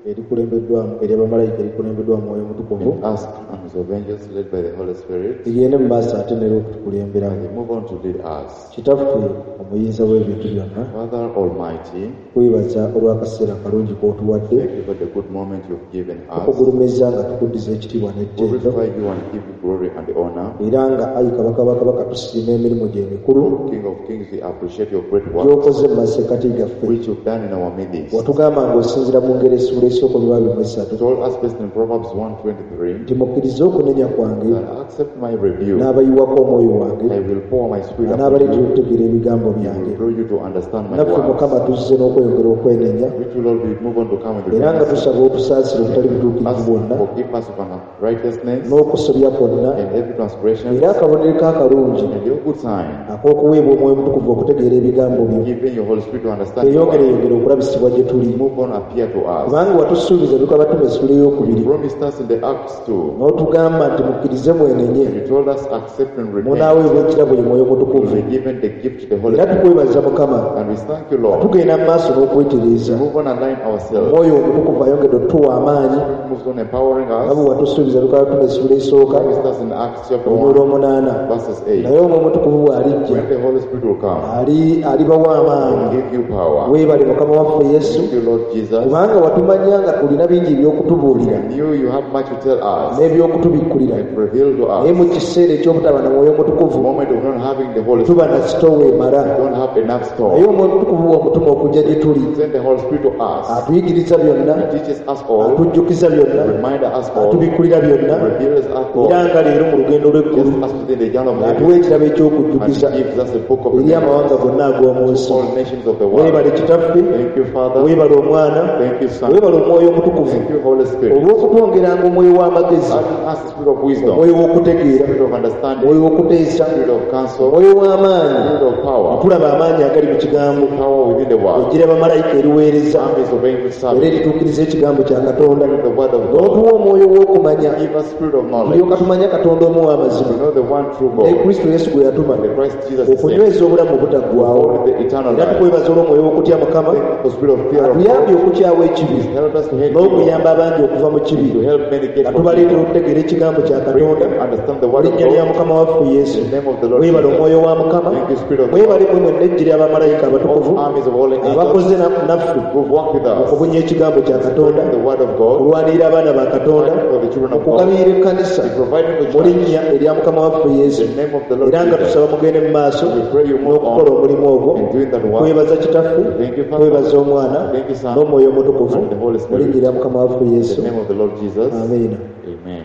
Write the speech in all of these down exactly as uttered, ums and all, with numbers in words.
erikulembeddwamu ery'abamalayika erikulembeddwamu Mwoyo Mutukuvu and ask armies of angels led by the Holy Spirit ligende mu maaso ate nera okutukulemberamu. and they move on to lead us. Kitaffe omuyinza w'ebintu byonna, Father Almighty, kwebaza olw'akaseera akalungi k'otuwadde, thank you for the good moment you've given us. Tukugulumiza nga tukuddiza ekitiibwa n'ettendo, Glorify you and give you glory and honor. Era nga ayi Kabaka wa Kabaka tusiima emirimu gye emikulu King of Kings, we appreciate your great work gy'okoze mu masekkati gaffe. which you've done in our midst. Watugamba ng'osinziira mu ngeri essuula esooka olwa esatu Told us based in Proverbs one twenty-three nti mukkirize okunenya kwange that accept my rebuke, n'abayiwako omwoyo wange I will pour my spirit upon n'abaleetera you, okutegeera ebigambo will byange. draw you to understand my Naffe words. Mukama tuzze n'okweyongera okwenenya Which will all be move on to come with era nga repentance. tusaba otusaasire obutali butuukirivu Ask bwonna forgive us of unrighteousness n'okusobya kwonna and every transgression era akabonero k'akalungi and your good sign, ak'okuweebwa omwoyo omutukuvu okutegeera ebigambo byo giving your Holy Spirit to understand your word. eyongereyongere okulabisibwa gye tuli Move on, appear to us. kubanga watusuubiza bikabatume essuula ey'okubiri Promised us in the Acts two. n'otugamba nti mukkirize mwenenye You told us accept and repent. munaaweebwa ekirabo ye mwoyo We mutukuvu were given the gift of the Holy era Spirit. tukwebaza Mukama And we thank you, Lord. tugenda mu maaso n'okwetereeza Move on and align ourselves. omwoyo omutukuvu ayongedde otuwa amaanyi Moves on empowering nga us. bwe watusuubiza bikabatume essuula esooka Promised us in Acts chapter olunyiriri one, olw'omunaana verses eight. naye omwoyo omutukuvu bw'alijja When the Holy Spirit will come, ali alibawa amaanyi will give you power. weebale Mukama waffe Yesu Thank you, Lord Jesus. kubanga watumanya nga tulina bingi eby'okutubuulira We knew you have much to tell us n'eby'okutubikkulira and reveal to naye us. mu kiseera eky'obutaba na mwoyo The mutukuvu moment of not having the Holy tuba Spirit, na sitoowa emala we don't have enough store. naye omwoyo omutukuvu w'omutuma okujja gye tuli Send the Holy Spirit to us. atuyigiriza byonna He teaches us all, atujjukiza byonna remind us all, atubikkulira byonna reveals us all, era nga leero mu lugendo lw'eggulu just us within the journey of heaven, atuwa ekirabo eky'okujjukiza and gives us the book of eri remembrance amawanga gonna ag'omu nsi to all nations of the world. weebale Kitaffe Thank you, Father. weebale Omwana Thank you, Son. weebale Omwoyo Omutukuvu Thank you, Holy Spirit. olw'okutwongeranga omwoyo w'amagezi Adding us the spirit of wisdom, omwoyo w'okutegeera spirit of understanding, omwoyo w'okuteesa spirit of counsel, omwoyo w'amaanyi spirit of power, tulaba amaanyi agali mu kigambo power within the world, egira bamalayika eriweereza armies of angels era serving, erituukiriza ekigambo kya Katonda the word of God. n'otuwa omwoyo w'okumanya Give us spirit of knowledge. tulyoka tumanya Katonda omu w'amazima To know the one true ne God, Kristo Yesu gwe yatuma the Christ Jesus is sent, okunyweza obulamu obutaggwaawo hold the eternal era life. tukwebaza olw'omwoyo w'okutya Mukama The spirit of fear of God atuyambye okukyawa ekibi help us to hate evil, n'okuyamba abangi okuva mu kibi to help many get nga from tubaleetera evil, okutegeera ekigambo kya bring Katonda them understand the mu word of linnya lya God. Mukama waffe Yesu In the name of the Lord weebale Jesus. omwoyo wa Mukama Thank you, Spirit of God. mwebale mwe mwenna ejjiri abamalayika abatukuvu All armies of holy angels abakoze na- naffe who've worked with us, okubunya ekigambo kya Katonda the word of God, okulwanirira abaana ba Katonda fighting for the children of God, okugabirira ekkanisa providing the mu church linnya erya Mukama waffe Yesu in the name of the Lord era nga Jesus. tusaba mugende mu maaso We pray you move n'okukola on omulimu ogwo in doing that work. kwebaza Kitaffe Thank you, Father. kwebaza Omwana Thank you, Son. n'Omwoyo Omutukuvu And the Holy mu Spirit. linnya erya Mukama waffe In Yesu the name of the Lord Jesus. amiina Amen.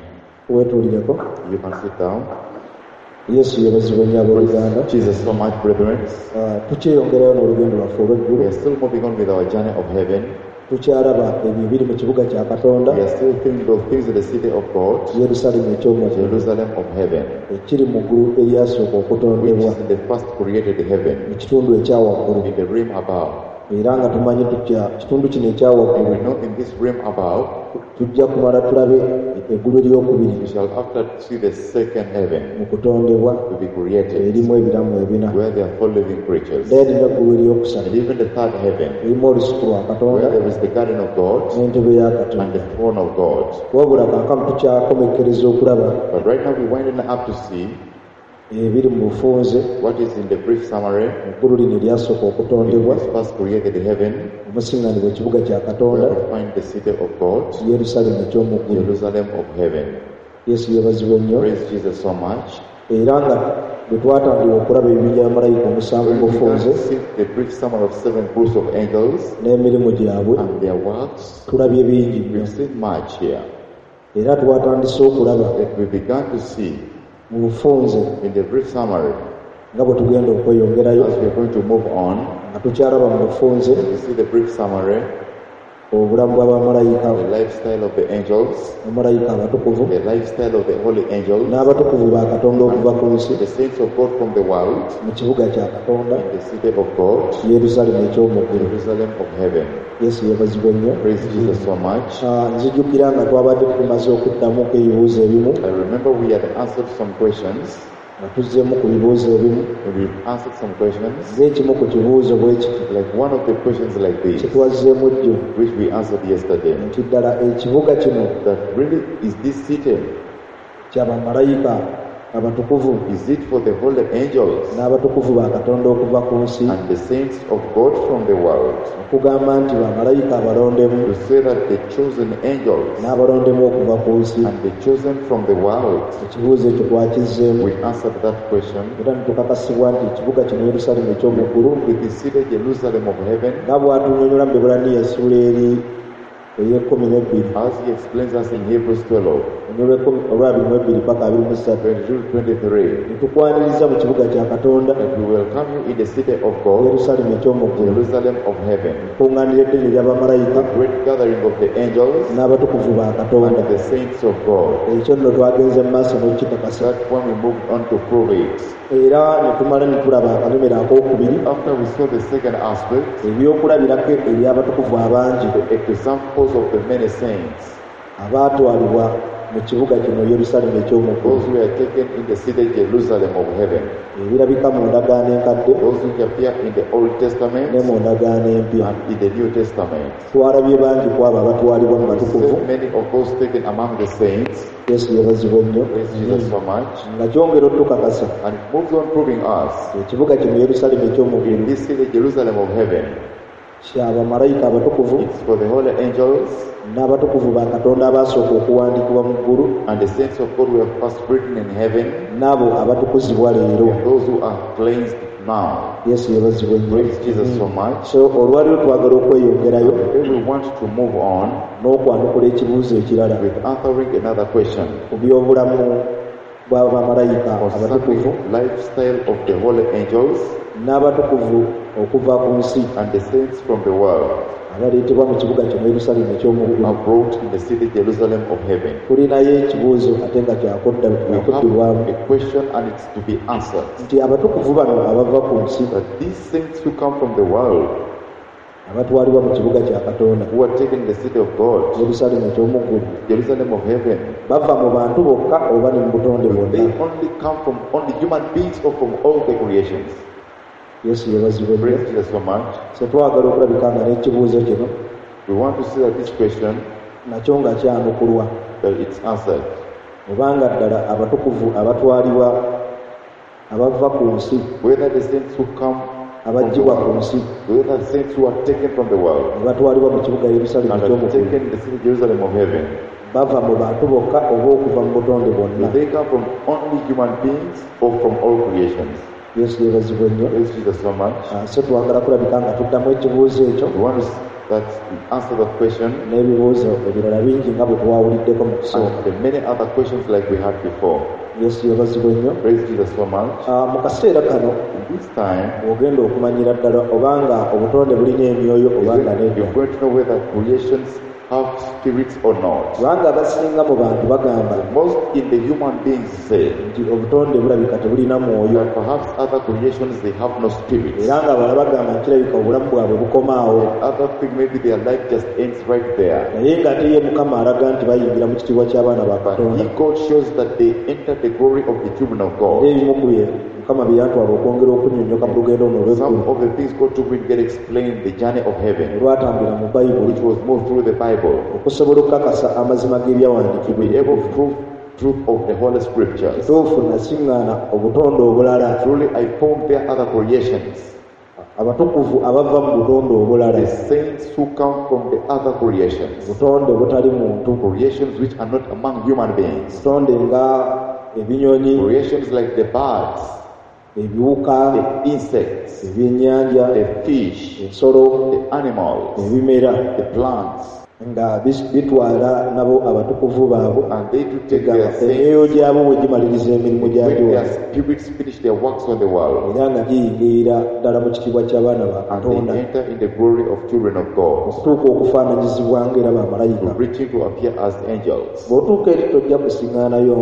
weetuulireko You can sit down. Yesu yeebazibwe nnyo abooluganda Jesus so much, brethren. Ah, tukyeyongerayo n'olugendo lwaffe olw'eggulu We are still moving on with our journey of heaven. tukyalaba ebyo ebiri mu kibuga kya Katonda We are still thinking of things in the city of God, Yerusaalemu eky'omu ggulu Jerusalem of heaven, ekiri mu ggulu eryasooka which okutondebwa is in the first created heaven, mu kitundu ekya waggulu in the realm above. era nga tumanyi tutya kitundu kino ekya And waggulu we know in this realm above, tujja kumala tulabe eggulu eryokubiri we shall after see the second heaven mu kutondebwa to be created, erimu ebiramu ebina where there are four living creatures. then n'eggulu eryokusatu And even the third heaven, erimu olusuku lwa Katonda where there is the garden of God n'entebe ya and Katonda the throne of God. wabula kaakano tukyakomekkereza okulaba But right now we're winding up to see ebiri mu bufunze what is in the brief summary mu ggulu lino eryasooka in okutondebwa this first created heaven, omusiŋŋanibwa ekibuga kya Katonda where we find the city of God, Yerusaalemu eky'omu ggulu Jerusalem of heaven. Yesu yeebazibwe nnyo Praise Jesus so much. era nga bwe twatandika okulaba ebibinja bya malayika omusanvu When mu we began bufunze to see the brief summary of seven groups of angels n'emirimu gyabwe and their works, tulabye bingi nnyo we've seen much here. era twatandise okulaba That we began to see mu bufunze in the brief summary nga bwe tugenda okweyongerayo as we are going to move on. nga tukyalaba mu bufunze We see the brief summary, obulamu bw'abamalayika the lifestyle of the angels, bamalayika abatukuvu the lifestyle of the holy angels, n'abatukuvu ba Katonda okuva ku nsi the saints of God from the world, mu kibuga kya Katonda in the city of God, Yerusaalemu eky'omu ggulu Jerusalem of heaven. Yesu yeebazibwe nnyo Praise Jesus so much. Ah, nzijukira nga twabadde tumaze okuddamuko ebibuuzo ebimu I remember we had answered some questions Nga tuzzeemu ku bibuuzo ebimu. And we've answered some questions, Ng'ekimu ku kibuuzo bwe kiti like one of the questions like this, kye twazzeemu jjo, which we answered yesterday, nti ddala ekibuga kino that really is this city, kya bamalayika abatukuvu is it for the holy angels n'abatukuvu ba Katonda okuva ku nsi, and the saints of God from the world? Okugamba nti bamalayika abalondemu To say that the chosen angels n'abalondemu okuva ku nsi. and the chosen from the world. Ekibuuzo ekyo twakizzeemu We answered that question. era ne tukakasibwa nti ekibuga kino Yerusaalemi eky'omu ggulu, With the city Jerusalem of heaven, nga bw'atunnyonnyola mu Bebbulaniya essuula eri ey'ekkumi n'ebbiri, as he explains us in Hebrews twelve, olw'abiri mu ebbiri paka abiri mu ssatu, twenty-two twenty-three, ne tukwaniriza mu kibuga kya Katonda, that we welcome you in the city of God, Yerusaalemi eky'omu ggulu, Jerusalem of heaven, ekkuŋŋaaniro eddene ery'abamalayika the great gathering of the angels n'abatukuvu ba Katonda. and the saints of God. Ekyo nno twagenze mu maaso n'okukikakasa. That one we moved on to prove it. Era ne tumala ne tulaba akabonero akookubiri, After we saw the second aspect, ebyokulabirako eby'abatukuvu abangi the examples of the many saints, abaatwalibwa mu kibuga kino Yerusaalemi eky'omu ggulu, those who were taken in the city Jerusalem of heaven, ebirabika mu ndagaano enkadde those who appear in the Old Testament ne mu ndagaano empya. and in the New Testament. Twalabye bangi ku abo abatwalibwa mu We batukuvu. saw many of those taken among the saints. Yesu yeebazibwe nnyo. Praise Jesus so much. Nga kyongera otukakasa And it moves on proving us ekibuga kino Yerusaalemi eky'omu in ggulu this city Jerusalem of heaven, kya bamalayika abatukuvu it's for the holy angels n'abatukuvu ba Katonda abaasooka okuwandiikibwa mu ggulu and the saints of God who have first written in heaven, n'abo abatukuzibwa leero. and those who are cleansed now. Yesu yeebazibwe nnyo. Praise Jesus so much. So olwaleero twagala okweyongerayo Today we want to move on n'okwanukula ekibuuzo ekirala with answering another question ku by'obulamu bwa bamalayika abatukuvu concerning lifestyle of the holy angels n'abatukuvu okuva ku nsi and the saints from the world abaleetebwa mu kibuga kino Yerusaalemi eky'omu who ggulu. are brought in the city Jerusalem of heaven. Tulinayo ekibuuzo ate nga kyakudda We have kyakuddibwamu a question and it's to be answered. nti abatukuvu bano abava ku nsi That these saints who come from the world, abatwalibwa mu kibuga kya Katonda who are taken in the city of God, Yerusaalemi eky'omu ggulu, Jerusalem of heaven, bava mu bantu bokka oba ne mu butonde they bwonna? only come from only human beings or from all the creations. Yesu yeebazibwe nnyo. Praise Jesus so much. So twagala okulabika nga n'ekibuuzo kino We want to see that this question, nakyo nga kyanukulwa, that it's answered. obanga ddala abatukuvu abatwalibwa abava ku nsi, Whether the saints who come from the abaggyibwa ku world, nsi whether the saints who are taken from the world ne batwalibwa mu kibuga Yerusaalemi and eky'omu are ggulu, taken in the city Jerusalem of heaven, bava mu bantu bokka oba okuva mu butonde do bwonna? they come from only human beings or from all creations? Yesu yeebazibwe nnyo. Praise Jesus so much. Ah, so twagala kulabika nga tuddamu ekibuuzo ekyo We want to s- that answer that question n'ebibuuzo ebirala bingi nga bwe twawuliddeko mu kusooka. and the many other questions like we had before. Yesu yeebazibwe nnyo. Praise Jesus so much. Ah, mu kaseera kano In this time, bw'ogenda okumanyira ddala obanga obutonde bulina emyoyo obanga nedda, you're going to know whether creations have spirits or not. kubanga abasinga mu bantu bagamba Most in the human beings say nti obutonde bulabika tebulina mwoyo, that perhaps other creations they have no spirits. era nga abalala bagamba nti kirabika obulamu bwabwe bukomaawo, Other thing, maybe their life just ends right there. naye ng'ate ye Mukama alaga nti bayingira mu kitiibwa ky'abaana ba But Katonda. he, God shows that they enter the glory of the children of Era God. ebimu ku bye Mukama bye yantwala okwongera okunnyonnyoka mu lugendo luno Some olw'eggulu of the things God took me to get explained the journey of heaven, olwatambulira mu Bayibuli, which was moved through the Bible, okusobola okukakasa amazima to g'ebyawandiikibwa be able to prove truth of the Holy Scriptures. Kituufu nasiŋŋaana obutonde obulala, Truly, I found there other creations, abatukuvu abava mu butonde obulala, the saints who come from the other creations, butonde obutali muntu, creations which are not among human beings, butonde nga ebinyonyi, creations like the birds, ebiwuka, the insects, ebyennyanja, the fish, ensolo, the animals, ebimera, the plants, nga bitwala nabo abatukuvu baabwe, and they do take their saints emyoyo gyabwe bwe gimaliriza emirimu gyagyo, when their spirits finish their works on the world, era nga giyingirira ddala mu kitiibwa ky'abaana ba and Katonda, they enter in the glory of children of God, okutuuka okufaananyizibwa ng'era bamalayika. reaching to appear as angels. Bw'otuuka eri tojja kusiŋŋaanayo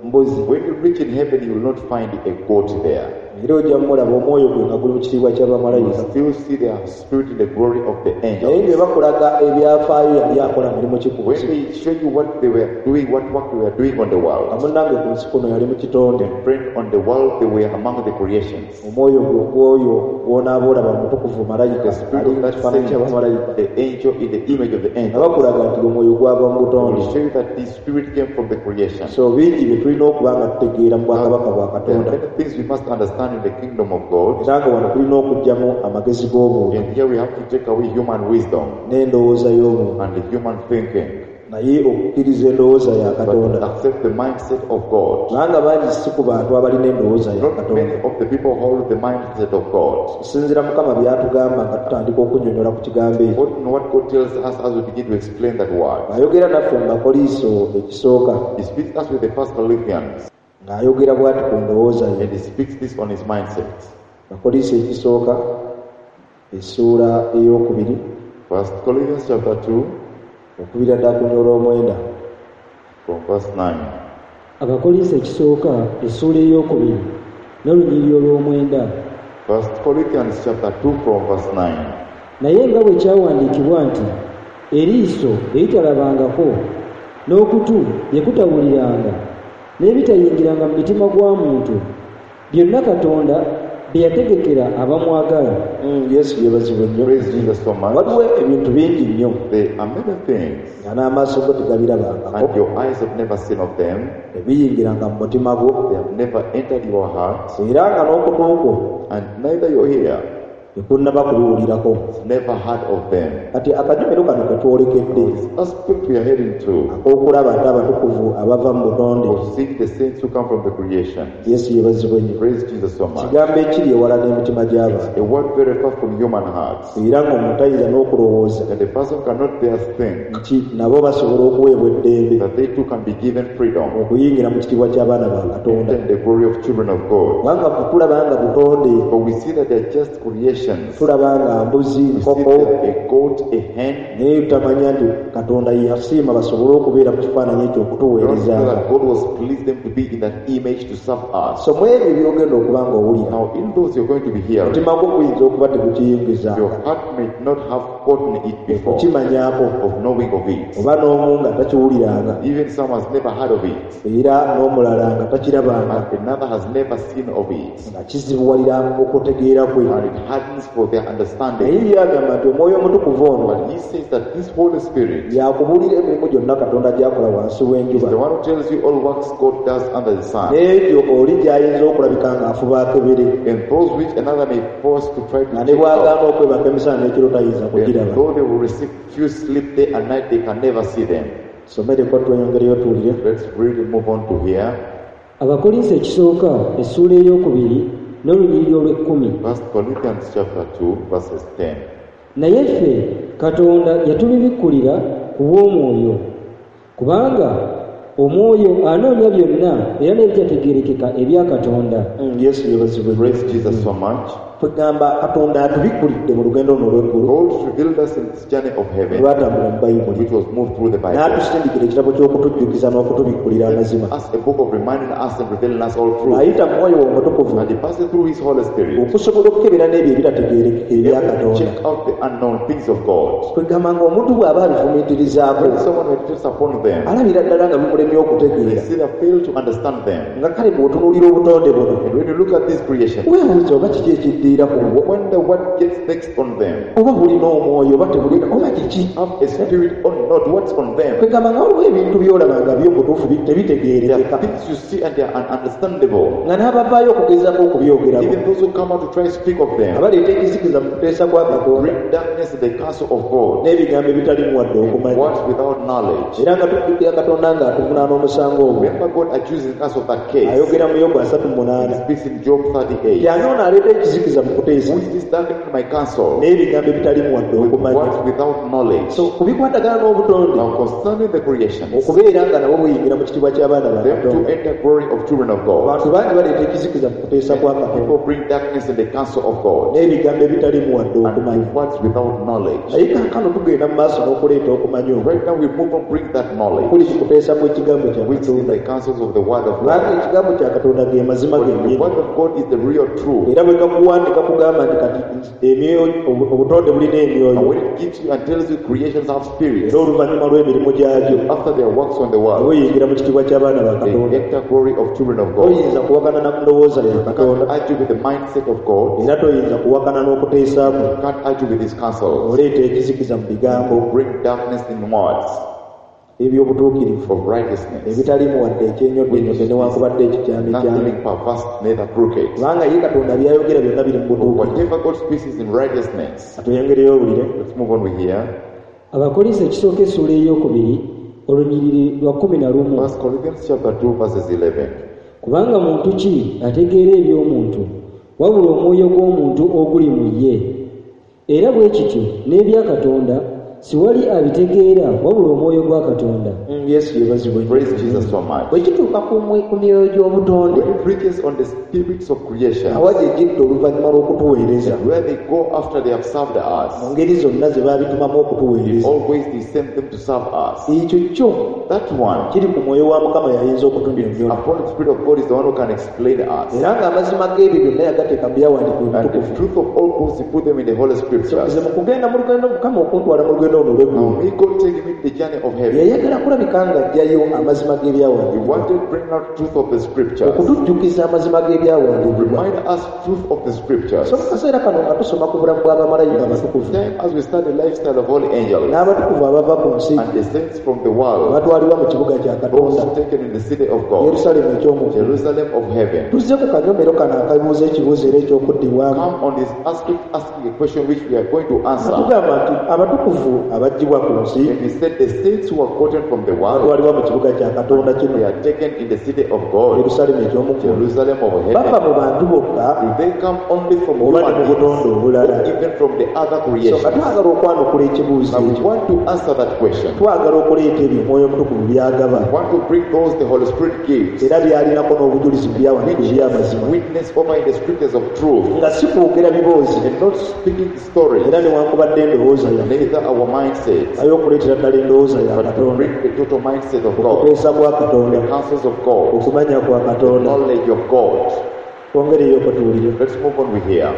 mbuzi. When you reach in heaven, you will not find a goat there. Era ojja mmulaba omwoyo gwe nga guli mu kitiibwa kya You bamalayika. still see their spirit in the glory of the Naye angels. bwe bakulaga ebyafaayo yali akola mulimu ki ku When nsi. they show you what they were doing, what work they were doing on the Nga world, munnange ku nsi kuno yali mu kitonde. and friend, on the world they were among the creations. Omwoyo gwe ogw'oyo gw'onaaba olaba mutukuvu malayika The spirit ali of mu that kifaananyi saint, kya bamalayika. the angel in the image of the Nga angel, bakulaga nti omwoyo gwava mu butonde. will show you that this spirit came from the creation. So bingi bye tulina okuba nga tutegeera mu bwakabaka bwa There are Katonda. many things we must understand in the kingdom of God. Era nga wano tulina okuggyamu amagezi g'omuntu And here we have to take away human wisdom n'endowooza y'omuntu. and the human thinking. Naye okukkiriza endowooza ya But Katonda. accept the mindset of God. Kubanga bangi si ku bantu abalina endowooza ya Not Katonda. many of the people hold the mindset of God. Okusinziira Mukama by'atugamba nga tutandika okunnyonnyola ku kigambo ekyo. What, what God tells us as we begin to explain that word. Ayogera naffe mu Bakoliiso ekisooka. He speaks us with the First Corinthians. Ng'ayogera bw'ati ku ndowooza ye. And he speaks this on his mindset. Bakoliiso ekisooka, essuula ey'okubiri. First Corinthians chapter two. Okubira ddala ku nnyolo omwenda. From verse nine. Abakoliiso ekisooka, essuula ey'okubiri, n'olunyiriri olw'omwenda. First Corinthians chapter two from verse nine. Naye nga bwe kyawandiikibwa nti, eriiso eritalabangako, n'okutu lye kutawuliranga, n'ebitayingiranga mu mitima gwa muntu, byonna Katonda bye yategekera abamwagala. Mm, Yesu yeebazibwe nnyo. Praise Jesus so much. Waliwo ebintu bingi nnyo. There are many things. Nga n'amaaso go tegabirabangako. And your eyes have never seen of them. Tebiyingiranga mu mutima gwo. They have never entered your heart. Era nga n'okutu kwo. And neither your ear. Tekunnaba kubiwulirako. Never heard of them. Kati akanyomero kano ke twolekedde. This aspect we are heading to. Ak'okulaba ate abatukuvu abava mu butonde. Of seeing the saints who come from the creation. Yesu yeebazibwe nnyo. Praise Jesus so much. Kigambo ekiri ewala n'emitima gy'abantu. A word very far from human hearts. Era ng'omuntu tayinza n'okulowooza. And the person cannot dare think. Nti nabo basobola okuweebwa eddembe. That they too can be given freedom. Okuyingira mu kitiibwa ky'abaana ba Katonda. Enter the glory of children of God. Kubanga tulaba nga butonde. But we see that they are just creation. Tulaba nga mbuzi, nkoko, a goat, a hen. Naye tutamanya nti Katonda yasiima basobole okubeera mu kifaananyi ekyo okutuweerezanga. God was pleased them to be in that image to serve us. So mu ebyo by'ogenda okuba ng'owulira. Now in those you're going to be hearing. Omutima gwo guyinza okuba tegukiyingizanga. Your heart may not have gotten it before. Okukimanyaako. Of knowing of it. Oba n'omu nga takiwuliranga. Even some has never heard of it. Era n'omulala nga takirabanga. And another has never seen of it. Nga kizibuwalira okutegeera kwe. And it hardens for their understanding. Naye yagamba nti omwoyo omutukuvu ono. But he says that this Holy Spirit yakubuulira emirimu gyonna Katonda gy'akola wansi w'enjuba. is the one who tells you all works God does under the sun. N'ebyo oli gy'ayinza okulabika ng'afuba akebere. And those which another may force to try to Nga ne check bw'agaana out. okwebaka emisana n'ekiro tayinza kugiraba. And though they will receive few sleep day and night, they can never see them. Somereko tweyongereyo tuwulire. Let's really move on to here. Abakoliiso ekisooka essuula ey'okubiri n'olunyiriri olw'ekkumi. First Corinthians chapter two verses ten. Naye ffe Katonda yatubibikkulira ku bw'omwoyo, kubanga omwoyo anoonya byonna era n'ebitategeerekeka ebya Katonda. Mm, Yesu yeebazibwe. Praise Jesus so much. Tugamba Katonda atubikkulidde mu lugendo luno olw'eggulu. God revealed us in this journey of heaven, Lwatambula mu Bayibuli. which was moved through the Bible. N'atusindikira ekitabo ky'okutujjukiza n'okutubikkulira amazima. Us a book of reminding us and revealing us all truth. Ayita mu mwoyo omutukuvu. And he passes through his Holy Spirit. Okusobola okukebera n'ebyo ebitategeerekeka ebya Katonda. Check out the unknown things of God. Kwegamba ng'omuntu bw'aba abifumiitirizaako. When someone meditates upon them, alabira ddala nga bimulemye okutegeera. They see they fail to understand them. Nga kale bw'otunuulira obutonde buno. And when you look at this creation, weebuuza oba kiki ekiddiira. You wonder what gets next on them. Oba bulina omwoyo oba tebulina oba kiki. Have a spirit or not, what's on them? Kwegamba nga waliwo ebintu by'olaba nga byo butuufu tebitegeerekeka. There are things you see and they are ununderstandable. Nga n'abavaayo okugezaako okubyogerako. Even those who come out to try to speak of them. Abaleeta ekizikiza mu kuteesa kwa Katonda. Bring darkness in the counsel of God. N'ebigambo ebitalimu wadde okumanya. Words without knowledge. Era nga tujjukira Katonda ng'atuvunaana omusango ogwo. Remember God accuses us of that case. Ayogera mu Yobu asatu mu munaana. He speaks in Job thirty-eight. Yange ono aleeta ekizikiza ekizikiza mu kuteesa Who is this darkening my counsel n'ebigambo ebitalimu wadde with okumanya words without knowledge? So ku bikwatagana n'obutonde Now concerning the creations, okubeera nga nabo buyingira mu kitiibwa ky'abaana ba them to Katonda enter glory of children of God. Abantu bangi baleeta ekizikiza mu kuteesa kwa Katonda People bring darkness in the counsel of God n'ebigambo ebitalimu wadde and okumanya with words without knowledge. Naye kaakano tugenda mu maaso n'okuleeta okumanya okwo Right now we move on, bring that knowledge, kuli mu kuteesa kw'ekigambo kya which is Katonda the counsels of the word of kubanga God. ekigambo kya Katonda ge mazima But the gennyini word of God is the real truth. Era bwe gakuwandika kugamba nti kati emyoyo obu- obutonde bulina And emyoyo when it gives you and tells you creations have spirits, era oluvannyuma lw'emirimu gyagyo after their works on the world, weyingira mu kitiibwa ky'abaana ba they Katonda enter glory of children of God. Toyinza kuwakana na ndowooza ya You Katonda can't argue with the mindset of God. era toyinza kuwakana n'okuteesa kwe You can't argue with his counsels. Oleeta ekizikiza mu bigambo Bring darkness in words eby'obutuukirivu of righteousness, ebitalimu wadde ekyenyoddonyodde newankubadde ekikyamikyami nothing perverse, neither crooked. Kubanga ye Katonda byayogera byonna biri mu butuukirivu Whatever God speaks is in righteousness. Atweyongereyo owulire Let's move on with here. Abakolinso ekisooka essuula ey'okubiri olunyiriri lwa kkumi na lumu First Corinthians chapter two verses eleven. Kubanga muntu ki ategeera eby'omuntu wabula omwoyo gw'omuntu oguli mu ye era bwe kityo n'ebya Katonda siwali abitegeera wabula omwoyo gwa Katonda Mm, Yesu yeebazibwe nnyo. Praise Jesus so much. Bwe kituuka ku mwe- ku myoyo gy'obutonde When he preaches on the spirits of creation, awa gye gidda oluvannyuma lw'okutuweereza where they go after they have served us, mu ngeri zonna ze baabitumamu okutuweereza always they send them to serve us. Ekyo kyo That one, kiri ku mwoyo wa Mukama yayinza okutunnyonnyola upon the Spirit of God, is the one who can explain us. Era ng'amazima g'ebyo byonna yagateeka mu byawandiikibwa And the ebitukuvu truth of all books, he put them in the Holy So Scriptures. nze mu kugenda mu lugendo Mukama okuntwala mu lugendo luno Now, olw'eggulu may God take him in the journey of heaven. Yayagala kulabika ng'aggyayo amazima He g'ebyawandiikibwa wanted to bring out truth of the Scriptures, okutujjukiza amazima g'ebyawandiikibwa remind us truth of the Scriptures. So mu kaseera kano nga tusoma ku bulamu bw'abamalayika abatukuvu Time as we start the lifestyle of holy angels n'abatukuvu abava ku nsi and the saints from the world, abatwalibwa mu kibuga kya Katonda those taken in the city of God, Yerusaalemu eky'omu ggulu Jerusalem of heaven. Tuzze ku kanyomero kano akabuuza ekibuuzo era ekyokuddibwamu Come on this aspect asking a question which we are going to answer. Tugamba nti abatukuvu abaggyibwa ku nsi And he said the saints who are gotten from the world, batwalibwa mu kibuga kya Katonda kino they are taken in the city of God, Yerusaalemu eky'omu ggulu Jerusalem of bava heaven. mu bantu bokka Do they come only from oba ne human mu butonde beings, obulala or even from the other So creations? nga twagala okwanukula ekibuuzo Now we ekyo want to answer that question. twagala okuleeta ebyo Omwoyo Omutukuvu by'agaba We want to bring those the Holy Spirit gives, era by'alinako n'obujulizi mu byawandiikibwa which is eby'amazima witness over in the scriptures of truth, nga si kwogera biboozi and not speaking stories, era newankubadde endowooza yaffe neither our mindsets, naye okuleetera ddala endowooza ya but to Katonda bring the total mindset of God, okuteesa kwa Katonda the counsels of God, okumanya kwa the Katonda knowledge of God. Twongereyo okutuwulire Let's move on with here.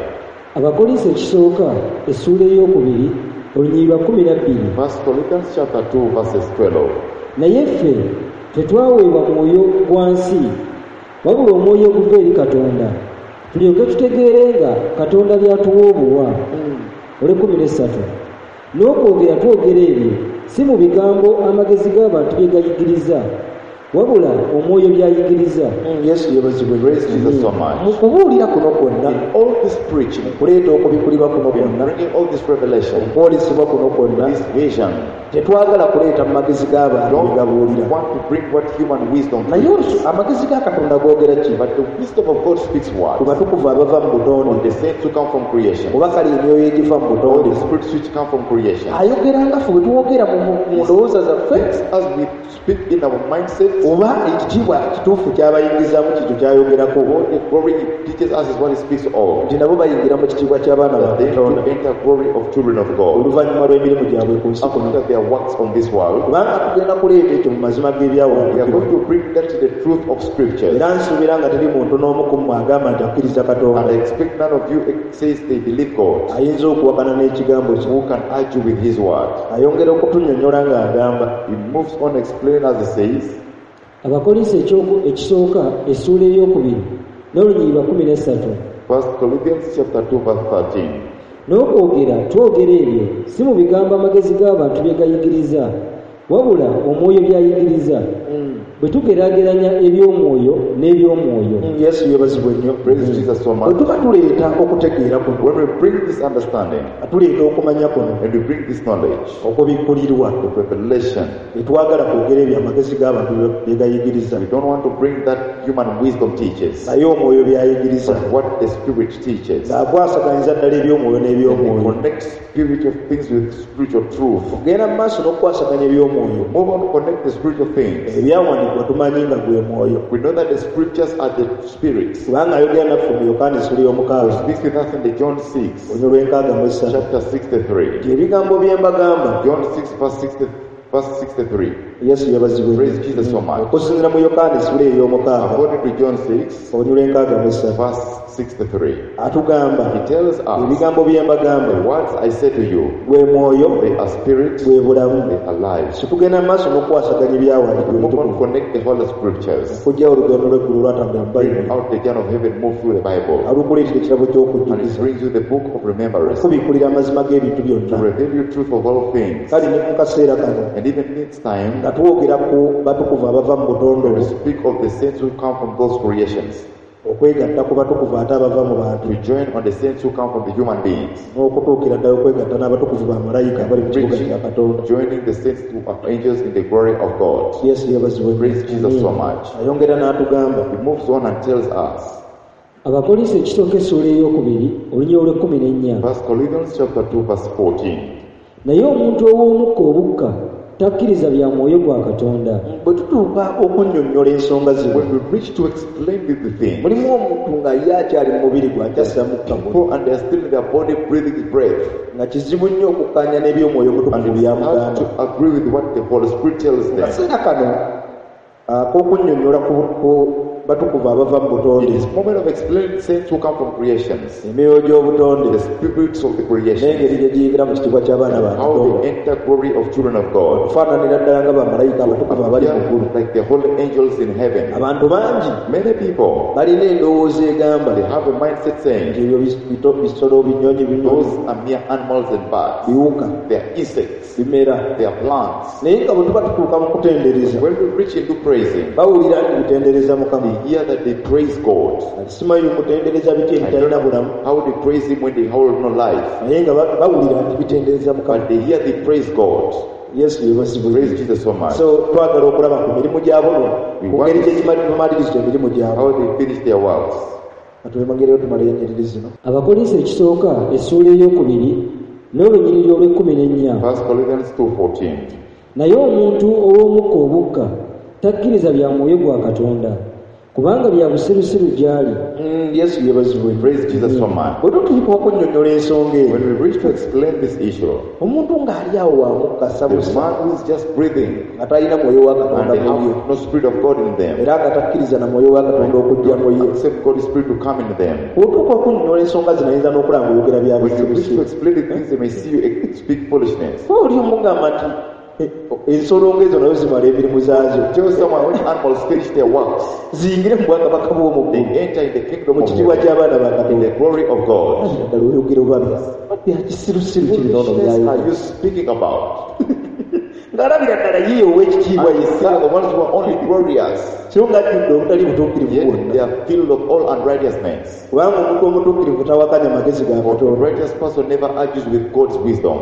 Abakolinso ekisooka essuula ey'okubiri olunyiriri lwa kkumi na bbiri First Corinthians chapter two verses twelve. Naye ffe tetwaweebwa mwoyo gwa nsi wabula omwoyo oguva eri Katonda tulyoke tutegeere nga Katonda by'atuwa obuwa olw'ekkumi n'essatu n'okwogera twogera ebyo si mu bigambo amagezi g'abantu bye gayigiriza wabula omwoyo by'ayigiriza Mm, Yesu yeebazibwe Praise Jesus so much. Mu kubuulira kuno kwonna In all this preaching, kuleeta okubikulibwa kuno in kwonna bringing all this revelation, okwolesebwa kuno kwonna this vision, tetwagala kuleeta mu magezi g'abantu bye don't gabuulira want to bring what human wisdom naye brings. olusu amagezi ga Katonda googera ki But the wisdom of God speaks ku what? batukuvu abava mu butonde On the saints who come from creation, oba kale emyoyo egiva mu all butonde the spirits which come from creation. Ayogera nga ffe bwe twogera mu mu ndowooza zaffe As we speak in our mindset, oba ekitiibwa kituufu ky'abayingizaamu kikyo ky'ayogerako what the glory he teaches us is what he speaks of. Nti nabo bayingira mu kitiibwa ky'abaana ba That they Katonda to enter glory of children of God oluvannyuma lw'emirimu gyabwe ku nsi kuno after their works on this world. Kubanga tugenda kuleeta ekyo mu mazima We are g'ebyawandiikibwa going to bring that to the truth of scriptures. Era nsuubira nga teri muntu n'omu ku mmwe agamba nti akkiriza Katonda And I expect none of you says they believe God ayinza okuwakana n'ekigambo kye who can argue with his word. Ayongera okutunnyonnyola ng'agamba He moves on explaining as he says, Abakolinso ekyoku- ekisooka essuula ey'okubiri n'olunyiriri lwa kkumi n'essatu First Corinthians chapter two verse thirteen. N'okwogera twogera ebyo si mu bigambo amagezi g'abantu bye gayigiriza Wabula omwoyo by'ayigiriza. Bwe tugeraageranya eby'omwoyo n'eby'omwoyo. Yesu yeebazibwe nnyo. Praise Jesus so Bwe much. tuba tuleeta okutegeera kuno, When we bring this understanding nga tuleeta okumanya kuno, and we bring this knowledge, okubikkulirwa, the revelation, tetwagala kwogera ebyo amagezi g'abantu bye gayigiriza, we don't want to bring that human wisdom teaches, naye omwoyo by'ayigiriza, but what the Spirit teaches. Ng'akwasaganyiza ddala eby'omwoyo And n'eby'omwoyo. he connects spiritual things with spiritual truth. Ogenda mu maaso n'okukwasaganya eby'omwoyo. Move on to connect the spiritual things. Ebyawandiikibwa tumanyi nga gwe mwoyo. We know that the scriptures are the spirits. Kubanga ayogera naffe mu Yokaana essula y'omukaaga, Speaks with us in the John six, olunyiriri lw'enkaaga mu essatu, chapter sixty-three. Nti ebigambo bye mbagamba. John six, verse sixty, verse sixty-three. Yesu yeebazibwe. Praise Jesus so much. Okusinziira mu Yokaana essula ey'omukaaga, According to John six, olunyiriri lw'enkaaga mu essatu, verse sixty-three, atugamba, he tells us, ebigambo bye mbagamba, the words I say to you, gwe mwoyo, they are spirit, gwe bulamu. they are life. So tugenda mu maaso n'okukwasaganya ebyawandiikibwa Move on, ebitukuvu, connect the Holy Scriptures. okuggyawo olugendo lw'eggulu lwatambula mu Bring Bayibuli, out the journey of heaven, move through the Bible. alukuleetera ekirabo And it ky'okujjukiza, brings you the book of remembrance, okubikkulira amazima g'ebintu to byonna. reveal you truth of all things. Kale ne mu kaseera kano, And even next time, nga twogera ku batukuvu abava mu butonde we obwo, speak of the saints who come from those creations, okwegatta ku batukuvu ate abava mu bantu, to join on the saints who come from the human beings, n'okutuukira ddala okwegatta n'abatukuvu bamalayika abali mu kibuga reaching, kya Katonda. joining the saints who are angels in the glory of God. Yesu yeebazibwe. Praise Jesus so much. Ayongera n'atugamba, He moves on and tells us, Abakolinso ekisooka essuula ey'okubiri olunyiriri olw'ekkumi n'ennya. First Corinthians chapter two, verse fourteen. Naye omuntu ow'omukka obukka takkiriza bya mwoyo gwa Katonda. Bwe tutuuka okunnyonnyola ensonga zino, When we reach to explain the thing, mulimu omuntu nga ye akyali mu mubiri gwe akyassa mukka gwe, people and they are still in their body breathing breath, nga kizibu nnyo okukkaanya n'eby'omwoyo and omutukuvu it's hard by'amugamba. to agree with what the Holy Spirit tells Mu them. kaseera kano ak'okunnyonnyola ku ku batukuvu abava mu butonde, In this moment of explaining saints who come from creations, emyoyo gy'obutonde, the spirits of the creation, n'engeri gye giyingira mu kitiibwa ky'abaana ba how Katonda, they enter glory of children of God, okufaananira ddala nga bamalayika abatukuvu abali mu ggulu. like the holy angels in heaven. Abantu bangi Many people, balina endowooza egamba they have a mindset nti saying, ebyo bito- bisolo, binyonyi, binyonyi, those are mere animals and birds. biwuka, They are insects. bimera. They are plants. Naye nga bwe tuba tutuuka mu kutendereza, When we reach into praising, bawulira nti bitendereza Mukama. they hear that they praise God. Kati simanyi mutendereza biki ebitalina bulamu, How they praise Him when they hold no life. naye nga ba- bawulira nti bitendereza Mukama. But they hear they praise God. Yesu yeebazibwe. Praise Jesus so much. So twagala okulaba ku mirimu gyabo, ku ngeri gye bamaliriza emirimu gyabwe. How they finish their works. Katwemangereyo tumaleyo ennyiriri zino. Abakolinso ekisooka essuula ey'okubiri n'olunyiriri olw'ekkumi n'ennya. First Corinthians two fourteen. Naye omuntu ow'omukka obukka takkiriza bya mwoyo gwa Katonda, kubanga bya busirusiru gy'ali. Mm, Yesu yeebazibwe. Praise Jesus so much. Bwe tutuuka okunnyonnyola ensonga eno, When we reach to explain this issue, omuntu ng'ali awo wa mukka the sabusa, man who is just breathing nga talina mwoyo wa and Katonda they mu ye, have no spirit of God in them, era nga takkiriza na mwoyo wa Katonda okujja mu ye, accept God's spirit to come in them. Bw'otuuka okunnyonnyola ensonga zino, ayinza n'okulaba ng'oyogera bya When you reach to busirusiru. explain the things, they may see you speak foolishness. Oba oli omugamba nti eh, ensolo ng'ezo nazo zimala emirimu zaazo, Tell someone when animals finish their works, ziyingire mu bwakabaka bw'omu they ggulu, enter in the kingdom mu of kitiibwa heaven, ky'abaana ba in Katonda. the glory of God. Ddala oyogera oba bya kisirusiru kiri noono Foolishness byayogera. are you speaking about? Ng'alabira ddala ye ow'ekitiibwa And you see yekka, the ones who are only glorious, so ng'ajjudde obutali butuukirivu yet bwonna. they are filled of all unrighteousness. Kubanga omuntu omutuukirivu tawakanya magezi ga For the Katonda. righteous person never argues with God's wisdom.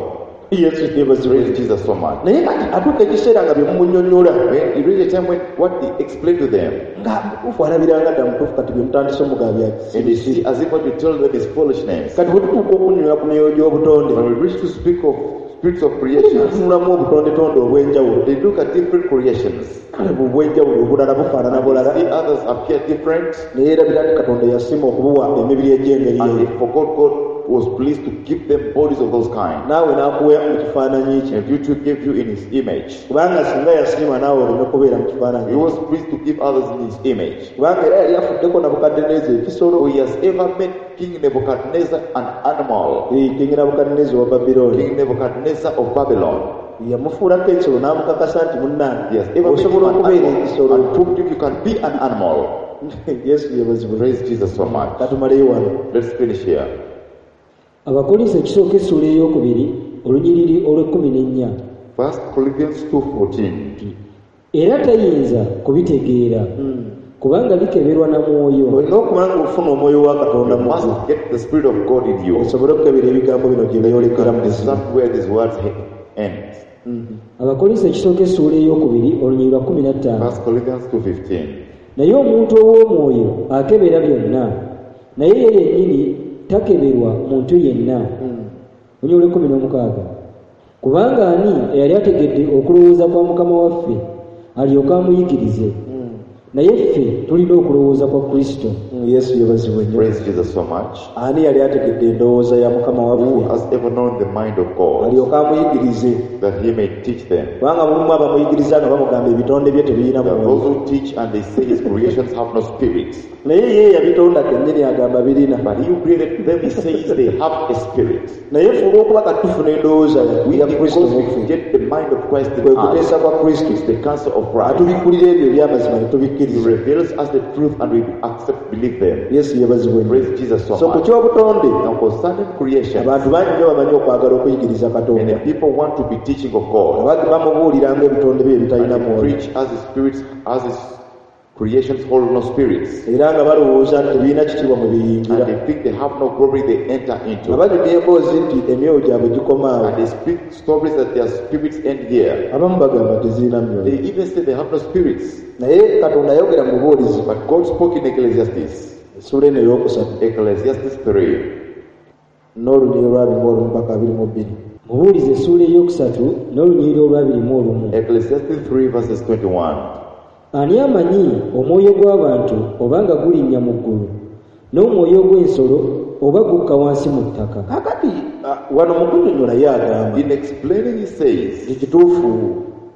Yesu yeebazibwe. Praise Jesus so much. Naye kati atuuka ekiseera nga bye mumunnyonnyola, When you reach a time when what he explained to them, nga mutuufu alabiranga dda mutuufu, kati bye mutandise omugaba bya and they see as if what you tell them is foolishness. Kati bwe tutuuka okunnyonnyola ku myoyo gy'obutonde, When we reach to speak of spirits of creations, tunulamu obutondetonde obw'enjawulo. they look at different creations. Kale bwe obw'enjawulo obulala bufaanana bulala, See others appear different, naye erabira nti Katonda yasiima okubuwa emibiri egy'engeri and eyo, they forgot God was pleased to give them bodies of those kind. naawe n'akuwa mu kifaananyi kye. And you too gave you in his image. Kubanga singa yasiima naawe oleme kubeera mu kifaananyi, He was pleased to give others in his image. kubanga era yali afuddeko Nabukadduneeza ekisolo. For he has ever made King Nebuchadnezzar an animal. Eh, King Nabukadduneeza owa Babilooni, King Nebuchadnezzar of Babylon. yamufuulako ekisolo n'amukakasa nti munnange He has ever made him osobola an okubeera animal ekisolo. and proved if you can be an animal. Yesu yeebazibwe. Praise Jesus so much. Katumaleyo wano. Let's finish here. Abakolinso ekisooka essuula ey'okubiri olunyiriri olw'ekkumi n'ennya. First Corinthians two fourteen. Era tayinza kubitegeera kubanga bikeberwa na mwoyo. Olina okuba ng'ofuna omwoyo wa Katonda You mu must ggwe. get the Spirit of God in you. Osobole okukebera ebigambo bino gye byolekera mu buzima. Understand where these words end. Abakolinso ekisooka essuula ey'okubiri olunyiriri lwa kkumi na ttaano. First Corinthians two fifteen. Naye omuntu ow'omwoyo akebera byonna, naye ye yennyini takeberwa muntu yenna. Olunyiriri lw'ekkumi n'omukaaga. Kubanga ani eyali ategedde okulowooza kwa Mukama waffe alyoke amuyigirize? Naye ffe tulina okulowooza kwa Kristo. Yesu yeebazibwe nnyo. Praise Jesus so much. Ani yali ategedde endowooza ya Mukama Who waffe has ever known the mind of God alyoke amuyigirize? that he may teach them? Kubanga mulimu abamuyigiriza nga bamugamba ebitonde bye tebirina There are mwoyo. those who teach and they say his creations have no spirit. Naye ye yabitonda kennyini agamba birina. But he who created them, he says they have a spirit. Naye ffe olw'okuba kati tufuna endowooza We, ya Kristo because mu we ffe, get the mind of Christ in kwe us, kuteesa kwa Kristo, it's the counsel of Christ. atubikkulira ebyo eby'amazima ne He tubikkiriza. reveals us the truth and we accept, believe them. Yesu yeebazibwe nnyo. Praise Jesus so So ku much. ky'obutonde, Now concerning creation, abantu bangi nnyo bamanyi okwagala okuyigiriza Katonda. many people want to be teaching of God. Abandi bamubuulira ng'ebitonde bye ebitalina And they mwoyo. preach as his spirits, as his creations hold no spirits. Era nga balowooza nti tebirina kitiibwa mwe biyingira. And they think they have no glory they enter into. Nga banyumya emboozi nti emyoyo gyabwe gikoma awo. And they speak stories that their spirits end here. Abamu bagamba tezirina myoyo. They even say they have no spirits. Naye Katonda ayogera mu bubuulizi. But God spoke in Ecclesiastes. Essuula eno ey'okusatu. Ecclesiastes three. N'olunyiriri olw'abiri mu olumu paka abiri mu bbiri. Mubuulizi essuula ey'okusatu n'olunyiriri olw'abiri mu olumu. Ecclesiastes three verses twenty-one. Ani amanyi omwoyo gw'abantu oba nga gulinnya mu ggulu, n'omwoyo gw'ensolo oba gukka wansi mu ttaka? Kaakati, ah, wano mu kunnyonnyola ye agamba In explaining, he says nti kituufu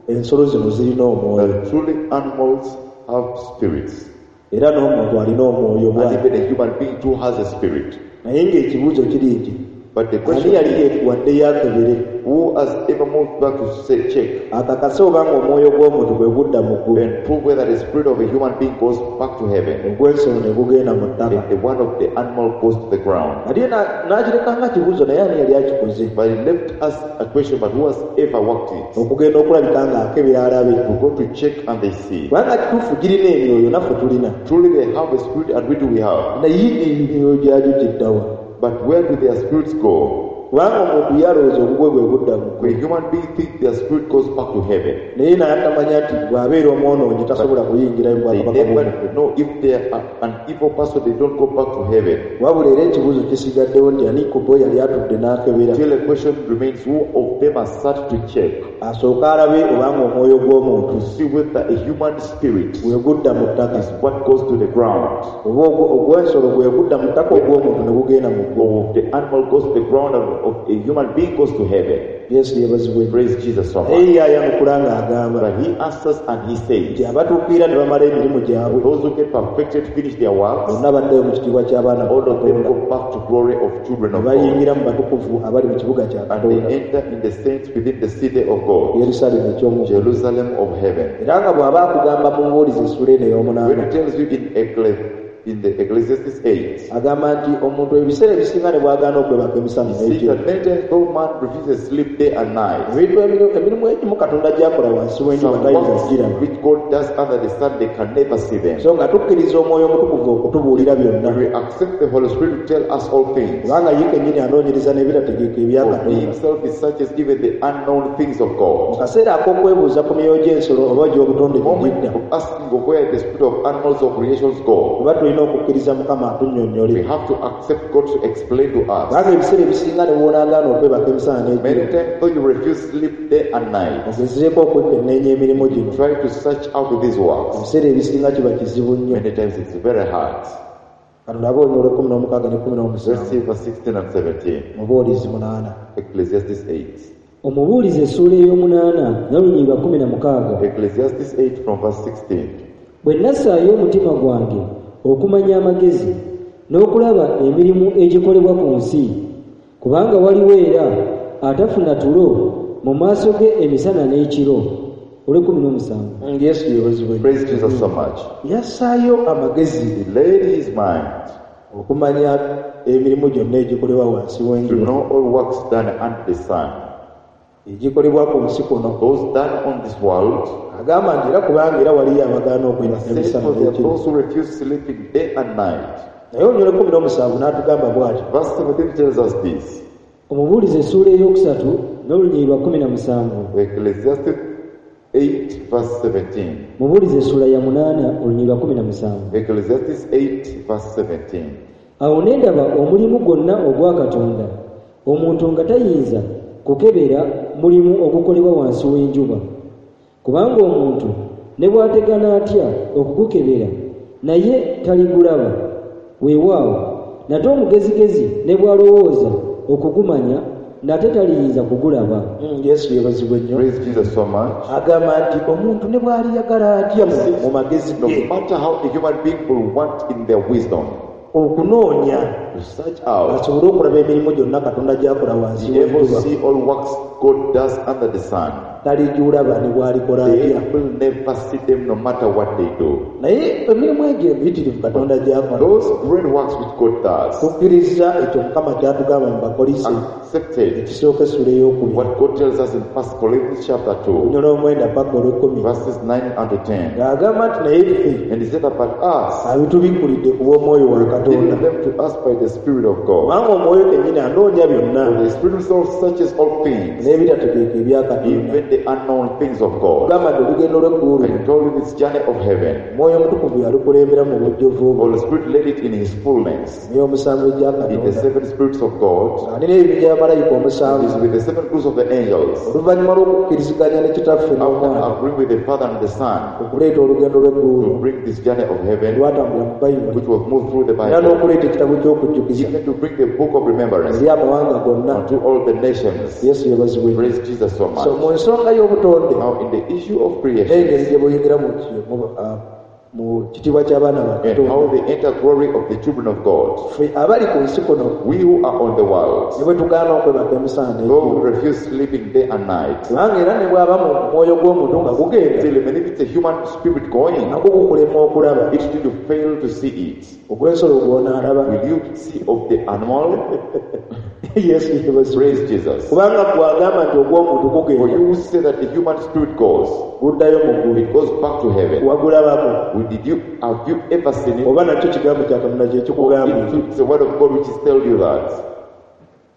ensolo zino zirina omwoyo. that truly animals have spirits. Era n'omuntu alina omwoyo And bw'atyo. even a human being too has a spirit. Naye ng'ekibuuzo kiri nti, But the ani question yali is, yeetuwaddeyo akebere? who has ever moved back to say, check Akakase obanga omwoyo gw'omuntu bwe gudda mu ggulu. and prove whether the spirit of a human being goes back to heaven Ogw'ensolo ne gugenda mu ttaka. and the one of the animal goes to the ground. Ate na-, n'akireka nga kibuuzo, naye ani yali akikoze? But he left us a question, but who has ever worked it? Okugenda okulabika ng'akebera alabe. We go to check and they see. Kubanga kituufu girina emyoyo, naffe tulina. Truly they have a spirit and we do we have. Naye emyoyo gyagyo gidda wa? But where do their spirits go? Kubanga omuntu yalowooza obugwe bwe budda mu ggulu. When human beings think their spirit goes back to heaven, Naye n'atamanya nti bw'abeera omwonoonyi tasobola kuyingira mu they bwakabaka never bw'omu ggulu. know if they are an evil person, they don't go back to heaven. Wabula era ekibuuzo kisigaddewo nti ani ku bo yali atudde n'akebera? Till the question remains, who of them has sat to check Asooke alabe obanga omwoyo gw'omuntu to see whether a human spirit bwe gudda mu ttaka is what goes to the ground, oba ogwo-, ogw'ensolo bwe gudda mu ttaka ogw'omuntu ne gugenda mu ggulu. or the animal goes to the ground and of a human being goes to heaven. Yesu yeebazibwe. Praise Jesus so much. Naye ye ayanukula ng'agamba But he answers and he says, nti abatuukirira ne bamala emirimu gyabwe those who get perfected finish their works, bonna baddayo mu kitiibwa ky'abaana ba all of them Katonda. go back to glory of children of Ne God. bayingira mu batukuvu abali mu kibuga kya And they Katonda. enter in the saints within the city of God, Yerusaalemi eky'omu ggulu. Jerusalem of heaven. Era nga bw'aba akugamba mu mbuulizi essuula eno ey'omunaana, When he tells you in Ecclesi-, in the Ecclesiastes eight, agamba nti omuntu ebiseera ebisinga ne bw'agaana okwebaka emisana he says n'ekiro. that many times though man refuses sleep day and night, Ebintu ebiri-, emirimu egimu Katonda gy'akola wansi w'enjuba some tayinza works kugiraba. which God does under the sun, they can never see them. So nga tukkiriza Omwoyo Omutukuvu okutubuulira byonna. We accept the Holy Spirit to tell us all things. Kubanga ye kennyini anoonyereza n'ebitategeeka ebya For he Katonda. himself is such as even the unknown things of Mu God. kaseera ak'okwebuuza ku myoyo gy'ensolo oba gy'obutonde The moment gye gidda, of asking of where the spirit of animals or creations go, oba tulina okukkiriza Mukama atunnyonnyole. we have to accept God to explain to us. Kubanga ebiseera ebisinga ne bw'onaagaana okwebaka emisana n'ekiro, Many times though you refuse sleep day and night, ogezeeko okwekenneenya emirimu gino. try to search out these works. Ebiseera ebisinga kiba kizibu nnyo. Many times it's very hard. Katulabe olunyiriri olw'ekkumi n'omukaaga n'ekkumi n'omusanvu. Let's see verse sixteen and seventeen. Mubuulizi munaana. Ecclesiastes eight. Omubuulizi essuula ey'omunaana n'olunyiriri lwa kkumi na mukaaga. Ecclesiastes eight from verse sixteen. Bwe nassaayo omutima gwange okumanya amagezi n'okulaba emirimu egikolebwa ku nsi, kubanga waliwo era atafuna tulo mu maaso ge emisana n'ekiro. Olw'ekkumi n'omusanvu. Yesu yeebazibwe. Praise Jesus so much. Yassaayo amagezi. He laid his mind okumanya emirimu gyonna egikolebwa wansi to w'enjuba. know all works done under the sun. Egikolebwa ku nsi kuno. Those done on this world. Agamba nti era kubanga era waliyo abagaana okwebaka Says emisana for there are n'ekiro. those who refuse sleeping day and night. Naye olunyiriri lw'ekkumi n'omusanvu n'atugamba bw'ati. Verse seventeen tells us this. Omubuulizi essuula ey'okusatu n'olunyiriri lwa kkumi na musanvu. Ecclesiastes eight verse seventeen. Mubuulizi essuula ya munaana olunyiriri lwa kkumi na musanvu. Ecclesiastes eight verse seventeen. Awo ne ndaba omulimu gwonna ogwa Katonda, omuntu nga tayinza kukebera mulimu ogukolebwa wansi w'enjuba. Kubanga omuntu ne bw'ategana atya okugukebera, naye taligulaba. Weewaawo, nate omugezigezi ne bw'alowooza okugumanya, nate taliyinza kugulaba. Mm, Yesu yeebazibwe nnyo. Praise Jesus so much. Agamba nti omuntu ne bw'aliyagala atya mu, mu magezi No ge matter how a human being will want in their wisdom okunoonya to search out, asobole okulaba emirimu gyonna Katonda gy'akola wansi be able to w'enjuba, see all works God does under the sun. Talijulaba ne bw'alikola They atya. will never see them no matter what they do. Naye emirimu egyo emiyitirivu Katonda gy'akola, Those great works which God does, tukkiriza ekyo Mukama ky'atugamba mu Bakolinso accepted ekisooka essula ey'okubiri, what God tells us in First Corinthians chapter two, olunyiriri olw'omwenda paka olw'ekkumi, verses nine and ten. Ng'agamba nti naye ffe And he said about us, abitubikkulidde ku bw'omwoyo wa Katonda. giving them to us by the Spirit of God. Kubanga omwoyo kennyini anoonya byonna For the Spirit himself searches all things, n'ebitategeeka ebya Katonda. even the unknown things of God. Gamba nti olugendo lw'eggulu, I told you this journey of heaven, Omwoyo Omutukuvu yalukulembera mu bujjuvu bwe. Holy Spirit led it in his fullness. Emyoyo omusanvu egya In the Katonda. seven spirits of God, Ng'alina ebibinja bya malayika omusanvu. is with the seven groups of the angels, Oluvannyuma lw'okukkiriziganya ne Kitaffe after n'Omwana agreeing with the Father and the Son, okuleeta olugendo lw'eggulu to bring this journey of heaven, lwatambulira mu Bayibuli, which was moved through the era Bible, n'okuleeta ekitabo ky'okujjukiza even to bring the book of remembrance eri amawanga gonna. unto all the nations. Yesu yeebazibwe. Praise Jesus so So much. mu nsonga y'obutonde Now, in the issue of creation n'engeri gye buyingira mu ki- mu, ah, mu kitiibwa ky'abaana ba and how Katonda, they enter glory of the children of God, ffe abali ku nsi kuno we who are on the world, ne bwe tugaana okwebaka emisana though n'ekiro, we refuse sleeping day and night, kubanga era ne bw'aba mu mwoyo gw'omuntu nga gugenda, still, even if it's a human spirit going, nagwo gukulema okulaba. it will fail to see it. Ogw'ensolo gw'onaalaba. Will you see of the animal? Yesu yeebazibwe. Praise Jesus. Kubanga gw'agamba nti ogw'omuntu For gugenda, you say that the human spirit goes, guddayo mu ggulu, it goes back to heaven. wagulabako? We- Did you have you ever seen it? Oba nakyo kigambo kya Katonda kye kikugambye? It's the word of God which is telling you that.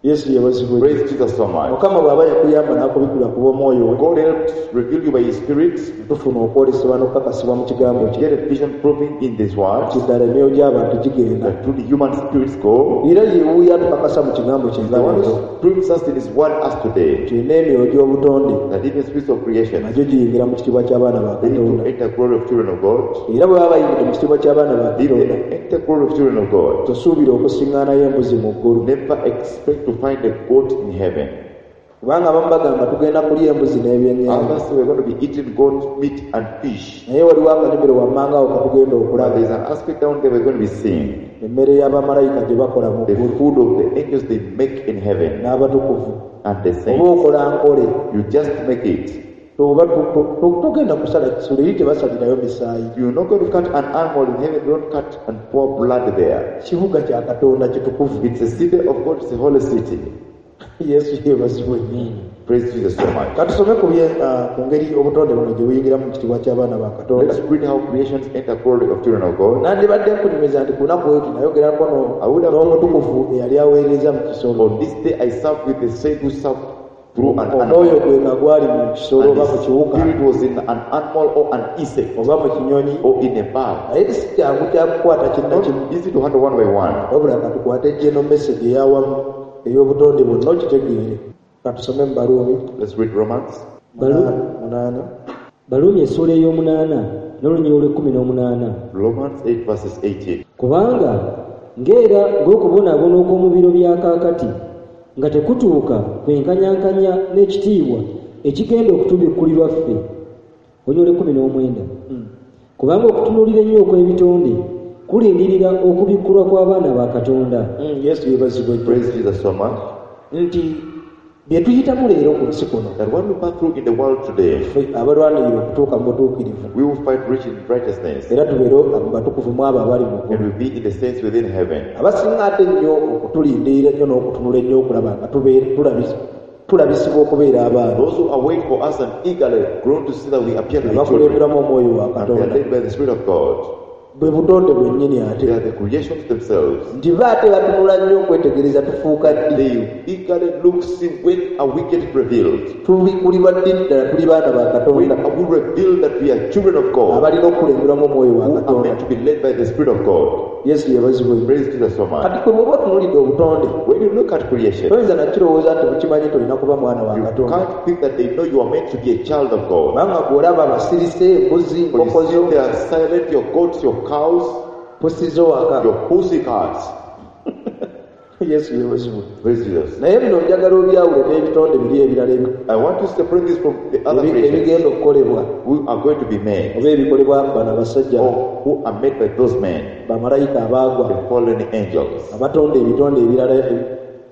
Yesu yeebazibwe. Praise Jesus so much. Mukama bw'aba yakuyamba n'akubikkula ku bw'omwoyo we, God helped reveal you by His Spirit. tufuna okwolesebwa n'okukakasibwa mu kigambo kye Get a vision proving in this world nti ddala emyoyo gy'abantu gigenda. that through the human spirits go. Era yeewuuyo atukakasa mu kigambo kye The nga one leero who proves us in His word us today, nti n'emyoyo gy'obutonde that even spirits of creation, nagyo giyingira mu kitiibwa ky'abaana ba they need to Katonda. enter glory of children of God. Era bwe baba bayingidde mu kitiibwa ky'abaana ba If Katonda, they enter glory of children of God, tosuubira okusiŋŋaanayo embuzi mu ggulu. never expect to find a goat in heaven. Kubanga abamu bagamba tugenda kulya embuzi n'ebyennyanja, Others say we're going to be eating goat meat and fish. naye waliwo akanyumiro wammanga awo katugenda But okulaba there's an aspect down there we're going to be seeing. emmere y'abamalayika gye bakola mu The ggulu food of the angels they make in heaven n'abatukuvu. and the Oba saints. okola nkole, You just make it. oba tu- tu- tu- togenda kusala kisolo, eri tebasalirayo misaayi. You're not going to cut an animal in heaven. Don't cut and pour blood there. Kibuga kya Katonda kitukuvu. It's a city of God. It's a holy city. Yesu yeebazibwe. Praise Jesus so much. Katusome ku bye- ah, ku ngeri obutonde buno gye buyingira mu kitiibwa ky'abaana ba Katonda. Let's read how creations enter glory of children of God. Nandibadde nkunyumiza nti ku lunaku lweti nayogerako no- I would have n'omutukuvu eyali aweereza mu kisolo. On this day I served with the saint who served through an Omwoyo animal. gwe nga gwali mu kisolo And oba mu the kiwuka spirit was in an animal or an insect oba mu kinyonyi, or in a bird. naye si kyangu kyakukwata kinnakimu. Not easy to handle one by one. Wabula katukwate general message ey'awamu ey'obutonde bwonna okitegeere. Katusome mu Baruumi. Let's read Romans. Balu- munaana. Baruumi essuula ey'omunaana n'olunyiriri olw'ekkumi n'omunaana. Romans eight verses eighteen. Kubanga ng'era ng'okubonaabona okw'omu biro bya kaakati nga tekutuuka kwenkanyankanya n'ekitiibwa ekigenda okutubikkulirwa ffe. Olunyiriri olw'ekkumi n'omwenda. Kubanga okutunuulira ennyo okw'ebitonde kulindirira okubikkulwa kw'abaana ba Katonda. Mm, Yesu yeebazibwe nnyo. Praise Jesus so much. Nti bye tuyitamu leero ku nsi kuno, That what we pass through in the world today, ffe abalwanirira okutuuka mu butuukirivu, we will fight rich in righteousness era tubeere mu batukuvu mu abo abali mu ggulu. and will be in the saints within heaven. Abasinga ate ennyo okutulindirira ennyo n'okutunula ennyo okulaba nga tubeere- tulabi- Tulabisibwa okubeera abaana. Those who await for us and eagerly groan to see that we appear to be children. Abakulemberamu omwoyo wa And they are Katonda. led by the Spirit of God. Bwe butonde bwennyini ate. They are the creations themselves. Nti ba ate batunula nnyo okwetegereza tufuuka ddi. They eagerly look, see when are we getting revealed? Tubikulirwa ddi ddala tuli baana ba When Katonda. are we revealed that we are children of God? Abalina okukulemberwamu omwoyo wa Who are Katonda. meant to be led by the Spirit of God. Yesu yeebazibwe. Praise Jesus so much. Kati kwe bw'oba otunuulidde obutonde, When you look at creation, toyinza nakirowooza nti bukimanyi nti olina kuba mwana wa you Katonda. can't think that they know you are meant to be a child of God. Kubanga gw'olaba abasirise, embuzi, For you enkoko see, zo, they are silent, your goats, your cows, pusi zo waka. your pussy cats. Yesu yeebazibwe. Praise Jesus. Naye bino njagala obyawule n'ebitonde biri ebirala ebi- I want to separate this from the other ebi- creations ebigenda okukolebwa who are going to be made oba ebikolebwa bano abasajja or who are made by those men, bamalayika abaagwa the fallen angels. abatonda ebitonde ebirala ebi-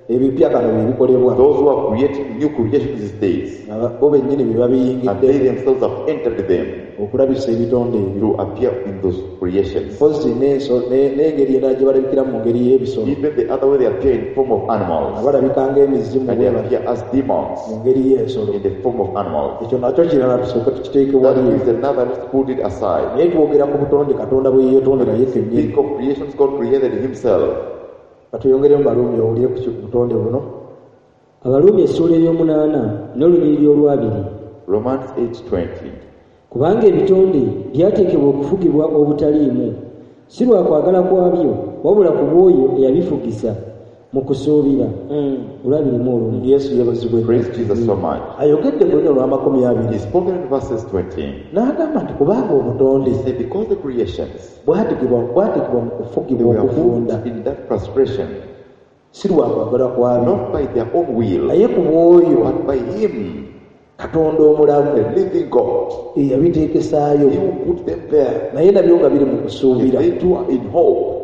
ebipya kano bye bikolebwa Those who are creating new creations these days, nga bo bennyini bye and babiyingidde they themselves have entered them okulabisa ebitonde ebyo. to appear in those creations. Mpozi n'enso- ne- n'engeri endala gye balabikira mu ngeri y'ebisolo Even the other way they appear in form of nga animals, balabika ng'emizimu and they bwe batyo appear as demons mu ngeri y'ensolo. in the form of animals. Ekyo nakyo kirala tusooke tukiteeke That wali. is another, let's put it aside. Naye twogera ku butonde Katonda bwe yeetondera ye kennyini. Think of creations God created himself. Katuyongeremu Baluumi owulire ku ki- butonde buno. Abaluumi essuula ey'omunaana n'olunyiriri olwabiri. Romans eight twenty. Kubanga ebitonde byateekebwa okufugibwa obutaliimu, si lwa kwagala kwabyo, wabula ku bw'oyo eyabifugisa mu kusuubira. Olwabiri mu olumu. Yesu yeebazibwe. Praise Jesus so much. Ayogedde ku lunya olw'amakumi abiri. He spoke in verses twenty. N'agamba nti kubanga obutonde He said, because the creations bwategebwa bwategebwa mu they kufugibwa were okufunda put in that frustration, si lwa kwagala kwabyo not by their own will, naye ku bw'oyo but by him, Katonda omulamu the living God. eyabiteekesaayo He who put them there. naye nabyo nga biri mu If kusuubira. they too are in hope.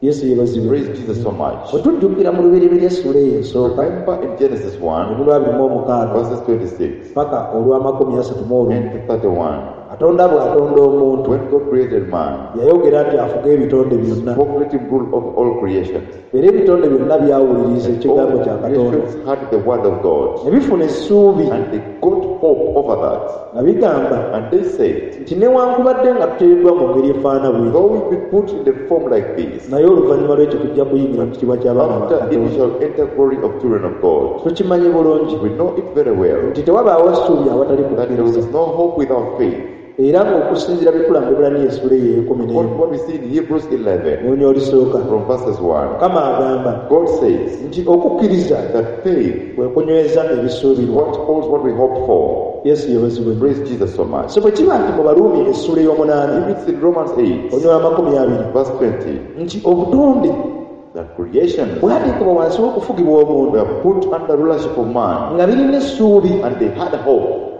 Yesu yeebazibwe. Praise Jesus so much. Bwe tujjukira mu lubereberye essuula eyo esooka Remember in Genesis one, olwabiri mu omukaaga verses twenty-six paka olw'amakumi asatu mu olumu and thirty-one. Katonda bw'atonda omuntu When God created man, yayogera nti afuge ebitondi byonna. spoke, let him rule over all creations. Era ebitonde byonna byawuliriza ekigambo All kya Katonda. creations had the word of God, Ne bifuna essuubi and they got hope over that. nga bigamba And they said, nti newankubadde nga tuteereddwa mu ngeri efaana bw'eti, though we be put in the form like this, naye oluvannyuma lw'ekyo tujja kuyingira mu kitiibwa ky'abaana ba after it we Katonda. shall enter glory of children of God. Tukimanyi bulungi We know it very well nti tewabaawo ssuubi awatali that there kukkiriza. is no hope without faith. Era ng'okusinziira bye tulaba mu Ebbulaniya essuula eyo ey'ekkumi What, n'emu what we see in Hebrews eleven, olunya olusooka from verses one, Mukama agamba God says nti okukkiriza that faith kwe kunyweza ebisuubirwa. what holds what we hope for. Yesu yeebazibwe. Praise Jesus so much. So bwe kiba nti mu Baruumi essuula ey'omunaana If it's in Romans eight, olunya amakumi abiri verse twenty, nti obutonde that creations bwateekebwa wansi w'okufugibwa omuntu were put under rulership of man, nga birina essuubi and they had hope.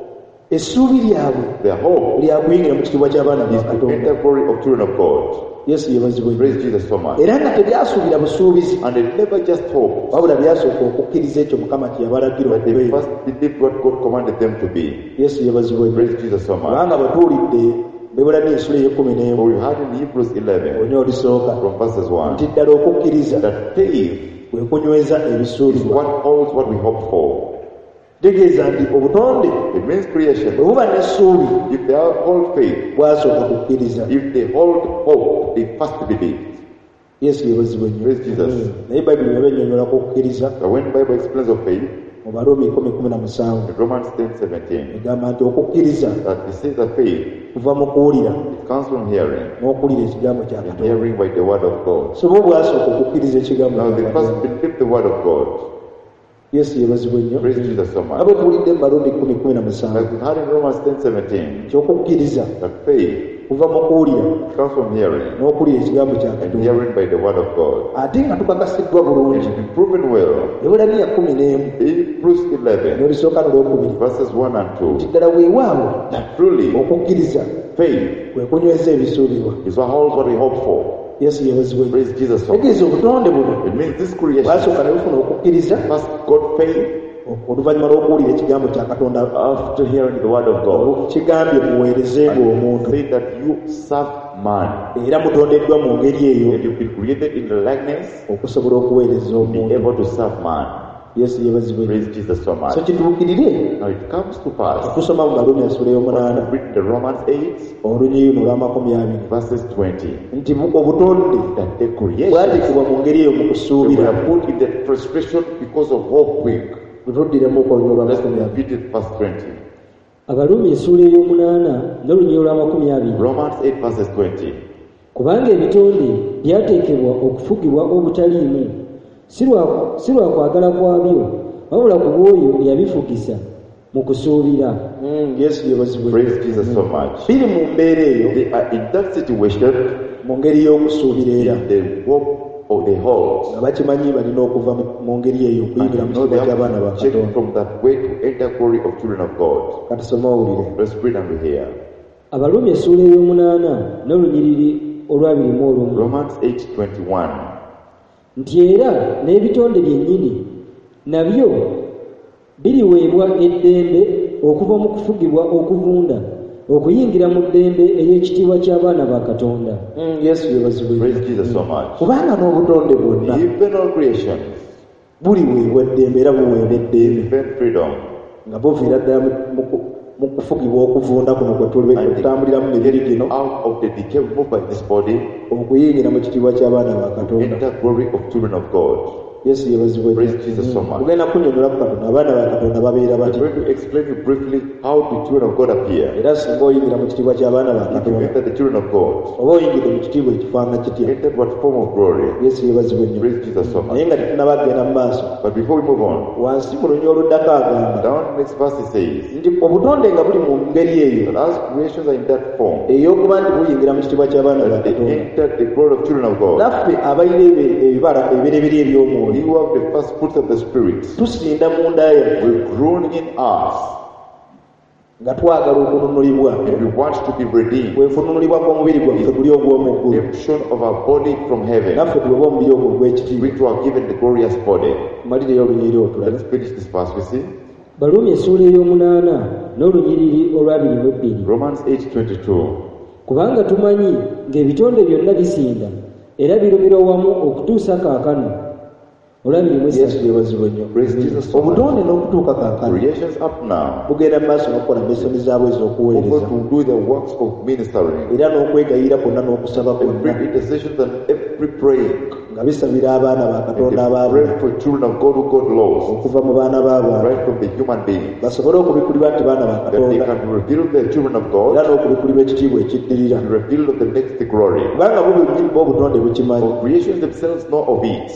Essuubi lyabwe Their hope lya kuyingira mu kitiibwa ky'abaana ba is to Katonda. enter glory of children of God. Yesu yeebazibwe. Praise Jesus so much. Era nga tebyasuubira busuubizi And they never just hope, wabula byasooka okukkiriza ekyo Mukama kye yabalagira but they okubeera. first believed what God commanded them to be. Yesu yeebazibwe. Praise Jesus so much. Kubanga bwe tuwulidde Ebbulaniya essuula ey'ekkumi n'emu For we had in Hebrews eleven, olunya olusooka from verses one, nti ddala okukkiriza that faith kwe kunyweza is ebisuubirwa. what holds what we hope for. Tegeeza nti obutonde It means creation. bwe buba n'essuubi If they hold faith, bwasooka kukkiriza. if they hold hope, they first believe. Yesu yeebazibwe nnyo. Praise Jesus. Mm. Naye Bayibuli bw'eba ennyonnyolako okukkiriza But when Bible explains of faith, mu Baruumi kkumi kumi na musanvu in Romans ten seventeen, egamba nti okukkiriza that it says that faith, kuva mu kuwulira it comes from hearing, n'okuwulira ekigambo kya and Katonda. hearing by the word of God. So bo bwasooka okukkiriza ekigambo Now kya they first Katonda. believe the word of God. Yesu yeebazibwe nnyo. Praise Jesus so Nga much. bwe tuwulidde mu Baruumi kkumi kumi na musanvu Like we had in Romans ten seventeen, nti okukkiriza that faith kuva mu kuwulira comes from hearing, n'okuwulira ekigambo kya and Katonda. hearing by the word of God. Ate nga tukakasiddwa bulungi And been proven well. Ebbulaniya kkumi n'emu Hebrews eleven, n'olusooka n'olwokubiri verses one and two, nti ddala weewaawo that truly okukkiriza faith kwe kunyweza ebisuubirwa. is what holds what we hope for. Yesu yeebazibwe nnyo. Praise Jesus so much. Tegeeza obutonde buno It means this creation bwasooka ne bufuna okukkiriza first got faith oluvannyuma lw'okuwulira ekigambo kya Katonda after hearing the word of God. kigambye muweereze ng'omuntu Say that you serve man. era mutondeddwa mu ngeri eyo And you've been created in the likeness okusobola okuweereza to be omuntu. able to serve man. Yesu yeebazibwe. Praise Jesus so much. So kituukirire. Now it comes to pass. Tusoma mu Baruumi essula ey'omunaana. Read the Romans eight, olunyiriri olw'amakumi abiri. Verses twenty. Nti obutonde that the creation bwateekebwa mu ngeri eyo mu kusuubira. They were put in that frustration because of hope quick. Tutuddiremu olunyiriri olw'amakumi abiri. Repeat it, verse twenty. Abaruumi essuula ey'omunaana n'olunyiriri olw'amakumi abiri. Romans eight verses twenty. Kubanga ebitonde byateekebwa okufugibwa obutaliimu, si lwa kwagala kwabyo, wabula ku bw'oyo eyabifugisa mu kusuubira. Yesu yeebazibwe. Praise Jesus so much. Biri mu mbeera eyo. They are in that situation. Mu ngeri y'okusuubira era. In the hope of the hold. Nga bakimanyi balina okuva mu ngeri eyo okuyingira mu kitiibwa ky'abaana ba Katonda. From that way to enter glory of children of God. Kati soma owulire. Let's read and we hear. Abaruumi essuula ey'omunaana n'olunyiriri olw'abiri mu olumu. Romans eight twenty-one. Nti era n'ebitonde byennyini nabyo biriweebwa eddembe okuva mu kufugibwa okuvunda okuyingira mu ddembe ery'ekitiibwa ky'abaana ba Katonda. Yesu yeebazibwe. Praise Jesus so much. Kubanga n'obutonde bwonna even all creations buliweebwa eddembe era buweebwa eddembe. Even freedom. Nga buviira ddala mu kufugibwa okuvunda kuno kwe tutambulira mu mibiri gino. Out of the decay moved by this body okuyingira mu kitiibwa ky'abaana ba Katonda. Enter glory of children of God. Yesu yeebazibwe. Praise Jesus so much. Tugenda kunnyonnyola ku Katonda abaana ba Katonda babeera batya. I'm going to explain you briefly how the children of God appear. Era singa oyingira mu kitiibwa ky'abaana ba Katonda. If you enter the children of God. Oba oyingidde mu kitiibwa ekifaanana kitya. Enter what form of glory. Yesu yeebazibwe nnyo. Praise Jesus so much. Naye nga tetunnaba kugenda mu maaso. But before we move on. Wansi mu lunyiriri oluddako agamba. Down next verse it says. Nti obutonde nga buli mu ngeri eyo. That as creations are in that form. Ey'okuba nti buyingira mu kitiibwa ky'abaana ba They Katonda. enter the glory of children of God. Naffe abalina ebibala ebibereberye eby'omwoyo. You have the first fruits of the Spirit. Tusinda munda yaffe. We groan in us. Nga twagala okununulibwa. And we want to be redeemed. Kwe kununulibwa kw'omubiri gwaffe guli ogw'omu ggulu. Redemption of our body from heaven. Naffe tuweebwe omubiri ogwo ogw'ekitiibwa. Which we are given the glorious body. Malireyo olunyiriri olwo. Let's finish this verse, we see. Baruumi essuula ey'omunaana n'olunyiriri olw'abiri mu ebbiri. Romans eight twenty-two. Kubanga tumanyi ng'ebitonde byonna bisinda era birumirwa wamu okutuusa kaakano. Yesu yeebazibwe nnyo. Praise Jesus so much. Obutonde n'okutuuka kaakano. Creations up now. Bugenda mu maaso n'okukola misoni zaabwe ez'okuweereza. To do the works of ministering. Era n'okwegayirira kwonna n'okusaba kwonna. Every intercession and every praying. Nga bisabira abaana ba Katonda abaabula. Pray for children of God who got lost. Okuva mu baana b'abantu. Right from the human beings. Basobole okubikulibwa nti baana ba That they Katonda. can reveal the children of God. Era n'okubikulibwa ekitiibwa ekiddirira. And reveal of the next glory. Kubanga bo bennyini bo obutonde bukimanyi. For creations themselves know of it.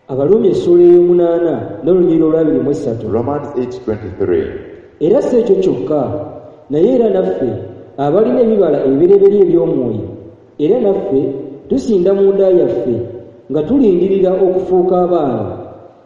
Abaruumi essuula ey'omunaana n'olunyiriri olw'abiri mu essatu. Romans eight twenty-three. Era si ekyo kyokka, naye era naffe abalina ebibala ebibereberye eby'omwoyo, era naffe tusinda munda yaffe nga tulindirira okufuuka abaana,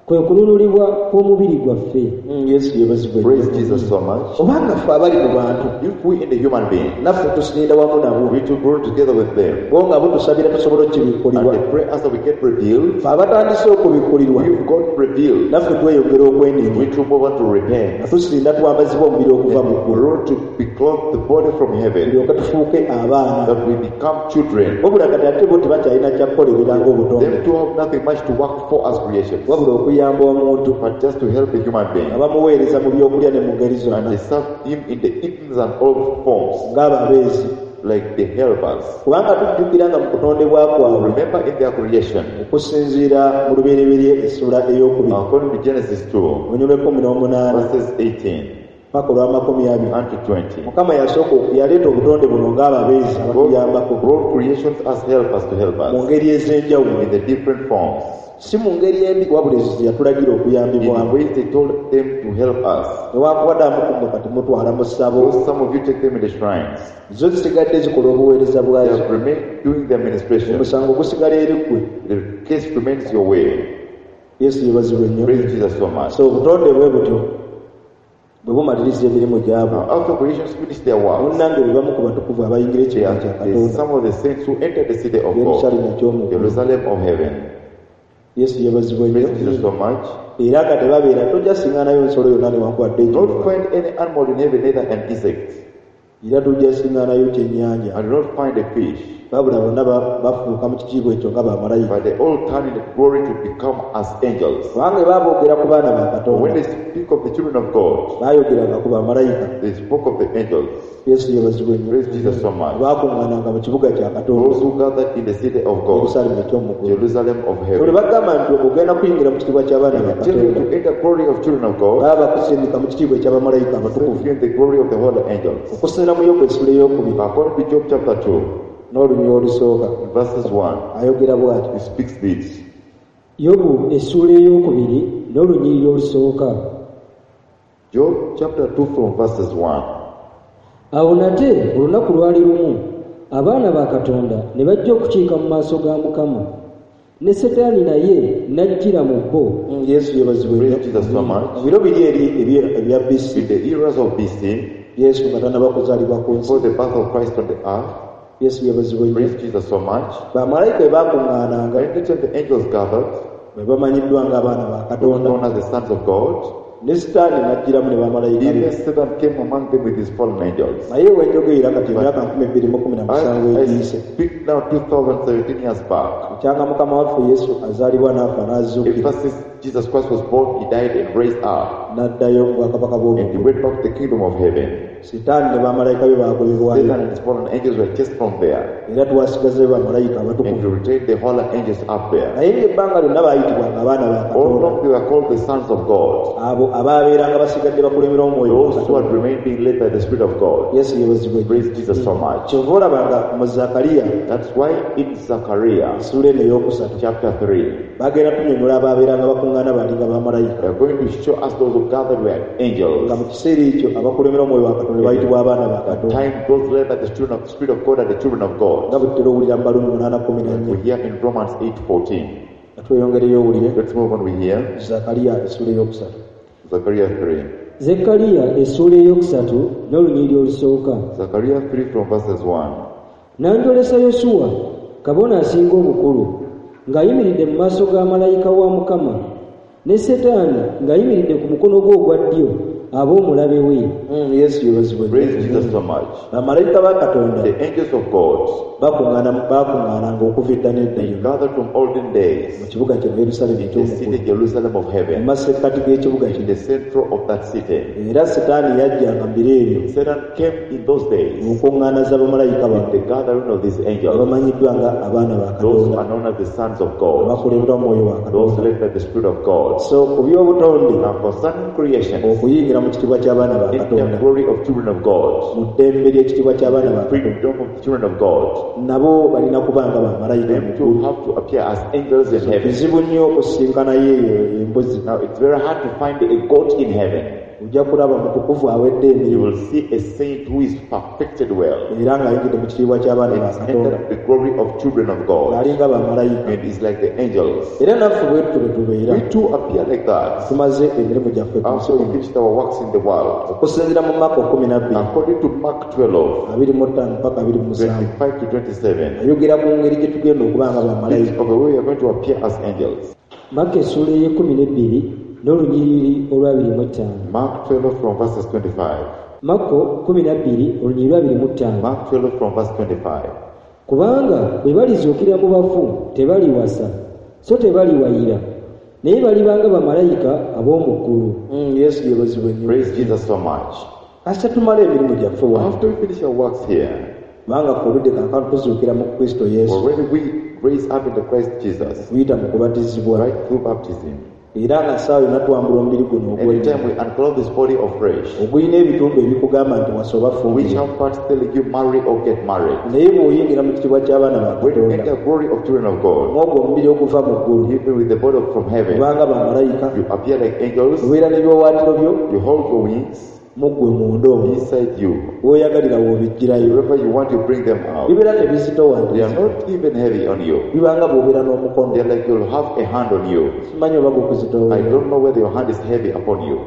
kwe kununulibwa kw'omubiri gwaffe. Yesu yeebazibwe. Praise Jesus so much. Obanga ffe abali mu bantu, if we in the human being, naffe tusinda wamu nabo, we to grow together with them. Bo nga bo tusabira tusobole okubikkulirwa. And they pray as we get revealed. Ffe abatandise okubikkulirwa, we've got revealed. Naffe tweyongera okwenenya. We to move on to repent. Nga tusinda twambazibwa omubiri okuva mu ggulu. Grow to be clothed the body from heaven. Tulyoke tufuuke abaana. That we become children. Wabula kati ate bo tebakyalina kya kukolerera ng'obutonde. Them to have nothing much to work for as creations. Wabula okuyamba omuntu. But just to help a human being. Nga bamuweereza mu byokulya ne mu ngeri zonna. And they serve him in the eatings and all forms. Ng'ababeezi. Like the helpers. Kubanga tujjukira nga mu kutondebwa kwabwe. Remember in their creation. Okusinziira mu lubereberye essula ey'okubiri. According to Genesis two. Olunyiriri lw'ekkumi n'omunaana. Verses eighteen. Paka olw'amakumi abiri. And to twenty. Mukama yasooka yaleeta obutonde buno ng'ababeezi abatuyambako. God brought creations as helpers to help us. Mu ngeri ez'enjawulo. In the different forms. Si mu ngeri embi wabula ezo ze yatulagira okuyambibwamu. In the ways they told them to help us. Newankubadde abamu ku mmwe kati mutwala mu ssabo. Those some of you take them in the shrines. Zo zisigadde zikola obuweereza bwazo. They have remained doing the administration. Omusango gusigala eri ggwe. The case remains your way. Yesu yeebazibwe nnyo. Praise Jesus so much. So obutonde bwe butyo bwe bumaliriza emirimu gyabwo. After creations finish their works, munnange be bamu ku batukuvu abayingira ekibuga kya Katonda. Some of the saints who entered the city of God, Yerusalemu eky'omu ggulu. Jerusalem of heaven. Yesu yeebazibwe nnyo. Praise Jesus so much. Era nga tebabeera tojja siŋŋaanayo nsolo yonna newankubadde Not enjoka. find any animal in heaven, neither an insect. Era tujja siŋŋaanayo kyennyanja. And not find a fish. Wabula bonna bafuuka mu kitiibwa ekyo nga bamalayika. But they all turn in the glory to become as angels. Kubanga baaboogera ku baana ba Katonda. When they speak of the children of God, baayogeranga ku bamalayika. They spoke of the angels. Yesu yeebazibwe nnyo. Praise Jesus so much. Baakuŋŋaananga mu kibuga kya Katonda. Those who gathered in the city of God, Yerusalemu eky'omu ggulu. Jerusalem of heaven. Bwe bagamba nti ogenda kuyingira mu kitiibwa ky'abaana ba Tell you Katonda. to enter glory of children of God. Baba bakusindika mu kitiibwa eky'abamalayika abatukuvu. In the glory of the holy angels. Okusinziira mu Yobu essula ey'okubiri. According to Job chapter two. N'olunyiriri olusooka. Verses one. Ayogera bw'ati. He speaks this. Yobu essuula ey'okubiri n'olunyiriri olusooka. Job chapter two from verses one. Awo nate olunaku lwali lumu abaana ba Katonda ne bajja okukiika mu maaso ga Mukama, ne Setaani naye n'ajjira mu bo. Yesu yeebazibwe nnyo. Praise Jesus so much. Mu biro biri eri ebya B C. In the eras of B C, Yesu nga tannaba kuzaalibwa ku nsi. Before the birth of Christ on the earth, Yesu yeebazibwe nnyo. Praise Jesus so much. Bamalayika bwe baakuŋŋaananga, Anytime the angels gathered, bwe bamanyiddwa ng'abaana ba Katonda, known as the sons of God, ne Sitaani n'ajjiramu ne bamalayika be. Even Satan came among them with his fallen angels. Naye we njogerera kati emyaka nkumi bbiri mu kumi na musanvu I egiyise. speak now two thousand seventeen years back. Ekyanga Mukama waffe Yesu azaalibwa n'afa n'azuukira. Ever since Jesus Christ was born, he died and raised up. N'addayo mu bwakabaka bw'omu And he ggulu. went back to the kingdom of heaven. Sitaani ne bamalayika be baagobebwayo. Satan and his fallen angels were chased from there. Era twasigazeyo bamalayika abatukuvu. And we retained the holy angels up there. Naye ng'ebbanga lyonna baayitibwanga abaana ba All Katonda. along they were called the sons of God. Abo abaabeeranga basigadde bakulemera omwoyo wa Those who had Katonda. remained being led by the Spirit of God. Yesu yeebazibwe. Praise Jesus so much. Kyova olaba nga mu Zakariya, That's why in Zechariah, essuula eno ey'okusatu, chapter three, bagenda tunnyonnyola abaabeeranga bakuŋŋaana baalinga bamalayika. They are going to show us those who gathered were angels. Nga mu kiseera ekyo abakulemera omwoyo wa Katonda bayitibwa abaana ba Katonda. Time those led by the children of the Spirit of God and the children of God. Nga bwe tutera owulira mu Baluumi munaana kkumi na nnya. We hear in Romans eight fourteen. Nga tweyongereyo owulire. Let's move on, we hear. Zakariya essuula ey'okusatu. Zechariah three. Zekkaliya essuula ey'okusatu n'olunyiriri olusooka. Zechariah three from verses one. N'anjolesa Yosuwa, kabona asinga obukulu, ng'ayimiridde mu maaso ga malayika wa Mukama, ne Setaani ng'ayimiridde ku mukono gwe ogwa ddyo ab'omulabe we. Mm, Yesu yeebazibwe. Praise Jesus so much. Bamalayika ba Katonda, The angels of God, bakuŋŋaana, bakuŋŋaananga okuva edda n'edda they yonna. gathered from olden days Mu kibuga kye Yerusaalemi in the eky'omu city ggulu. Jerusalem of heaven, Mu masekkati g'ekibuga in kino. the central of that city. Era Setaani yajjanga mu biro ebyo. Satan came in those days Mu nkuŋŋaana z'abamalayika bano. in the gathering of these angels, Abamanyiddwa nga abaana ba those who Katonda. are known as the sons of God, Abakulemberwa Mwoyo wa those Katonda. led by the Spirit of God. So ku by'obutonde, Now concerning creation, okuyingira mu kitiibwa ky'abaana ba in the Katonda, glory of children of God, mu ddembe ly'ekitiibwa ky'abaana ba Katonda, freedom of the children of God, nabo balina kuba nga bamalayika them mu too ggulu. have to appear as angels in heaven. Kizibu nnyo okusinkanayo eyo embuzi. Now it's very hard to find a goat in heaven. Ojja kulaba mutukuvu awedde You emirimu. will see a saint who is perfected well. Era ng'ayingidde mu kitiibwa ky'abaana ba And Katonda. entered the glory of children of God. Ng'alinga bamalayika. And is like the angels. Era naffe bwe tutyo bwe tubeera. We too appear like that. Tumaze emirimu gyaffe ku nsi After we kuno. finished our works in the world. Okusinziira mu Maako kkumi na bbiri. According to Mark twelve, abiri mu ttaano mpaka abiri mu musanvu. twenty-five to twenty-seven. Ayogera ku ngeri gye tugenda okuba nga bamalayika. Of the way we are going to appear as angels. Maako essuula ey'ekkumi n'ebbiri n'olunyiriri olw'abiri mu ttaano. Mark twelve from verses twenty-five. Marko kkumi na bbiri olunyiriri lw'abiri mu ttaano. Mark twelve from verse twenty-five. Kubanga bwe balizuukira mu bafu tebaliwasa, so tebaliwayira, naye balibanga bamalayika ab'omu ggulu. Mm, Yesu yeebazibwe nnyo. Praise Jesus so much. Kasita tumala emirimu gyaffe wano. After we finish our works here, Kubanga ffe oludde kaakano tuzuukira mu Kristo Yesu. Already we raise up in the Christ Jesus. Kuyita mu kubatizibwa. Right through baptism. Era nga ssaawa yonna twambula omubiri guno Every ogw'ennyama. time we unclothe this body of flesh, Ogulina ebitundu ebikugamba nti wasa oba which fumbirwa. have parts telling you marry or get married. Naye bw'oyingira mu kitiibwa ky'abaana ba When you Katonda, enter glory of children of God, mw'ogwo omubiri oguva mu ggulu, even with the body from heaven, kubanga bamalayika, you appear like angels, obeera n'ebiwaawaatiro byo, you hold your wings mu ggwe munda omwo. inside you. W'oyagalira w'obiggyirayo. Wherever you want, you bring them out. Bibeera tebizitowa nti They are not even heavy on you. bibanga bw'obeera n'omukono. They are like you'll have a hand on you. Simanyi oba gukuzitoowerera. I don't know whether your hand is heavy upon you.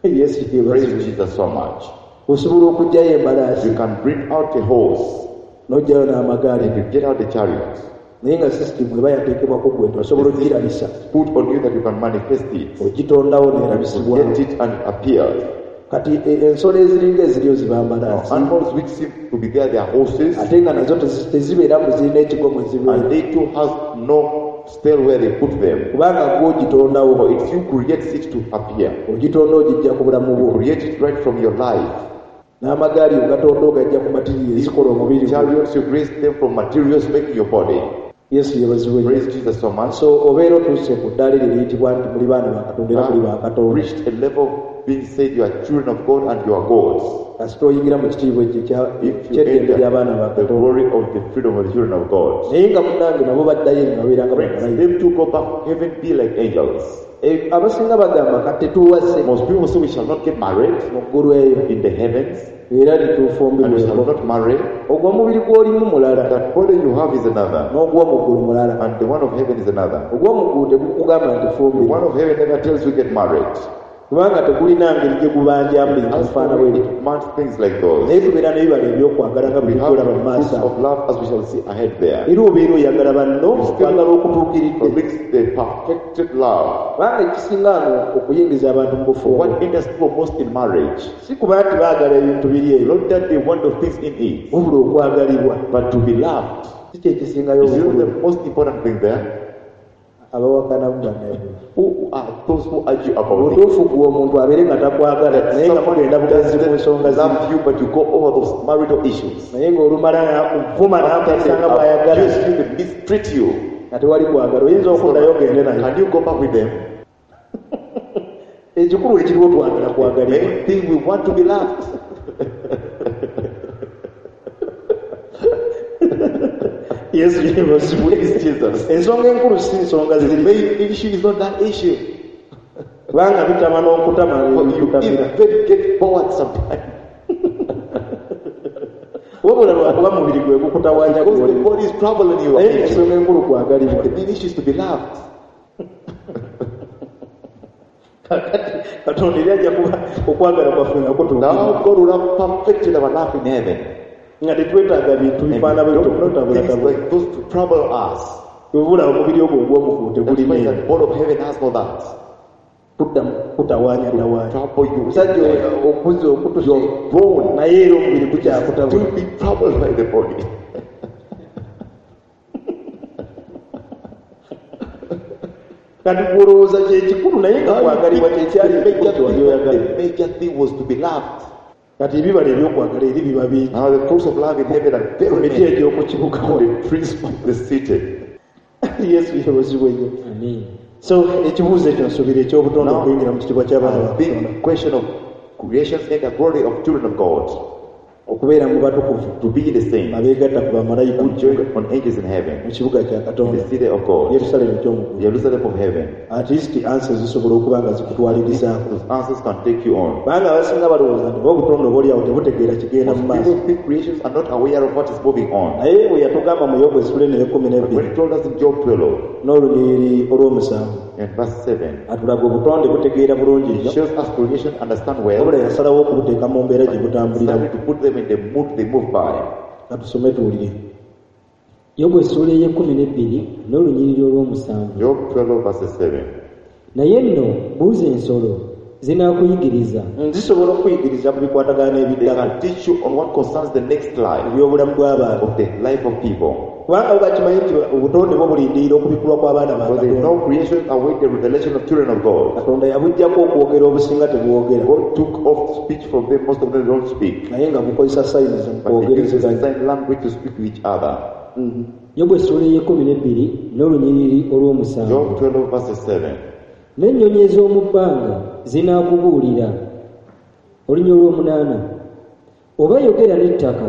Yesu yeebazibwe. Praise Jesus so much. Osobola okuggyayo embalaasi. You can bring out a horse. N'oggyayo n'amagaali. And you get out the chariot. Naye nga system eba yateekebwako ggwe nti osobola ogirabisa. Put on you that you can manifest it. Ogitondawo n'erabisibwawo. Get it and it appears. Kati e- ensolo eziringa eziriyo ziba Now, mbalaasi animals which seem to be there, they are horses, ate nga nazo tezi- tezibeera mu zirina ekigo mwe zibeera and they too has no stale where they put them. Kubanga gwe ogitondawo For it's you creates it to appear. Ogitonda ogijja ku bulamu bwo Create it right from your life. N'amagaali ogatonda ogajja ku material ezikola omubiri gwo. Chariots, you create them from materials making your body. Yesu yebazibwe nnyo. Praise Jesus so much. So obeera otuuse ku ddaala eryo eriyitibwa nti muli baana ba Katonda era muli ba Katonda Reached a level of being said you are children of God and you are gods. Kasita oyingira mu kitiibwa ekyo ekya- If you ky'eddembe ly'abaana ba enter the Katonda glory of the freedom of the children of God. Naye nga munnange nabo baddayo nga babeera nga Friends, bamalayika them to go back to heaven, be like angels. Eh, abasinga bagamba kati tetuwase Most people say we shall not get married mu ggulu eyo in the heavens era and we shall tetufumbirweko not marry. Ogwo omubiri gw'olimu mulala That body you have is another, n'ogw'omu ggulu mulala and the one of heaven is another. Ogw'omu ggulu tegukugamba nti The fumbirwa one of heaven never tells you get married. Kubanga tegulina ngeri gye gubanjamu bintu As bifaana for bwe it bityo demands things like those. Naye tubeera n'ebibala ebyokwagala nga We bwe have tujolaba mu the maaso fruits ago of love as we shall see ahead there. Era obeera oyagala banno okwagala okutuukiridde Predicts the perfected love. Kubanga ekisinga ano okuyingiza abantu mu bufumbo What enters people most in marriage? Si kuba nti baagala ebintu biri eyo Not that they want the things in it, wabula okwagalibwa but to be loved. Si kyekisingayo Is it obukulu the most important thing there? Abawakanamu bannaye Who are those who argue about it? Butuufu gwe omuntu abeere nga takwagala naye nga mugenda bugenzi ku nsonga Doesn't zimu love you, but you go over those marital issues. Naye ng'olumala nakuvuma After they n'akuyisa nga bw'ayagala abuse you, they mistreat you. Nga tewali kwagala oyinza okuddayo ogende naye Can you go back with them? Ekikulu ekiriwo twagala The kwagalibwa main thing, we want to be loved. Yesu yebazibwe Praise Jesus. Ensonga enkulu si nsonga The ziri main issue is not that issue. Kubanga bitama n'okutama For you bikutamira even get bored sometimes. Wabula lwakuba mubiri gwe gukutawaanya Because the gwoli body is troubling you. Naye ensonga enkulu kwagalibwa The main issue is to be loved. Kakati Katonda eri ajja kuba okwagala kwaffe nga kutuukira Now God will have perfected our love in heaven. Nga tetwetaaga bintu And we bifaana don't bwetyo need things okutabulatabula like those to trouble us. Obula omubiri ogwo ogw'omugulu That's tegulina why eno the body of heaven has no that. Kuddamu kutawaanyatawaanya Trouble you. Omusajja okuze okutuse You're grown. Naye era omubiri gukyakutabula Still be troubled by the body. Kati gwolowooza kyekikulu naye nga Now you kwagalibwa think kyekyali the ekikulu major kyewali thing, oyagala the major thing was to be loved. Kati ebibala ebyokwagala eri biba bingi Now the fruits of love in heaven are ku very miti many. egy'okukibugawo The trees of the city. Yesu yebazibwe nnyo Amen. So ekibuuzo ekyo nsuubira ekyobutonde Now, okuyingira mu kitiibwa ky'abaana ba A big Katonda question of creation and the glory of children of God. Okubeera mu batukuvu To be the same. Abeegatta ku bamalayika Who join on angels in heaven. Mu kibuga kya In Katonda the city of God. Yerusaalemi ekyomuggulu Jerusalem of heaven. At least answers zisobola okuba nga zikutwalirizaako Those answers can take you on. Kubanga abasinga balowooza nti oba obutonde oba oliawo tebutegeera kigenda mu Most maaso people think creations are not aware of what is moving on. Naye bwe yatugamba mu Yobu essula eno ey'ekkumi But n'ebbiri when he told us in Job twelve n'olunyiriri olw'omusanvu and verse seven, atulaga obutonde butegeera bulungi he nnyo shows us creation understand well, wabula yasalawo okubuteeka mu mbeera gye butambuliramu started to put them in the mood they move by. Katusome tuwulire Yobu essuula ey'ekkumi n'ebbiri n'olunyiriri olw'omusanvu Job twelve verse seven. Naye nno buuza ensolo zinaakuyigiriza Zisobola okuyigiriza ku bikwatagana They n'ebiddako can teach you on what concerns the next life ebyobulamu bw'abantu of the life of people. Kubanga bo bakimanyi nti obutonde bwo bulindirira okubikulwa kw'abaana ba Because they Katonda know creation await the revelation of children of God. Katonda yabuggyako okwogera obusinga tebwogera God took off speech from them, most of them don't speak. Naye nga bukozesa signs mu But they use the kwogerezeganya sign language to speak to each other. Yobu essuula ey'ekkumi n'ebbiri n'olunyiriri olw'omusanvu Job twelve verse seven. N'ennyonyi ez'omu bbanga zinaakubuulira olunya olw'omunaana oba yogera n'ettaka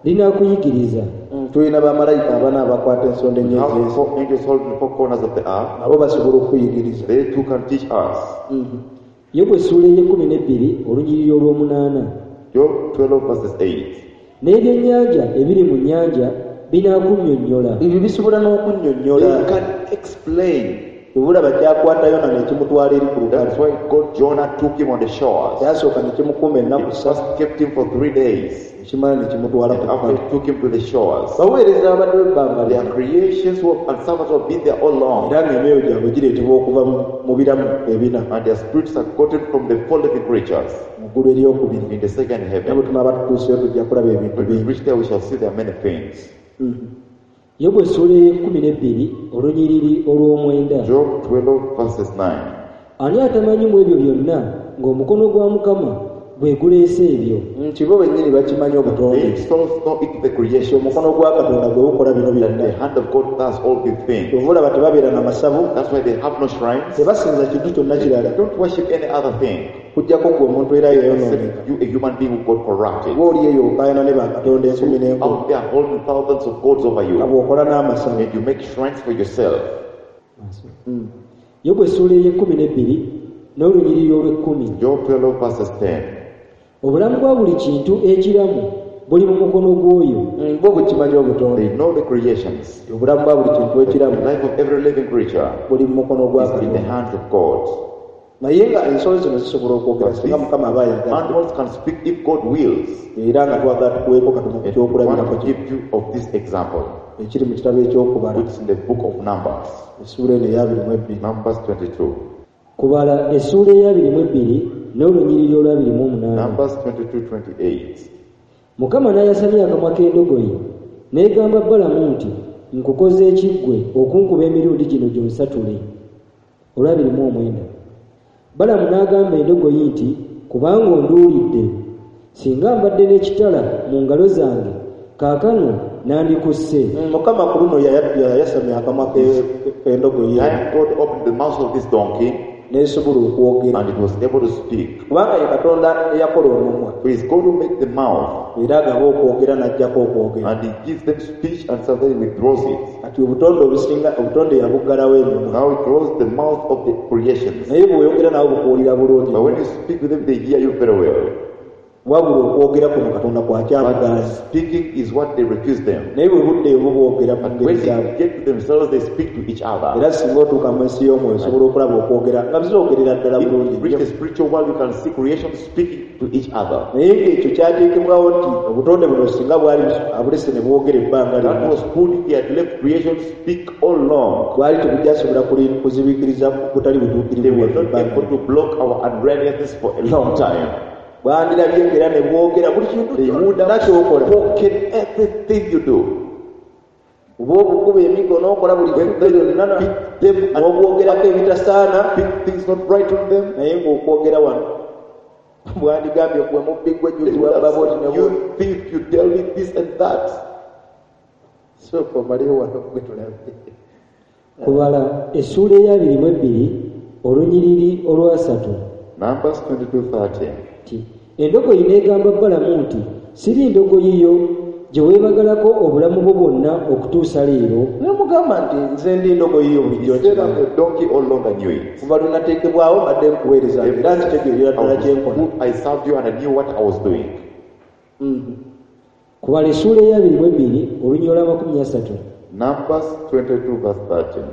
linaakuyigiriza Mm, tulina bamalayika abana abakwata ensonda We have ennyo four angels holding the four corners of the earth. nabo basobola okuyigiriza They too can teach us. Yobu essuula ey'ekkumi n'ebbiri olunyiriri olw'omunaana Job twelve verses eight. N'ebyennyanja ebiri mu nnyanja binaakunnyonnyola Ebyo bisobola n'okunnyonnyola They can explain. Kyova kyakwata Yona ne kimutwala eri ku lukalu. That's why God Jonah took him on the shores. Kyasooka ne kimukuuma ennaku It ssatu. first kept him for three days. Ekimala ne kimutwala And ku after lukalu. it took him to the shores. Baweereza abadde ebbanga Their lyonna. creations were, and servants have been there all along. Era ng'emyoyo gyabwe gireetebwa okuva mu- mu biramu ebina And their spirits are gotten from the four living creatures mu ggulu eryokubiri. in the second Era bwe heaven. tunaaba tutuuseyo tujja kulaba ebintu When we bingi. reach there, we shall see there are many things. Yobu essuula ey'ekkumi n'ebbiri olunyiriri olw'omwenda. Job twelve verses nine. Ani atamanyi mu ebyo byonna ng'omukono gwa Mukama gwe guleese ebyo? Nti bo bennyini bakimanyi obutonde. They souls know it the creation. Omukono gwa Katonda gwe gukola bino That byonna. the hand of God does all these things. Kyova olaba tebabeera na masabu, That's why they have no shrines. tebasinza kintu kyonna kirala. They don't worship any other thing. Kujjako ggwe omuntu era yeeyonooneka. Except you, a human being who got corrupted. Oba oli eyo okaayana ne bakatonda enkumi n'enkumi. Out there holding thousands of gods over Nga you. bw'okola n'amasabu. And you make shrines for yourself. Yobu essuula ey'ekkumi n'ebbiri n'olunyiriri olw'ekkumi. Job twelve verses ten. Obulamu bwa buli kintu ekiramu buli mu mukono gw'oyo. Mm, bo bukimanyi obutonde. They know the creations. Obulamu bwa buli kintu ekiramu The life of every living creature buli mu mukono gwa is in the Katonda. hands of God. Naye nga ensolo zino zisobola okwogera singa Mukama aba ayagala. Animals can speak if God wills. Era nga twagala tukuweeko katono ku And we want kyokulabirako to kino give you of this example, ekiri mu kitabo ekyokubala which is in the book of Numbers. essuula eno ey'abiri mu ebbiri. Numbers twenty-two. Kubala essuula ey'abiri mu ebbiri n'olunyiriri olw'abiri mu omunaana. Numbers twenty-two twenty-eight. Mukama n'ayasamya akamwa k'endogoyi n'egamba Balamu nti nkukoze ekiggwe okunkuba emirundi gino gyonsatule. Olw'abiri mu omwenda. Balamu n'agamba endogoyi nti kubanga onduulidde singa mbadde n'ekitala mu ngalo zange kaakano nandikusse. Mm, Mukama ku luno yaya- yayasamya akamwa ke- k'endogoyi Time God opened the mouth of this donkey n'esobola okwogera. and it was able to speak. Kubanga ye Katonda eyakola omumwa. For it's God who made the mouth Era agaba okwogera n'aggyako okwogera. and he gives them speech and sometimes he withdraws it. Kati obutonde obusinga obutonde yabuggalawo emimwa. Now he closed the mouth of the creations. Naye bw'oyogera nabo bukuwulira bulungi. But when you speak with them, they hear you very well. Wabula okwogera kuno Katonda kwakyabugaanyi. But speaking is what they refuse them. Naye bwe budde obu bwogera mu But ngeri when zaabwe. they get to themselves, they speak to each other. Era singa otuuka mu nsi y'omwoyo osobola okulaba okwogera nga bizoogerera ddala If you bulungi reach nnyo. the spiritual world, you can see creation speaking to each other. Naye ng'ekyo kyateekebwawo nti obutonde buno singa bwali abulese ne bwogera ebbanga That lyonna. was put if he had left creation speak all along. Bwali tebujjasobola kuli- kuzibiikiriza butali They butuukirivu were bwaffe not ebbanga able to block our unrighteousness for a long time. Bandirabye ng'era ne bwogera buli kintu They would kyonna have ky'okola. spoken everything you do. Oba obukuba emiggo n'okola buli kintu When they byonna na- beat them and n'obwogerako ebitasaana speak things not right on them, naye ng'okwogera wano bwandigambye gwe mubbi gwe they jjuzi would wabba have bw'oti said, ne you bw'oti. thief, you tell me this and that. Sooka omaleyo wano gwe tulabe. Kubala essuula ey'abiri mu ebbiri olunyiriri olwasatu. Numbers twenty-two thirty. Nti endogoyi n'egamba Balamu nti siri ndogoyi yo gye weebagalako obulamu bwo bwonna okutuusa leero. N'amugamba nti nze ndi ndogoyi yo bulijjo He said, nkimanyi. I'm a donkey all along I knew it. Kuva lwe nateekebwawo mbadde nkuweereza era nkitegeerera ddala kye nkola. Who I served you and I knew what I was doing. Kubala essuula ey'abiri mu ebbiri olunyiriri olw'amakumi asatu. Numbers twenty-two verse thirteen.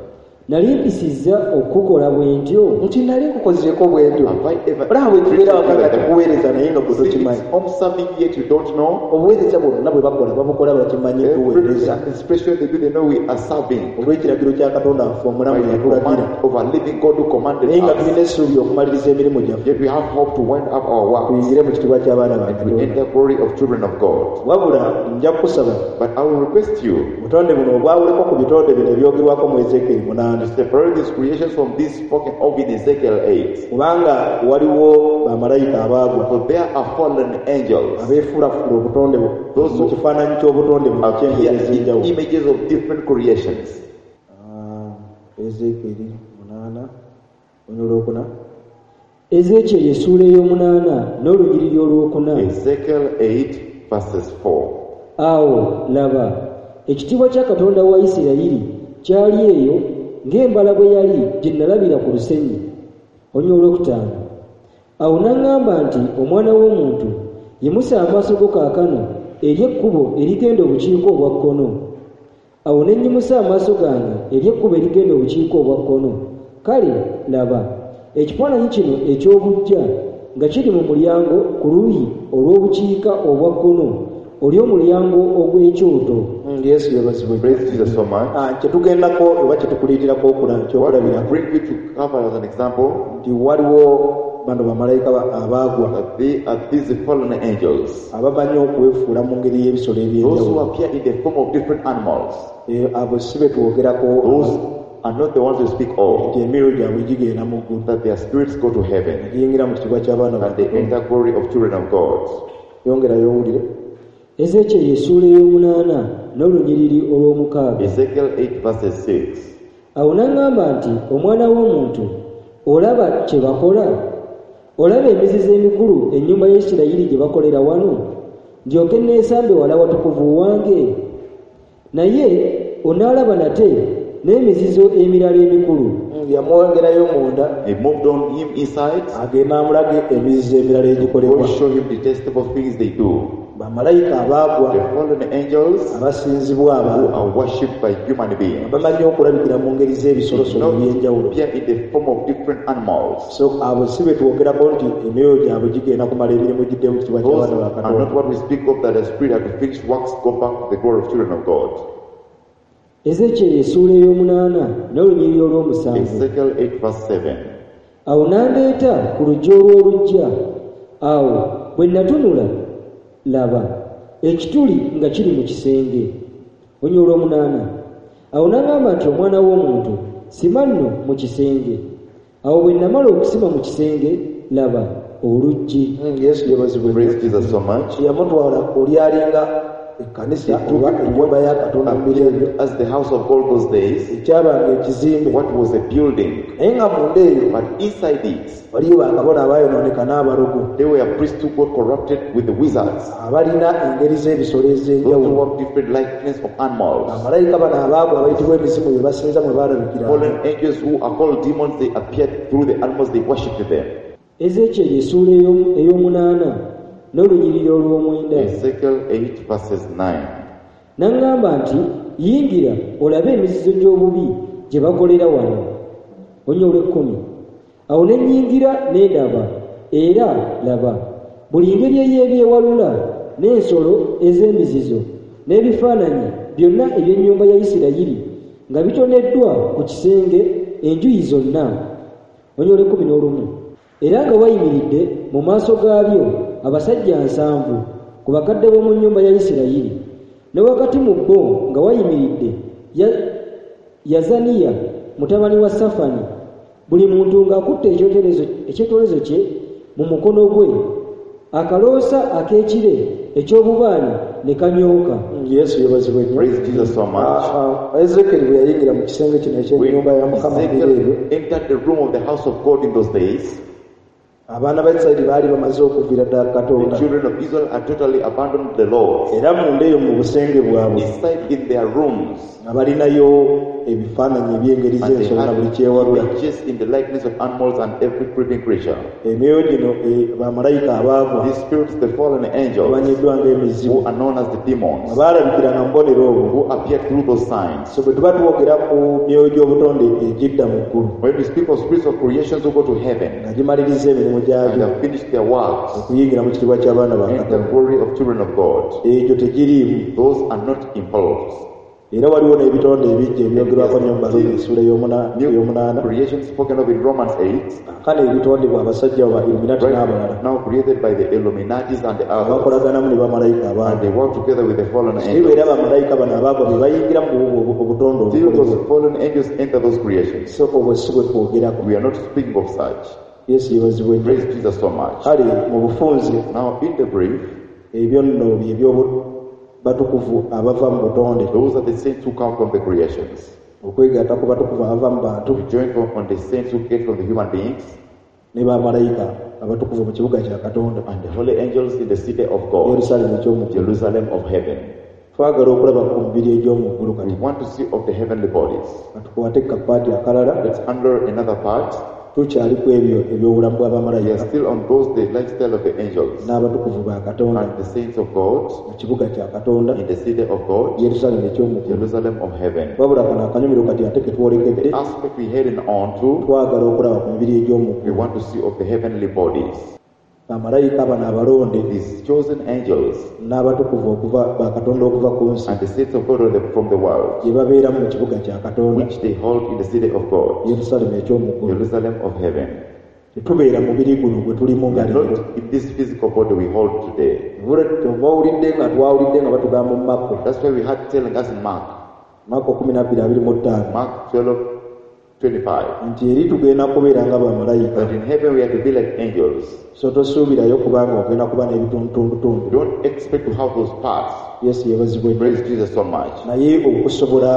Nali mpisizza okukukola bwe ntyo. Nti nali nkukozeeko bwe ntyo. Have I ever Olaba bwe tubeera waka nga tukuweereza naye nga gwe See, tokimanyi. it's home serving yet you don't know. Obuweereza bwonna bwe bakola babukola bakimanyi tuweereza. Every expression they do, they know we are serving. Olw'ekiragiro kya Katonda waffe By omulamu the yatulagira. command of our living God who commanded Naye nga us. tulina essuubi okumaliriza emirimu gyaffe. Yet we have hope to wind up our works Tuyingire mu kitiibwa ky'abaana ba and we Katonda. enter glory of children of God. Wabula nja kukusaba But I will request you obutonde buno obwawuleko ku bitonde bino ebyogerwako mu Ezeekeri munaana. to separate these creations from these spoken of in Ezekiel eight. Kubanga waliwo bamalayika abaagwa For there are fallen angels abeefuulafula obutonde bu- Those mu kifaananyi ky'obutonde buno appear eky'engeri in ez'enjawulo. images of different creations. Ah, Ezeekeri munaana olunyiriri olwokuna. Ezeekyeri essuula ey'omunaana n'olunyiriri olwokuna. Ezekiel eight verses four. Awo laba ekitiibwa kya Katonda wa Isirayiri kyali eyo ng'embala bwe yali gye nalabira ku lusenyi. Olunyiriri olwokutaano. Awo n'aŋŋamba nti omwana w'omuntu yimusa amaaso go kaakano eri ekkubo erigenda obukiika obwa kkono. Awo ne nnyimusa amaaso gange eri ekkubo erigenda obukiika obwa kkono. Kale laba, ekifaananyi kino eky'obuggya nga kiri mu mulyango ku luuyi olw'obukiika obwa kkono oly'omulyango ogw'ekyoto. Mm, Yesu yeebazibwe. Praise Jesus so much. Ah, kye tugendako oba kye tukuliitirako okula- What we ekyokulabirako bring you to cover as an example, nti waliwo bano bamalayika ba- abaagwa that they are these fallen angels, abamanyi okwefuula mu ngeri y'ebisolo those who eby'enjawulo. appear in the form of different animals. Eh, abo si be twogerako Those are not the ones we speak of, nti emyoyo gyabwe gigenda mu ggulu that their spirits go to heaven giyingira mu kitiibwa ky'abaana ba and they enter glory of children of God. Yongerayo owulire. Ezeekyeri essuula ey'omunaana n'olunyiriri olw'omukaaga. Ezekiel eight verses six. Awo n'aŋŋamba nti, omwana w'omuntu, olaba kye bakola? Olaba emizizo emikulu ennyumba ya Isirayiri gye bakolera wano, ndyoke neesambe wala watukuvu wange? Naye onaalaba nate n'emizizo emirala emikulu. Mm, yamwongerayo munda. He moved on him inside. Agenda amulage emizizo emirala egikolebwa. God show him detestable things they do. Bamalayika abaagwa The fallen angels abasinzibwa who abantu are worshipped by human beings. bamanyi okulabikira mu ngeri z'ebisolosolo Not eby'enjawulo. appear in the form of different animals. So abo si be twogerako nti emyoyo gyabwe gigenda kumala emirimu gidde mu kitiibwa Those ky'abaana ba are Katonda. not what we speak of, that the spirit had to finish works, go back to the glory of children of God. Ezeekyeri essuula ey'omunaana n'olunyiriri olw'omusanvu. Ezekiel eight verse seven. Awo n'andeeta ku luggi olw'oluggya. Awo bwe natunula, laba, ekituli nga kiri mu kisenge. Olunyiriri olw'omunaana. Awo n'aŋŋamba nti, omwana w'omuntu, sima nno mu kisenge. Awo bwe namala okusima mu kisenge, laba, oluggi. Mm, Yesu yeebazibwe. Praise Jesus so much. Yamutwala oli alinga ekkanisa oba ennyumba ya Katonda mu biro ebyo. As the house of God those days, ekyabanga ekizimbe. What was a building? Naye nga munda eyo But inside it, waliyo bakabona abaayonooneka n'abalogo. There were priests who got corrupted with the wizards. Abalina engeri z'ebisolo Those who ez'enjawulo. have different likeness of animals. Bamalayika bano abaagwa abayitibwa emizimu be basinza mwe baalabikira. Fallen angels who are called demons, they appeared through the animals, they worshipped them. Ezeekyeri essuula ey'omu-, ey'omunaana n'olunyiriri olw'omwenda. Ezekiel eight verses nine. N'aŋŋamba nti, yingira olabe emizizo gy'obubi gye bakolera wano. Olunyiriri olw'ekkumi. Awo ne nnyingira ne ndaba, era laba, buli ngeri ey'ebyewalula n'ensolo ez'emizizo n'ebifaananyi byonna eby'ennyumba ya Isirayiri nga bitoneddwa ku kisenge enjuyi zonna. Olunyiriri olw'ekkumi n'olumu. Era nga wayimiridde mu maaso gaabyo abasajja nsanvu ku bakadde b'omu nnyumba ya Isirayiri. Ne wakati mu bo nga wayimiridde Ya-, Yazaniya mutabani wa Safani, buli muntu ng'akutte ekyoterezo, ekyoterezo kye mu mukono gwe, akaloosa ak'ekire eky'obubaane ne kanyooka. Yesu yeebazibwe nnyo. Praise Jesus so much. Ah, ah, Ezekiel bwe yayingira mu kisenge kino eky'ennyumba ya Mukama mu biro ebyo, Ezekiel entered the room of the house of God in those days. Abaana ba Isirayiri baali bamaze okuviira ddala Katonda. The children of Israel had totally abandoned the Lord. Era munda eyo mu busenge bwabwe, Inside in their rooms, nga balinayo ebifaananyi eby'engeri and they z'ensolo na had buli kyewalula. images in the likeness of animals and every creeping creature. Emyoyo gino, eh, bamalayika abaagwa, These spirits, the fallen angels, bamanyiddwa ng'emizimu, who are known as the demons, nga baalabikiranga mu bubonero obwo. who appeared through those signs. So bwe tuba twogera ku myoyo gy'obutonde egidda mu ggulu, When we speak of spirits of creations who go to heaven nga gimaliriza emirimu gyabyo, and have finished their works, okuyingira mu kitiibwa ky'abaana ba and the Katonda, glory of children of God, egyo tegiriimu. Those are not involved. Era waliwo n'ebitonde ebijja ebyogerwako nnyo mu Baruumi essuula ey'omuna-, New ey'omunaana. creation spoken of in Romans eight, Kaakano ebitondebwa abasajja ba Illuminati right n'abalala. now created by the Illuminatis and the others, Abakolaganamu ne bamalayika and abandi. they work together with the fallen Naye angels. era bamalayika bano abaagwa be bayingira mu bu-, bu-, obutonde Still obukolebwa. those fallen angels enter those creations. So obwo si bwe twogerako. We are not speaking of such. Yesu yeebazibwe nnyo. Praise Jesus so much. Kale mu bufunze, Now in the brief, ebyo nno bye by'obu-, batukuvu abava mu butonde. Those are the saints who come from the creations. Okwegatta ku batukuvu abava mu bantu. We join from, on the saints who get from the human beings. Ne bamalayika abatukuvu mu kibuga kya Katonda. And the holy angels in the city of God. Yerusalemu eky'omu ggulu. Jerusalem of heaven. Twagala okulaba ku mibiri egy'omu ggulu kati. We want to see of the heavenly bodies. Katukwate kapaati akalala. Let's handle another part. Tukyali ku ebyo eby'obulamu We are bw'abamalayika still on those the lifestyle of the angels n'abatukuvu ba Katonda and the saints of God mu kibuga kya Katonda in the city of God, Yerusaalemi eky'omu ggulu. Jerusalem of heaven. Wabula kano akanyumiro kati ate ke twolekedde The aspect we're heading on to, twagala okulaba ku mibiri egy'omu we ggulu. want to see of the heavenly bodies. Bamalayika bano abalonde These chosen angels n'abatukuvu okuva ba Katonda okuva ku nsi and the saints of God from the world, gye babeeramu mu kibuga kya Katonda which they hold in the city of God, Yerusaalemi eky'omu ggulu. Jerusalem of heaven. Tetubeera mubiri guno gwe tulimu We nga are leero. not in this physical body we hold today. Oba owulidde nga twawulidde nga batugamba mu Makko. That's why we had telling us in Mark, Makko kkumi na bbiri abiri mu ttaano. Mark twelve twenty-five, Nti eri tugenda kubeera nga bamalayika. that in heaven we are to be like angels. So tosuubirayo kubanga ogenda kuba n'ebitundutundutundu. Don't expect to have those parts. Yesu yeebazibwe. Praise Jesus so much. Naye okusobola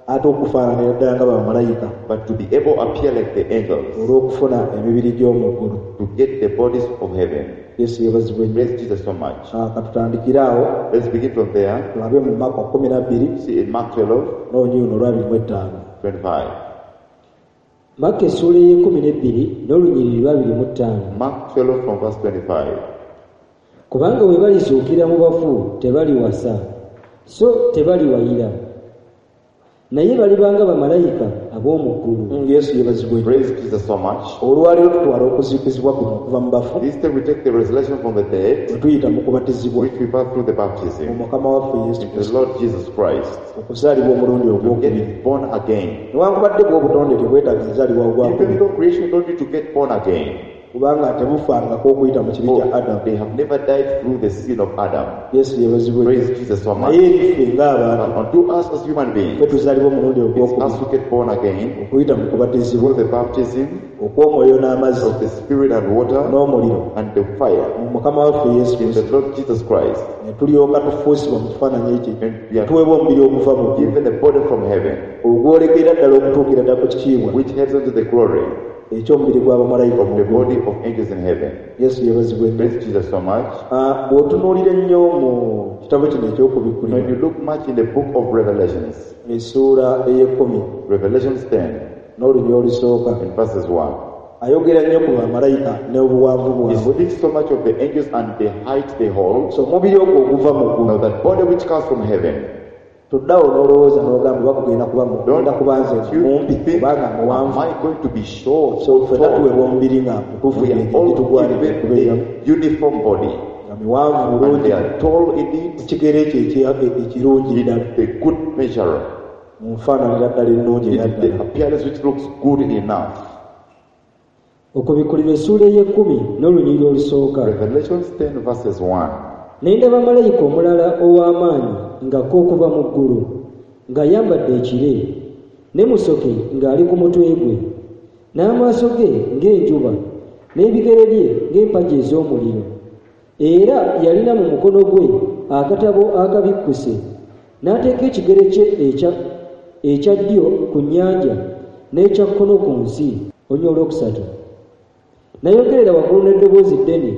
ate okufaananira ddala nga bamalayika. But to be able to appear like the angels. Olw'okufuna emibiri gy'omu ggulu. To get the bodies of heaven. Yesu yeebazibwe. Praise Jesus so much. Ah, katutandikire awo. Let's begin from there. Tulabe mu Makko kkumi na bbiri. See in Mark twelve. N'olunyiriri luno olw'abiri mu ttaano. twenty-five. Makko essuula ey'ekkumi n'ebbiri n'olunyiriri lw'abiri mu ttaano. Mark twelve from verse twenty-five. Kubanga bwe balizuukira mu bafu tebaliwasa, so tebaliwayira. Naye balibanga bamalayika ab'omu ggulu. Yesu yeebazibwe. Praise Jesus so much. Olwaleero tutwala okuzuukizibwa kuno okuva mu bafu. This time we take the resurrection from the dead, Bwe tuyita mu kubatizibwa. which we pass through the baptism. Mu Mukama waffe Yesu In the Kristo. Lord Jesus Christ. Okuzaalibwa omulundi To ogwokubiri. get born again. Newankubadde bwe obutonde tebwetaaga kuzaalibwa ogwakubiri. Even though creation don't need to get born again. Kubanga tebufangako okuyita mu kibi kya Adamu. They have never died through the sin of Adam. Yesu yeebazibwe. Praise Jesus so much. Naye ffe ng'abantu, But unto us as human beings, ffe tuzaalibwa omulundi it's ogwokubiri. us who get born again Okuyita mu kubatizibwa. through the baptism Okw'omwoyo n'amazzi. of the Spirit and water N'omuliro. and the fire. Mu Mukama waffe Yesu In the Kristo. Lord Jesus Christ. Ne tulyoka tufuusibwa mu kifaananyi ekyo. And we are Tuweebwa omubiri oguva mu ggulu. given a body from heaven, Ogwolekera ddala okutuukira ddala ku kitiibwa. which heads unto the glory Eky'omubiri gw'abamalayika of the body of angels in heaven. Yesu yeebazibwe. Praise Jesus so much. Ah, bw'otunuulira ennyo mu kitabo kino eky'okubikkulirwa. When you look much in the book of Revelations, Essuula ey'ekkumi. Revelations ten, N'olunyiriri olusooka. and verses one. Ayogera nnyo ku bamalayika n'obuwanvu He bwabwe. speaks so much of the angels and the height they hold. So omubiri ogwo oguva mu ggulu. Now that body which comes from heaven. Toddawo n'olowooza n'ogamba bakugenda kuba mu- Don't ngenda kuba nze you mumpi think, kubanga muwanvu. am I going to be short? So ffenna tall? tuweebwa omubiri nga mutuufu We are gye all gitugwanidde given okubeeramu. the uniform body. Nga miwanvu And bulungi. they are tall indeed. Ekigero ekyo ekya-, ekirungi ddala. In the good measure. Mu nfaananira ddala ennungi era In the ddala. appearance which looks good enough. Okubikkulirwa essuula ey'ekkumi n'olunyiriri olusooka. Revelations ten verses one. Ne ndaba malayika omulala ow'amaanyi ng'akka okuva mu ggulu, ng'ayambadde ekire, ne musoke ng'ali ku mutwe gwe, n'amaaso ge ng'enjuba, n'ebigere bye ng'empagi ez'omuliro. Era yalina mu mukono gwe akatabo akabikkuse, n'ateeka ekigere kye ekya, ekya ddyo ku nnyanja n'ekya kkono ku nsi. Olunyiriri olwokusatu. N'ayogerera waggulu n'eddoboozi ddene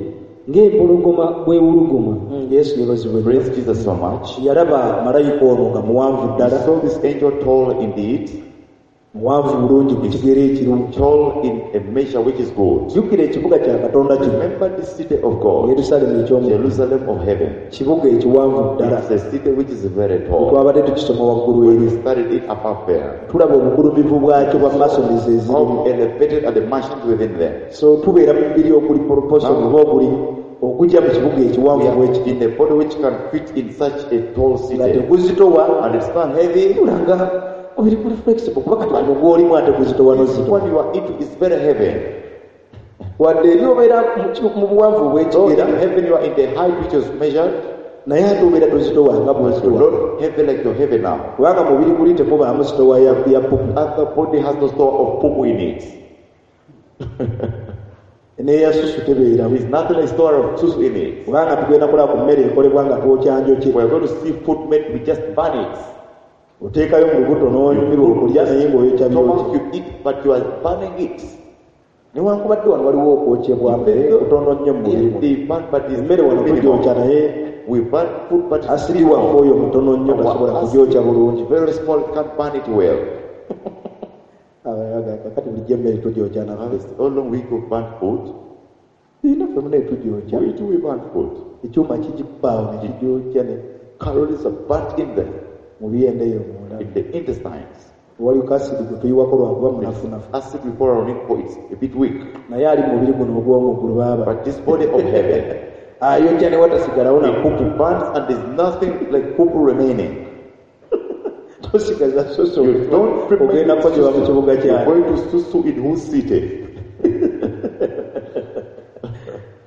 ng'empologoma bw'ewuluguma. Mm, Yesu yeebazibwe. Praise Jesus so much. Yalaba malayika ono nga muwanvu ddala. He saw this angel tall indeed. Muwanvu bulungi ku kigero ekirungi. Tall in a measure which is good. Jjukira ekibuga kya Katonda kino. Remember this city of God. Yerusaalemi eky'omu. Jerusalem of heaven. Kibuga ekiwanvu ddala. It's a city which is very tall. Twabadde tukisoma waggulu When eri. we studied it above there. Tulaba obugulumivu bwakyo bwa masons ezirimu. How elevated are the mansions within them. So tubeera mu mubiri oguli proportion oba oguli ogujja mu kibuga ekiwanvu We are bwekiti. in a body which can fit in such a tall Nga city. teguzitowa. And it's not heavy. Tulanga omubiri guli flexible kuba kati guno gw'olimu ate guzitowa This n'ozitowa. one you are into is very heavy. Wadde eri obeera mu ki-, mu buwanvu Though bw'ekigera, in heaven you are in the height which is measured, naye ate obeera tozitowa nga bw'ozitowa. You're not heavy like you're heavy now. Kubanga mubiri guli temubaamu sitowa ya, ya pupu. Other body has no store of pupu in it. N'eya susu tebeeramu. There is nothing like store of susu in it. Kubanga tugenda kulaba ku mmere ekolebwa nga twokya njoki. We are going to see food made, we just burn it. Oteekayo mu lubuto n'onyumirwa okulya naye ng'oyokya Stomach byokya. you eat, but you are burning it. Newankubadde wano waliwo okwokyebwa mmere kutono nnyo mu Yes, buli. they burn, but it's Emmere wano minimal. tugyokya naye We burn food, but it's asidi waffe oyo mutono nnyo Our tasobola acid kugyokya bulungi. Very small, can't burn it well. Kakati bulijjo emmere tugyokya naffe. How long we cook burnt food? Naffe mune tugyokya. We do we burnt food. Ekyuma kigikubaawo ne kigyokya ne calories are burnt in there. Mu byenda eyo munda. In the intestines. Waliwo kasidi gwe tuyiwako lwakuba munafunafu. Acid we pour on it for it's a bit weak. Naye ali mu mubiri guno ogw'omu ggulu baaba. But this body of heaven. Ayokya ne watasigalawo na kupu. Burns and there's nothing like kupu remaining. Tosigaza susu. You don't ogenda kukozebwa mu kibuga kyange. You're going to susu in whose city?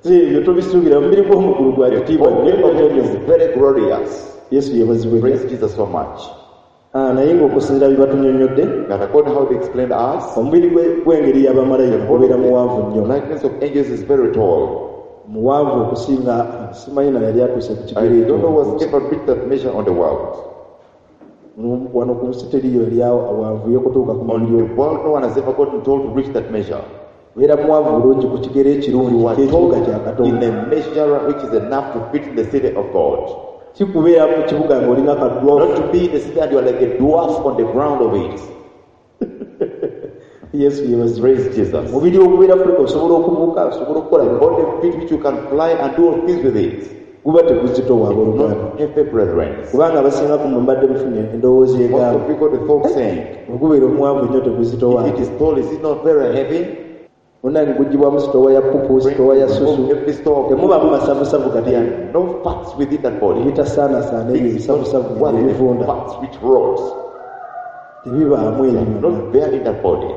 Ebyo tobisuubira omubiri gw'omu ggulu gwa kitiibwa nnyo. Is very glorious. Yesu yeebazibwe. Praise Jesus so much. Ah, naye ng'okusinziira bye batunyonnyodde, that according how they explained us, omubiri gw'engeri y'abamalayika gubeera muwanvu nnyo. Likeness of angels is very tall. Muwanvu okusinga simanyi na yali atuuse ku kigere. I don't know what's ever reached that measure on the world. Wano ku nsi teriyo yali awanvuye okutuuka ku On mubiri. the world, no one has ever gotten tall to reach that measure. Beera muwanvu bulungi ku kigere ekirungi ky'ekibuga kya Katonda. In a measure which is enough to fit in the city of God. Si kubeera mu kibuga ng'olinga ka dwarf. Not to be in the city and you are like a dwarf on the ground of it. Yesu yeebazibwe. Praise Jesus. Mubiri ogubeera Afrika osobola okubuuka, osobola okukola The body fit which you can fly and do all things with it. Guba teguzitowa abooluganda. Not heavy, brethren. Kubanga abasinga ku mmwe mbadde mufunye endowooza egamba. Most of you got the thought saying, Ogubeera omuwanvu nnyo teguzitowa. If it is tall, is it not very heavy? Munnange guggyibwamu sitoowa ya pupu, sitoowa ya susu. Temubaamu masavusavu kati. No fats within that body. Ebitasaaнаsaana ebyo ebisavusavu ebivunda. Fats which rot. Tebibaamu ebyo. Not there in that body.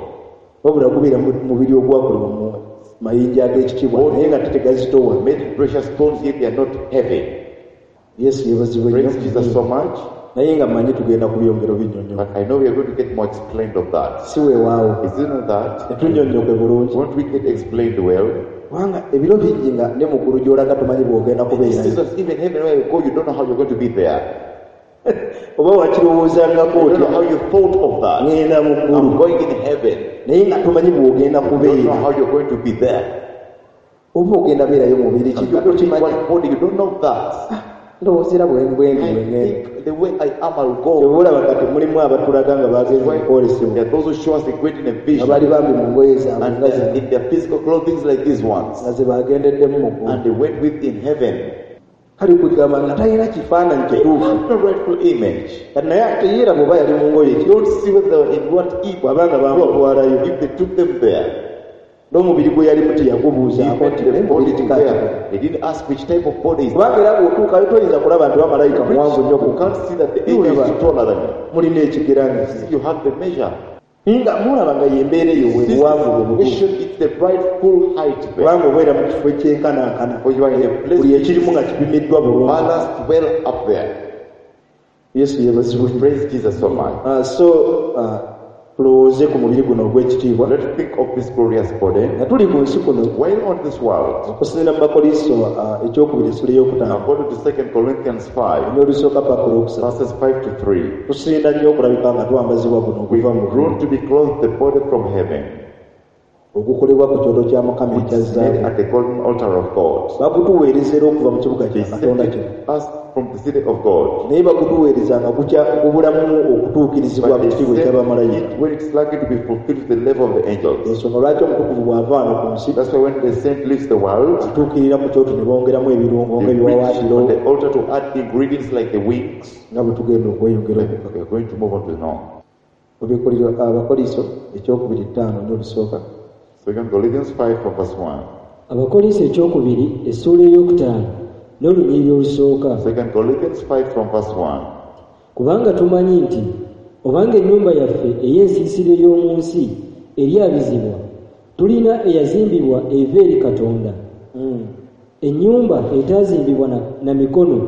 Wabula gubeera mubiri ogwakolebwa mu mayinja ag'ekitiibwa naye nga tegazitowa. Made precious stones yet they are not heavy. Yesu yeebazibwe nnyo. Praise Jesus so much. Naye nga mmanyi tugenda kubyongera obinnyonnyoka. But I know we are going to get more explained of that. Si weewaawo. Is it not that? Tetunnyonnyoke bulungi. Won't we get explained well? Kubanga ebiro bingi nga ne mu ggulu gy'olaga tomanyi bw'ogenda kubeerayo. Jesus, even heaven where you go, you don't know how you're going to be there. Oba wakirowoozangako You don't know otya? how you thought of that. Ŋŋenda mu ggulu. I'm going in heaven. Naye nga tomanyi bw'ogenda You don't know kubeera. how you're going to be there. Oba ogenda beerayo mubiri ki? You're going to be in what body? You don't know that. Ndowooza era bwe bwe ndi I bwe ŋŋenda. think the way I am, I'll go. Kyova olaba kati mulimu abatulaga nga bagenze mu kwolesebwa. There are those who show us the great in a vision. Nga bali bambi mu ngoye zaabwe And nga zino. in their physical clothing like these ones. Nga ze bagendeddemu mu ggulu. And they went with in heaven. Kale kugamba nga talina kifaananyi kituufu. No rightful image. Kati naye ate yeeraba oba yali mu ngoye ki? You don't see whether they were in what evil. Bw'abanga bamutwalayo. If they took them there. N'omubiri gwe yalimu teyagubuuzaako nti Even naye the body mubiri to kika ki? wear. They didn't ask which type of body is Kubanga era bw'otuukayo toyinza kulaba nti bamalayika muwanvu nnyo You can't see that the angel is taller than you. Mulina ekigera nga You have the measure. Nga mulaba nga y'embeera eyo bwe This buwanvu bwe butuufu. situation is the rightful height there. Kubanga obeera mu kifo ekyenkanankana. For you are in a place Buli ekirimu nga kipimiddwa bulungi. balanced well up there. Yesu yeebazibwe. Praise Jesus so much. Ah, so ah, tulowooze ku mubiri guno ogw'ekitiibwa. Let's think of this glorious body. Nga tuli ku nsi kuno, While on this world, okusinziira mu Bakolinso ah, ekyokubiri essula ey'okutaano, according to Second Corinthians five, n'olusooka paka olwokusatu, verses five to three, tusinda nnyo okulabika nga twambazibwa guno we okuva mu ggulu, grown to be clothed the body from heaven, ogukolebwa ku kyoto kya Mukama which ekya is made zaabu. at the golden altar of God. Bagutuweereza era okuva mu kibuga They kya Katonda sent kino. it us from the city of God. Naye bagutuweereza nga gukya gubulamu okutuukirizibwa But mu they kitiibwa sent eky'abamalayika. it when it's likely to be fulfilled to the level of the angels. Ensonga lwaki omutukuvu bw'ava wano ku nsi, That's why when the saint leaves the world, atuukirira ku kyoto ne bongeramu ebirungo they reach ng'ebiwaawaatiro on the altar to add ingredients like the wings. nga bwe tugenda okweyongera okukaka. We are going to move on to now. Obikulirwa Abakoliso ekyokubiri ttaano n'olusooka. Second Corinthians five from verse one. Abakoliso ekyokubiri essuula ey'okutaano n'olunyiriri olusooka. Second Corinthians five from verse one. Kubanga tumanyi nti obanga ennyumba yaffe ey'ensiisira ey'omu nsi eryabizibwa, tulina eyazimbibwa eva eri Katonda. Mm. Ennyumba etaazimbibwa na, na mikono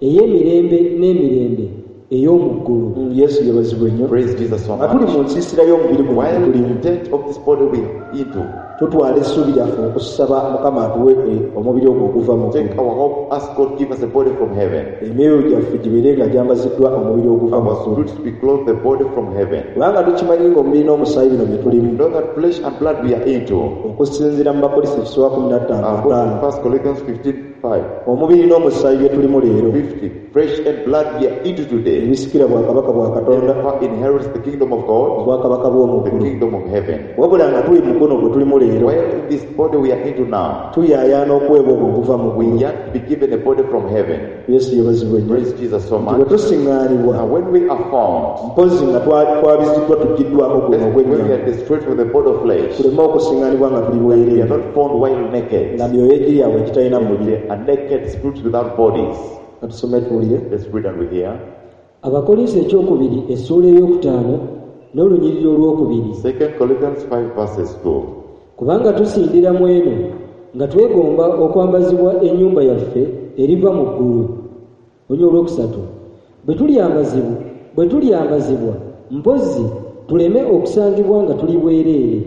ey'emirembe n'emirembe ey'omu ggulu. Mm, Yesu yeebazibwe nnyo. Praise Jesus so Nga tuli much. mu nsiisira y'omubiri guno While gwe tulimu, the tent of this body we into, Tutwala essuubi lyaffe okusaba Mukama atuwe eh, omubiri ogwo oguva mu Take ggulu. our hope, ask God give us a body from heaven. Emyoyo gyaffe gibeere nga gyambaziddwa omubiri oguva mu Our ggulu. spirits be clothed the body from heaven. Kubanga tukimanyi ng'omubiri n'omusaayi bino bye tulimu. Know that flesh and blood we are into. Okusinziira mu Bakolinso ekisooka kumi na ttaano According to ataano. First Corinthians fifteen five. Omubiri n'omusaayi bye tulimu leero. fifty. Flesh and blood we are into today. Ebisikira bwakabaka bwa Katonda. Therefore inherits the kingdom of God, Obwakabaka bw'omu the ggulu. kingdom of heaven. Wabula nga tuli mu guno gwe tulimu leero. While in this body we are into now, Tuyaayaana okuweebwa ogwo oguva mu we ggulu. yearn to be given a body from heaven. Yesu yeebazibwe nnyo. Praise Jesus so Nti bwe much. tusiŋŋaanibwa. Now when we are found, Mpozzi nga twa- twabiziddwa tugiddwako guno when we ogw'ennyama. are destroyed from the body of flesh, Tuleme okusiŋŋaanibwa nga tuli we are bwereere. not found while naked. Nga myoyo egiri yaabwe egitalina mubiri. They are naked spirits without bodies. Ka tusome tuwulire. Let's read and we hear. Abakolinso ekyokubiri essuula ey'okutaano n'olunyiriri olwokubiri. Second Corinthians five verses two. Kubanga tusindira mu eno nga twegomba okwambazibwa ennyumba yaffe eriva mu ggulu. Olunyiriri olwokusatu. Bwe tulyambazibwa, bwe tulyambazibwa mpozzi tuleme okusangibwa nga tuli bwereere.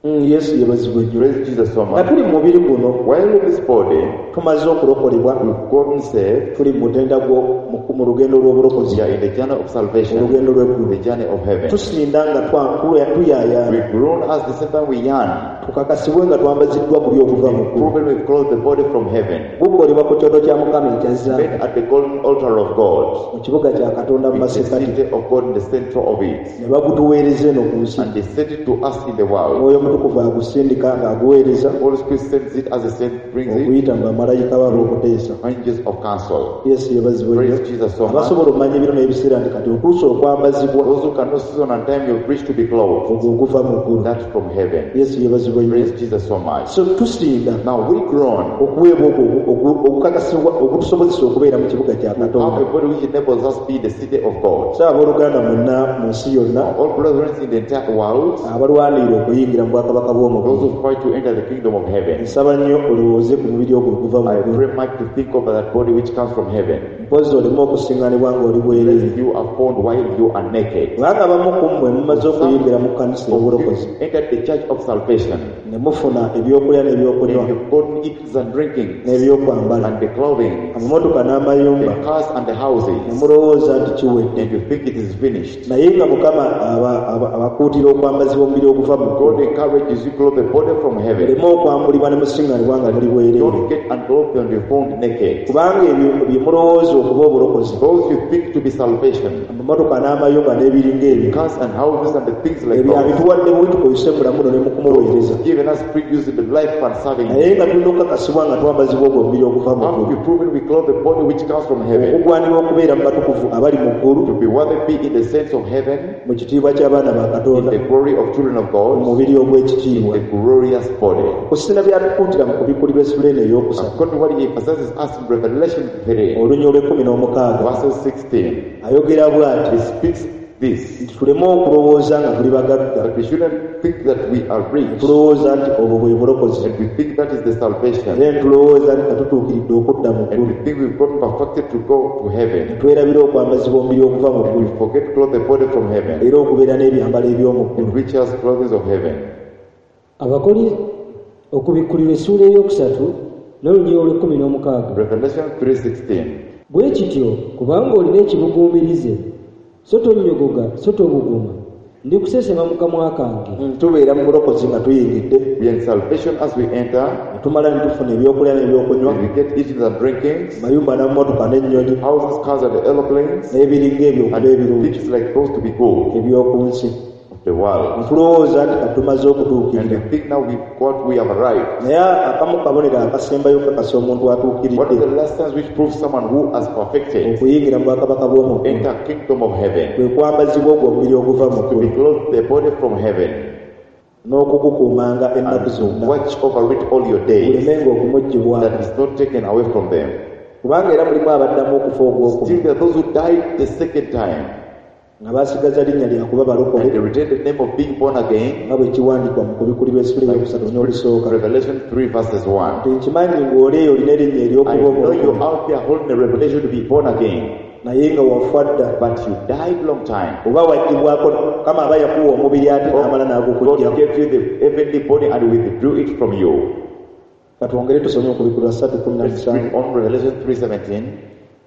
Mm, Yesu yeebazibwe nnyo. Praise Jesus so Nga much. tuli mu mubiri guno While in this body, tumaze okulokolebwa we've gotten saved. tuli mu mutenda gwo mu- mu lugendo lw'obulokozi We are in the journey of salvation, olugendo lw'eggulu. the journey of heaven. Tusinda nga twa- tuya- tuyaayaana We groan as the same time we yearn. tukakasibwe nga twambaziddwa guli oguva mu ggulu. Proven we've clothed the body from heaven. Gukolebwa ku kyoto kya Mukama ekya zaabu Made at the golden altar of God. mu kibuga kya Katonda mu In the masekkati city of God, in the center of it. ne bagutuweereza eno ku nsi. And they sent it to us in the world. Omwoyo Omutukuvu agusindika ng'aguweereza Holy Spirit sends it as a saint brings it. okuyita mu bamalayika be ab'okuteesa. Angels of counsel. Yesu yeebazibwe nnyo. Praise Jesus so much. Abasobola okumanya ebiro n'ebiseera nti kati otuuse okwambazibwa Those who cannot season and time, you've reached to be clothed. ogwo oguva mu ggulu. That's from heaven. Yesu yeebazibwe nnyo. Praise Jesus so much. So tusinda Now we groan. okuweebwa ogwo ogu- okukakasibwa okutusobozesa okubeera mu kibuga kya Have a Katonda. body which enables us be the city of God. So abooluganda mwenna mu nsi yonna All brethren in the entire world, abalwanirira okuyingira mu bwakabaka bw'omu those ggulu who fight to enter the kingdom of heaven. nsaba nnyo olowooze ku mubiri ogwo oguva mu I ggulu. pray much to think over that body which comes from heaven. Mpozzi oleme okusiŋŋaanibwa ng'oli bwereere. Lest you are found while you are naked. Kubanga abamu ku mmwe mumaze okuyingira mu kkanisa ey'obulokozi You entered the church of salvation. ne mufuna ebyokulya n'ebyokunywa And you've gotten eatings and drinkings n'ebyokwambala and the clothing, amamotoka n'amayumba the cars and the ne houses, mulowooza nti kiwedde. and you think it is finished. Naye nga Mukama aba- aba- abakuutira okwambazibwa omubiri oguva mu ggulu. God encourages you clothe the body from heaven. Muleme okwambulibwa ne musiŋŋaanibwa nga muli bwereere. Don't get unclothed and you're found naked. Kubanga ebyo bye mulowooza okuba obulokozi Those you think to be salvation, amamotoka n'amayumba n'ebiringa ebyo cars and houses and the things like ebyo those, abituwadde buwi tukozese mu bulamu buno ne mu kumuweereza. given us free use in the life and serving. Naye nga tulina okukakasibwa nga twambazibwa ogwo omubiri oguva mu Have ggulu we proven we clothe the body which comes from heaven? okugwanirwa okubeera mu batukuvu abali mu ggulu To be worthy be in the sense of heaven, mu kitiibwa ky'abaana ba in Katonda the glory of children of mu God, mubiri ogw'ekitiibwa. the glorious body. Okusina byatukuutira mu kubikkulirwa essula eno ey'okusatu According to what he emphasizes us in Revelation three, olunya olw'ekkumi n'omukaaga verses sixteen, ayogera bw'ati he speaks this, nti tuleme okulowooza nga tuli bagagga that we shouldn't think that we are rich, tulowooza nti obwo bwe bulokozi and we think that is the salvation, era ne tulowooza nti katutuukiridde okudda mu and ggulu we think we've gotten perfected to go to heaven, ne twerabira okwambazibwa omubiri okuva mu and ggulu we forget to clothe the body from heaven, era okubeera n'ebyambalo eby'omu ggulu. and which has clothing of heaven. Abakoli okubikkulirwa essuula ey'okusatu n'olunyiriri olw'ekkumi n'omukaaga. Revelation three sixteen. Bwe kityo kubanga olina ekibuguumirize so tonnyogoga so tobuguma ndikusesema mu kamwa kange. Mm, tubeera mu bulokozi nga tuyingidde We are in salvation as we enter, ne tumala ne tufuna ebyokulya n'ebyokunywa and we get eating and drinkings, mayumba n'amamotoka n'ennyonyi houses, cars, and the aeroplanes, n'ebiringa ebyo okuba and ebirungi things like those to be good eby'oku nsi of the world. Ne tulowooza nti kati tumaze And okutuukirira we think now we've got, we have arrived. naye akamu kabonero akasembayo kakasa omuntu What atuukiridde is the last signs which proves someone who has perfected okuyingira mu bwakabaka bw'omu ggulu enter kingdom of heaven? kwe kwambazibwa ogwo omubiri oguva mu To be ggulu clothed the body from heaven n'okugukuumanga ennaku and zonna watch over it all your days, gulemenga okumuggyibwako that is not taken away from them. kubanga era mulimu abaddamu okufa ogwokubiri Still there are those who died the second time nga basigaza linnya lya kuba balokole and they retain the name of being born again. nga bwe kiwandiikwa mu kubikkulirwa essula ey'okusatu n'olusooka. Revelation three verses one. Nti nkimanyi ng'oli eyo olina erinnya I ery'okuba know you're omulokole out there holding a revelation to be born again. Naye nga wafa dda. But you died long time. Oba waggyibwako Mukama aba yakuwa omubiri ate n'amala n'agukuggyako. God gave you the heavenly body and withdrew it from you. Katwongere tusome Okubikkulirwa ssatu kkumi na Let's read musanvu. on Revelation three seventeen.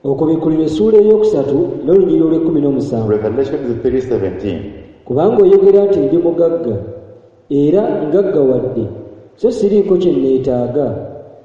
Okubikkulirwa essuula ey'okusatu n'olunyiriri olw'ekkumi n'omusanvu. Revelation three seventeen. Kubanga oyogera nti ndi mugagga era ngaggawadde, so siriiko kye neetaaga,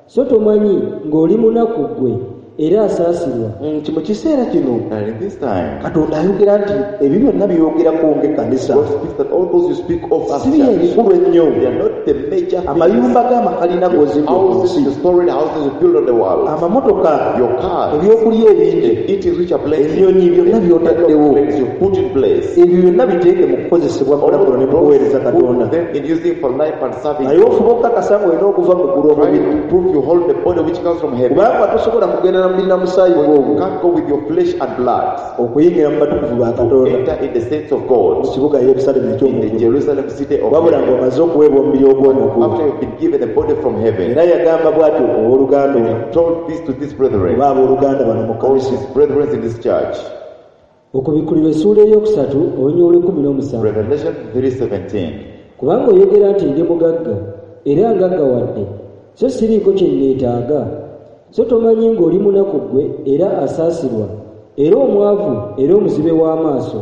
so tomanyi ng'oli munaku ggwe era asaasirwa. Nti mu kiseera kino And in this time, Katonda ayogera nti ebyo byonna byogerako ng'ekkanisa God speaks that all those you speak of as si bye church, ebikulu ennyo. they are not the major things. Amayumba g'amakalina g'ozimbye ku Houses, nsi, the storied houses you build on the world, amamotoka, your cars, ebyokulya ebingi, the eating which are plenty, ennyonyi, byonna by'otaddewo, the you put in place, ebyo byonna biteeke mu kukozesebwa all kulabula ne mu kuweereza those Katonda. put them in using for life and serving. Naye ofuba okukakasa ng'olina okuva mu ggulu Try omubiri, to prove you hold the body which comes from heaven. kubanga tosobola kugenda na mubiri na musaayi You gw'ogwo can't go with your flesh and blood okuyingira mu batukuvu ba Katonda enter in the saints of mu God kibuga Yerusaalemi in the eky'omuggulu, Jerusalem city of wabula heaven. ng'omaze okuweebwa omubiri ogw'omuggulu. After you've been given a body from heaven, Era yagamba bw'atyo owooluganda ono, he told this to these brethren, oba abooluganda bano mu all kkanisa. his brethren in this church. Okubikkulirwa essuula ey'okusatu olunyiriri olw'ekkumi n'omusanvu. Revelation three seventeen. Kubanga oyogera nti ndi mugagga era ngaggawadde, so siriiko kye neetaaga, so tomanyi ng'oli munaku ggwe era asaasirwa, era omwavu era omuzibe w'amaaso,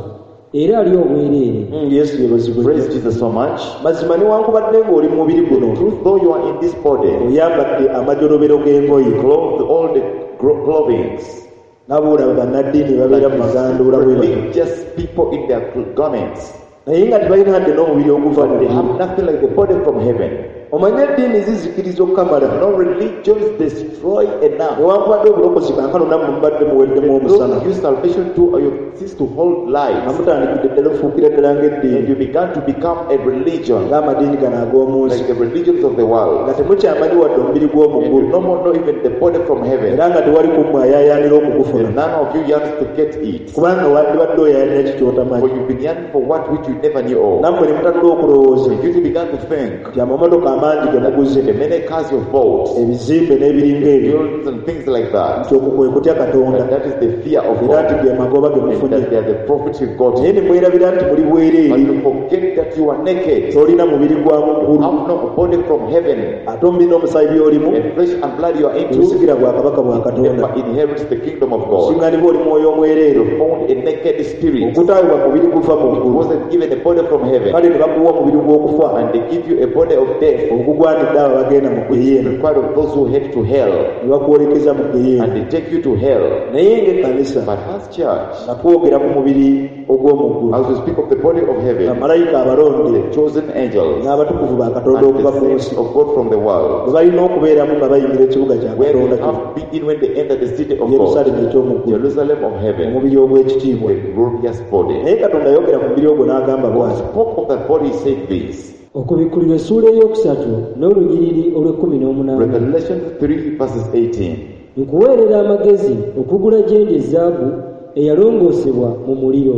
era ali obwereere. Mm, Yesu yeebazibwe. Praise Jesus so much. Mazima newankubadde ng'oli mu mubiri guno, Truth, though you are in this body, oyambadde amajolobero g'engoye, clothed all the gro- clothings, n'aboolaba bannaddiini babeera mu maganduula bwe batyo, religious people in their garments, naye nga tebalina hadde n'omubiri oguva mu they ggulu. have nothing like the body from heaven. Omanye eddiini zizikiriza okukamala. No religions destroy enough. Newankubadde obulokozi kankano nammwe mubadde muweddemu omusana, Those use salvation to or you cease to hold light, nga mutandikidde ddala ofuukira ddala ng'eddiini, and you began to become a religion, ng'amadiini gano ag'omu nsi, like the religions of the world. nga temukyamanyi wadde omubiri gw'omu And you ggulu, no more know even the body from heaven. era nga tewali ku mmwe ayaayaanira okugufuna, And none of you yearns to get it. kubanga wandibadde oyaayaanira ki ky'otamanyi. For you've been yearning for what which you never knew of. Nammwe ne mutanula okulowooza You began to think nti amamotoka amangi ge muguze, the many cars you've bought, ebizimbe n'ebiringa ebyo, buildings and things like that, nti okwo kwe kutya Katonda, and that is the fear of era nti God, ge magoba ge and mufunye. that they are the profits you've got. Naye ne mwerabira nti muli bwereere, But you forget that you are naked, tolina mubiri gwa mu ggulu, have no body from heaven, ate omubiri n'omusaayi by'olimu and flesh and blood you are into tebisikira bwakabaka bwa Katonda. never inherits the kingdom of God. Osinganibwa oli mwoyo omwereere, You found a naked spirit. ogutaweebwa mubiri guva mu It ggulu, wasn't given a body from heaven, kale ne bakuwa omubiri gw'okufa and they give you a body of death, ogugwanidde abo abagenda mu ggeyeena, required of those who head to hell, ne bakwolekeza mu ggeyeena. and they take you to hell. Naye ng'ekkanisa But as church, nga twogera ku mubiri ogw'omu ggulu, as we speak of the body of heaven, bamalayika abalonde the chosen angels n'abatukuvu ba Katonda and okuva the ku saints nsi of God from the world, bwe balina okubeeramu nga bayingira ekibuga kya where they Katonda kino, have been when they enter the city of God, Yerusaalemi eky'omu ggulu, Jerusalem of heaven, omubiri ogw'ekitiibwa. the glorious body. Naye Katonda ayogera ku mubiri ogwo n'agamba God bw'ati. spoke of that body, he said this. Okubikkulirwa essuula ey'okusatu n'olunyiriri olw'ekkumi n'omunaana. Revelation three verses eighteen. Nkuweerera amagezi okugula gye ndi ezaabu eyalongoosebwa mu muliro,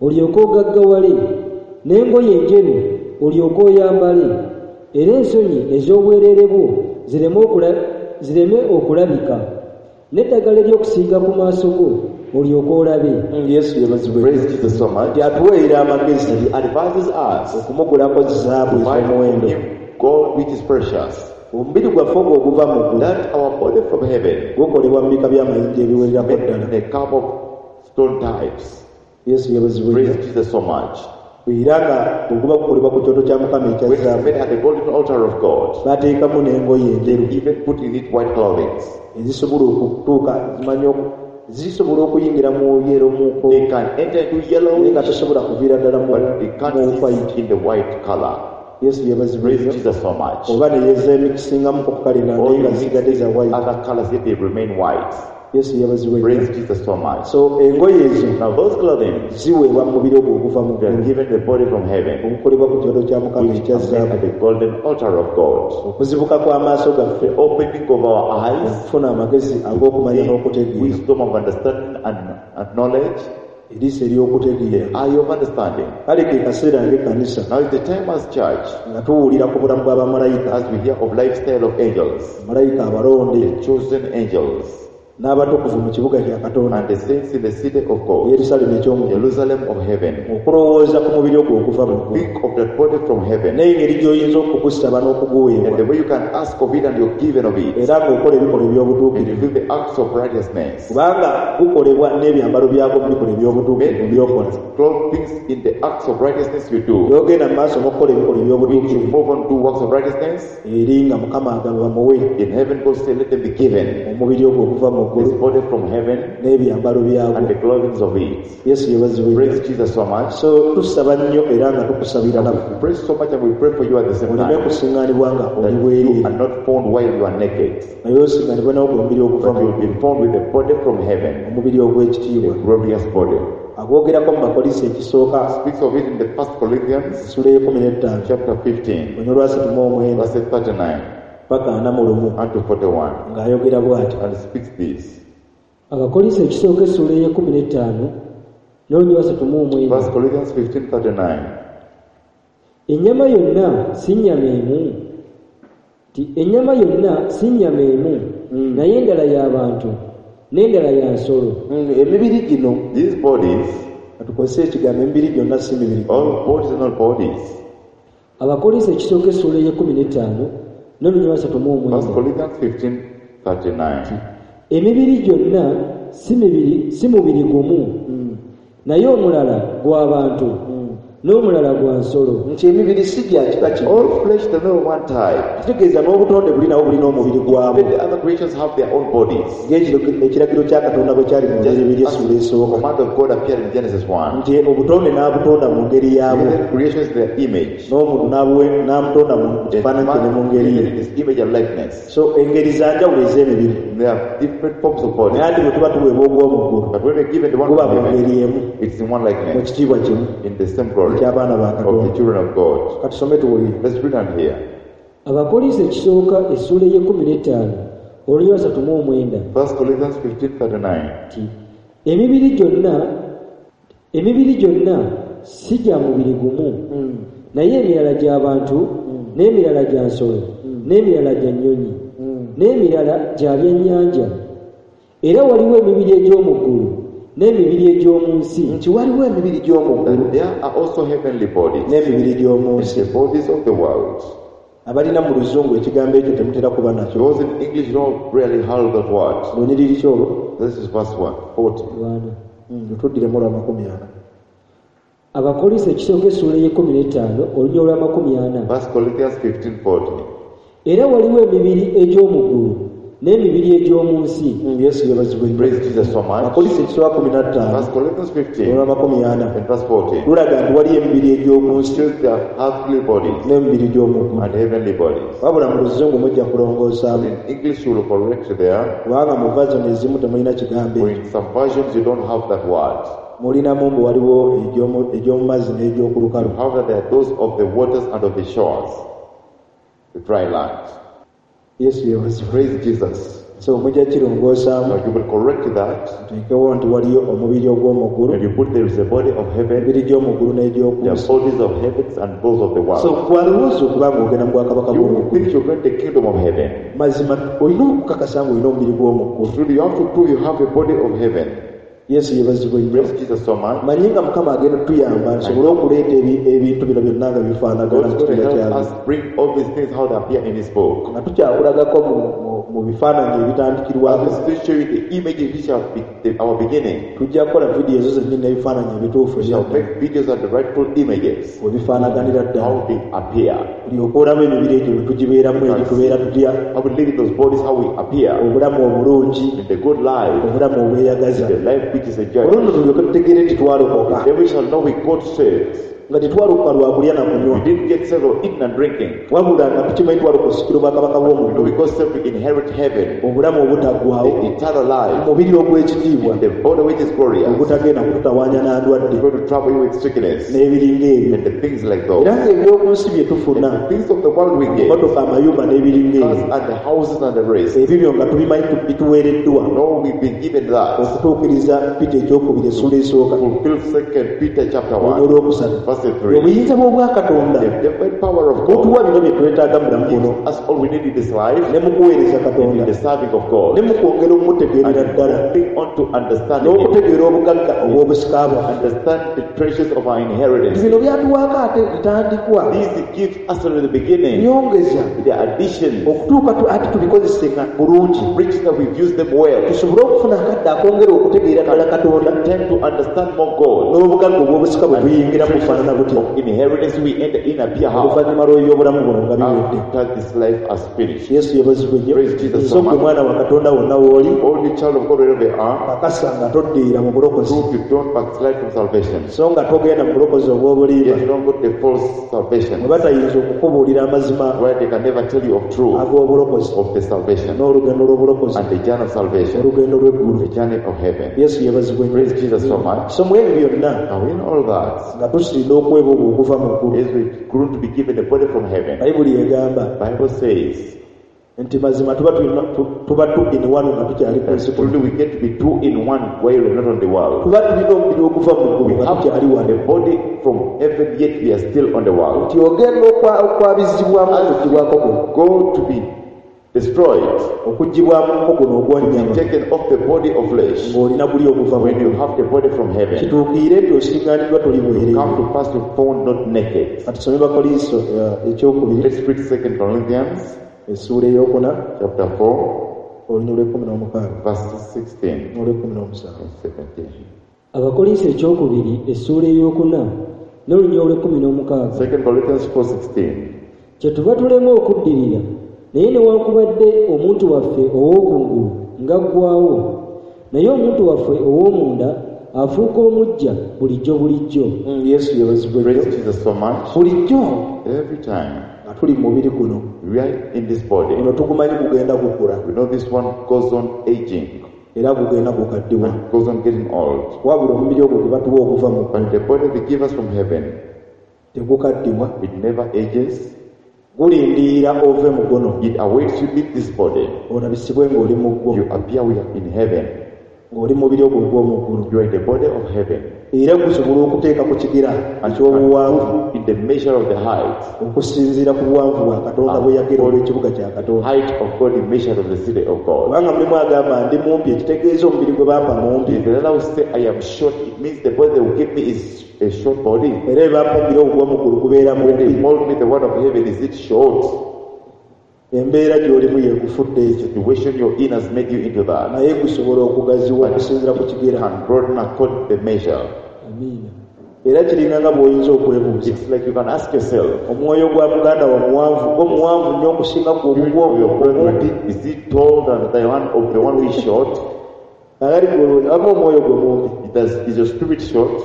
olyoke ogaggawale, n'engoye enjeru olyoke oyambale, era ensonyi ez'obwereere bwo zireme okula-, zireme okulabika, n'eddagala ery'okusiiga ku maaso go olyoke olabe. Mm, Yesu yeebazibwe. Praise Jesus so much. Nti atuweerera amagezi He advises us okumugulako zaabu to buy from ez'omuwendo, him gold which is precious, omubiri gwaffe ogwo oguva mu ggulu that our body from heaven gukolebwa mu bika by'amayinja ebiwererako made ddala. in a cup of stone types. Yesu yeebazibwe. Praise Jesus so much. Era nga bwe guba gukolebwa ku kyoto kya Mukama ekya When it's zaabu, made at the golden altar of God, bateekamu n'engoye enjeru even put in it white clothing. ezisobola okutuuka zimanyi oku- zisobola okuyingira mu yero muko, They can enter into yellow, naye nga tosobola kuviira ddala mu but they can't mu white. see in the white color. Yesu yeebazibwe. Praise Jesus so much. Oba ne yezeemikisingamu ku kalina, All naye nga you zisigadde za white. other colors, yet they remain white. Yesu yeebazibwe. Praise Jesus so much. So engoye ezo Now those clothing, ziweebwa mu mubiri ogwo oguva mu they are ggulu, given the body from heaven, ogukolebwa ku kyoto kya Mukama which ekya is made zaabu. at the golden altar of God. Okuzibuka kw'amaaso gaffe, The opening of our eyes, okufuna amagezi ag'okumanya n'okutegeera, wisdom of understanding and, and knowledge, eriiso ery'okutegeera. the eye of understanding. Kale ke kaseera ng'ekkanisa Now is the time as church, nga tuwulira ku bulamu bw'abamalayika, as we hear of lifestyle of angels, malayika abalonde the chosen angels, N'abatukuvu mu kibuga kya Katonda and the saints in the city of God, Yerusaalemi eky'omu Jerusalem of heaven. Okulowooza ku mubiri ogwo okuva mu ggulu Think of that body from heaven n'engeri gy'oyinza okugusaba n'okuguweebwa and the way you can ask of it and you're given of it, era ng'okola ebikolwa and you eby'obutuukirivu do the acts of righteousness. Kubanga gukolebwa n'ebyambalo byagwo mu bikolwa eby'obutuukirivu by'okola. Clothe things in the acts of righteousness you do. Gy'ogenda mu maaso n'okukola ebikolwa When you eby'obutuukirivu move on to works of righteousness, eri nga Mukama agamba bamuwe in heaven God say, let them be given omubiri ogwo okuva mu this ggulu body from heaven n'ebyambalo byagwo. and the clothing of it. Yesu yeebazibwe. Praise Jesus so much. So tusaba nnyo era nga tukusabira naffe We pray so much and we pray for you at the same oleme time, kusiŋŋaanibwa nga that oli you bwereere are not found while you are naked, naye osiŋŋaanibwe nawo omubiri oguva but mu you will be found with the body from heaven, omubiri ogw'ekitiibwa. the glorious body. Agwogerako mu Bakolinso ekisooka Speaks of it in the First Corinthians essula y'ekumi n'ettaano chapter fifteen, olunyiriri lwasatu mu omwenda verse thirty-nine paka ana mu lumu and to forty-one, ng'ayogera bw'ati. and speaks this. Abakolinso ekisooka essuula ey'ekkumi n'ettaano n'olunyiriri lwasatu mu omwenda. First Corinthians fifteen thirty-nine. Ennyama yonna si nnyama emu, nti ennyama yonna si nnyama emu, naye endala y'abantu n'endala ya nsolo. Mm, emibiri gino, These bodies, katukozese ekigambo emibiri gyonna si mibiri. all bodies are not bodies. Abakolinso ekisooka essuula ey'ekkumi n'ettaano n'olunyiriri lwasatu mu First omwenda. Corinthians fifteen thirty-nine. Emibiri gyonna si mibiri si mubiri gumu, naye omulala gw'abantu n'omulala gwa nsolo. Nti emibiri si gya kika kimu. All flesh is not one type. Kitegeeza n'obutonde buli nabwo bulina omubiri gwabwo. Even the other creatures have their own bodies. Ng'ekiro- ekiragiro kya Katonda bwe kyali mu Just Lubereberye as essuula the esooka command of God appeared in Genesis one. nti obutonde n'abutonda mu ngeri yaabwo Created creations in their image. n'omuntu n'abuwe- n'amutonda mu The kifaananyi kye ne mu man ngeri created ye. in his image and likeness. So engeri za njawulo ez'emibiri. There are different forms of bodies. Naye ati bwe tuba tuweebwa ogw'omu ggulu But when we're given the one guba from mu heaven, ngeri emu it's in one mu likeness, kitiibwa kimu in the same glory eky'abaana ba of the Katonda. children of God. Katusome tuwulire. Let's read on here. Abakolinso ekisooka essuula ey'ekkumi n'ettaano olunyiriri lwasatu mu omwenda. First Corinthians fifteen thirty-nine. Nti emibiri gyonna emibiri gyonna si gya mubiri gumu, naye emirala gy'abantu n'emirala gya nsolo n'emirala gya nnyonyi n'emirala gya byennyanja, era waliwo emibiri egy'omu ggulu n'emibiri egy'omu nsi. Nti waliwo emibiri gy'omu ggulu That there are also heavenly bodies n'emibiri gy'omu and nsi. the bodies of the world. Abalina mu Luzungu ekigambo ekyo temutera kuba nakyo. Those in English don't really have that word. Lunyiriri ki olwo? This is verse one, forty. Lwana. Mm, lutuddiremu olwa makumi ana. Abakolinso ekisooka essuula ey'ekkumi n'ettaano olunyiriri olw'amakumi ana. First Corinthians fifteen forty. Era waliwo emibiri egy'omu ggulu n'emibiri egy'omu nsi. Mm, Yesu yeebazibwe nnyo. Praise Jesus so much. Abakolinso ekisooka kumi na ttaano First Corinthians fifteen olw'amakumi ana and verse forty. lulaga nti waliyo emibiri egy'oku nsi Shows their earthly bodies n'emibiri gy'omu ggulu. and heavenly bodies. Wabula mu Luzungu mujja kulongoosaamu In English you will correct there. kubanga mu version ezimu temulina kigambo For ekyo. in some versions you don't have that word. Mulinamu mbu waliwo egy'omu egy'omu mazzi n'egy'oku lukalu. However, there are those of the waters and of the shores, the dry land. Yesu yeebazibwe. Praise Jesus. So mujja kirongoosaamu Now you will correct that tuteekewo nti waliyo omubiri ogw'omu ggulu and you put there is a body of heaven, emibiri gy'omu ggulu n'egy'oku there are nsi. bodies of heavens and those of the So world. gwalowooza okuba ng'ogenda mu bwakabaka You bw'omu ggulu. think you're going to the kingdom of heaven. Mazima olina okukakasa ng'olina omubiri gw'omu ggulu. Truly, you have to prove you have a body of heaven. Yesu yeebazibwe nnyo. Praise Jesus so much. Manyi nga Mukama agenda otuyamba nsobole okuleeta ebi- ebintu bino byonna nga bifaanagana God's mu going to kitiibwa help kyabyo. us bring all these things how they appear in His book. Nga tukyakulagako mu, mu, mu bifaananyi ebitandikirwako I will still show you the images which are be- the, our beginning. tujja kukola vidiyo ezo zennyini n'ebifaananyi ebituufu We shall ebyaddala make videos of the rightful images, we bifaanaganira ddala how they appear. olyoke olaba emibiri egyo bwe tugibeeramu egyo tubeera tutya How we live in those bodies, how we appear obulamu obulungi in the good life, obulamu obweyagaza the life which is enjoyed. olwo nno tulyoke tutegeere nti twalokoka Then we shall know we got saved. nga tetwalokoka lwa kulya na kunywa We didn't get saved of eating and drinking. wabula nga tukimanyi twalokoka osikira obwakabaka We know bw'omu we got saved to inherit heaven, obulamu obutaggwaawo the eternal life, omubiri ogw'ekitiibwa the body which is glorious. ogutagenda kututawaanya n'andwadde We're going to trouble you with sickness n'ebiringa ebyo and the things like those. era ng'ebyoku nsi bye tufuna The things of the world we get, motoka amayumba n'ebiringa cars ebyo and the houses and the rest. ebyo nga tubimanyi tu- bituweereddwa No, we've been given that. okutuukiriza Pita ekyokubiri essuula esooka Fulfill Second Peter chapter olunya one, olwokusatu verse verse three. Obuyinza bw'obwakatonda The divine power of God butuwa bino bye twetaaga mu bulamu buno gives us all we need in this life, ne mu kuweereza and Katonda in the serving of God, ne mu kwongera okumutegeerera ddala and being on to understanding Him, n'okutegeera obugagga obw'obusika bwaffe. understand the treasures of our inheritance. Bino byatuwaako ate ntandikwa These gives us from the beginning, nyongeza the addition, okutuuka tu- ate tubikozese nga bulungi rich that we've used them well, tusobole okufuna akadde akongera okutegeera ddala Katonda tend to understand more God. n'obugagga obw'obusika bwe tuyingira bufaanana butya Of inheritance we enter in appear how oluvannyuma lw'ebyobulamu buno nga biwedde. after this life has finished. Yesu yeebazibwe nnyo. Praise Jesus So so gwe much. mwana wa Katonda wonna w'oli All you child of God wherever you are, kakasa nga toddiira mu bulokozi prove you don't backslide from salvation. so nga togenda mu bulokozi obw'obulimba Yet you don't go to the false salvation mwe batayinza okukubuulira amazima where they can never tell you of truth ag'obulokozi of the salvation n'olugendo lw'obulokozi and the journey of salvation, olugendo lw'eggulu. the journey of heaven. Yesu yeebazibwe nnyo. Praise Jesus so much. So mu ebyo byonna Now in all that, nga tusinda okuweebwa ogwo okuva mu ggulu as we grow to be given the body from heaven, Bayibuli egamba Bible says nti mazima tuba tulina tu- tuba two in one nga tukyali ku that nsi kuno. truly we get to be two in one while we're not on the world. Tuba tulina omubiri oguva mu ggulu We nga have tukyali wano the body from heaven, yet we are still on the world. nti ogenda okwa- okwabizibwamu okuggyibwako guno Go to be destroyed, okuggyibwamuko guno ogw'ennyama taken off the body of flesh ng'olina guli oguva mu when you ggulu have the body from heaven. kituukiire nti osiŋŋaaniddwa toli bwereere. Come to pass to found not naked. Katusome Bakoliiso eh, ekyokubiri Let's read Second Corinthians essuula ey'okuna chapter four, olunyiriri lw'ekkumi n'omukaaga verses sixteen n'olw'ekkumi n'omusanvu. and seventeen. Abakolinso ekyokubiri essuula ey'okuna n'olunyiriri olw'ekkumi n'omukaaga. Second Corinthians four sixteen. Kyetuva tulema okuddirira naye newankubadde omuntu waffe ow'okungulu ng'aggwaawo naye omuntu waffe ow'omunda afuuka omuggya bulijjo bulijjo. Mm, Yesu yeebazibwe Praise nnyo. Jesus so much. Bulijjo Every time nga tuli mu mubiri guno we are in this body, guno tugumanyi gugenda gukula we know this one goes on aging, era gugenda gukaddiwa goes on getting old. wabula omubiri ogwo gwe batuwa okuva mu But the body they give us from heaven, tegukaddiwa it never ages. gulindirira ove mu guno It awaits you leave this body. olabisibwe ng'oli mu ggwo You appear we are in heaven. ng'oli mubiri ogwo ogw'omu ggulu You are in the body of heaven. era gusobola okuteeka ku kigira And eky'obuwanvu in the measure of the height, okusinziira ku buwanvu bwa Katonda bwe yagera olw'ekibuga kya Katonda. height of God, the measure of the city of God. Kubanga mulimu agamba ndi mumpi ekitegeeza omubiri gwe bampa mumpi If the other will say I am short, it means the body they will give me is a short body. era bwe bampa omubiri ogwo ogw'omu ggulu gubeera When they mumpi. mold me the word of heaven, is it short? Embeera gy'olimu yeekufudde ekyo The situation you're in has made you into that. naye gusobola okugaziwa okusinziira ku kigira Can broaden according to the measure. Amiina. era kiringa nga bw'oyinza okwebuuza It's like you can ask yourself, omwoyo gwa muganda wo muwanvu gwo muwanvu nnyo okusinga gwe ogugwo your omumpi brethren, is it tall than the one of the one who is short? akali amu omwoyo gwe mumpi Does, is your spirit short?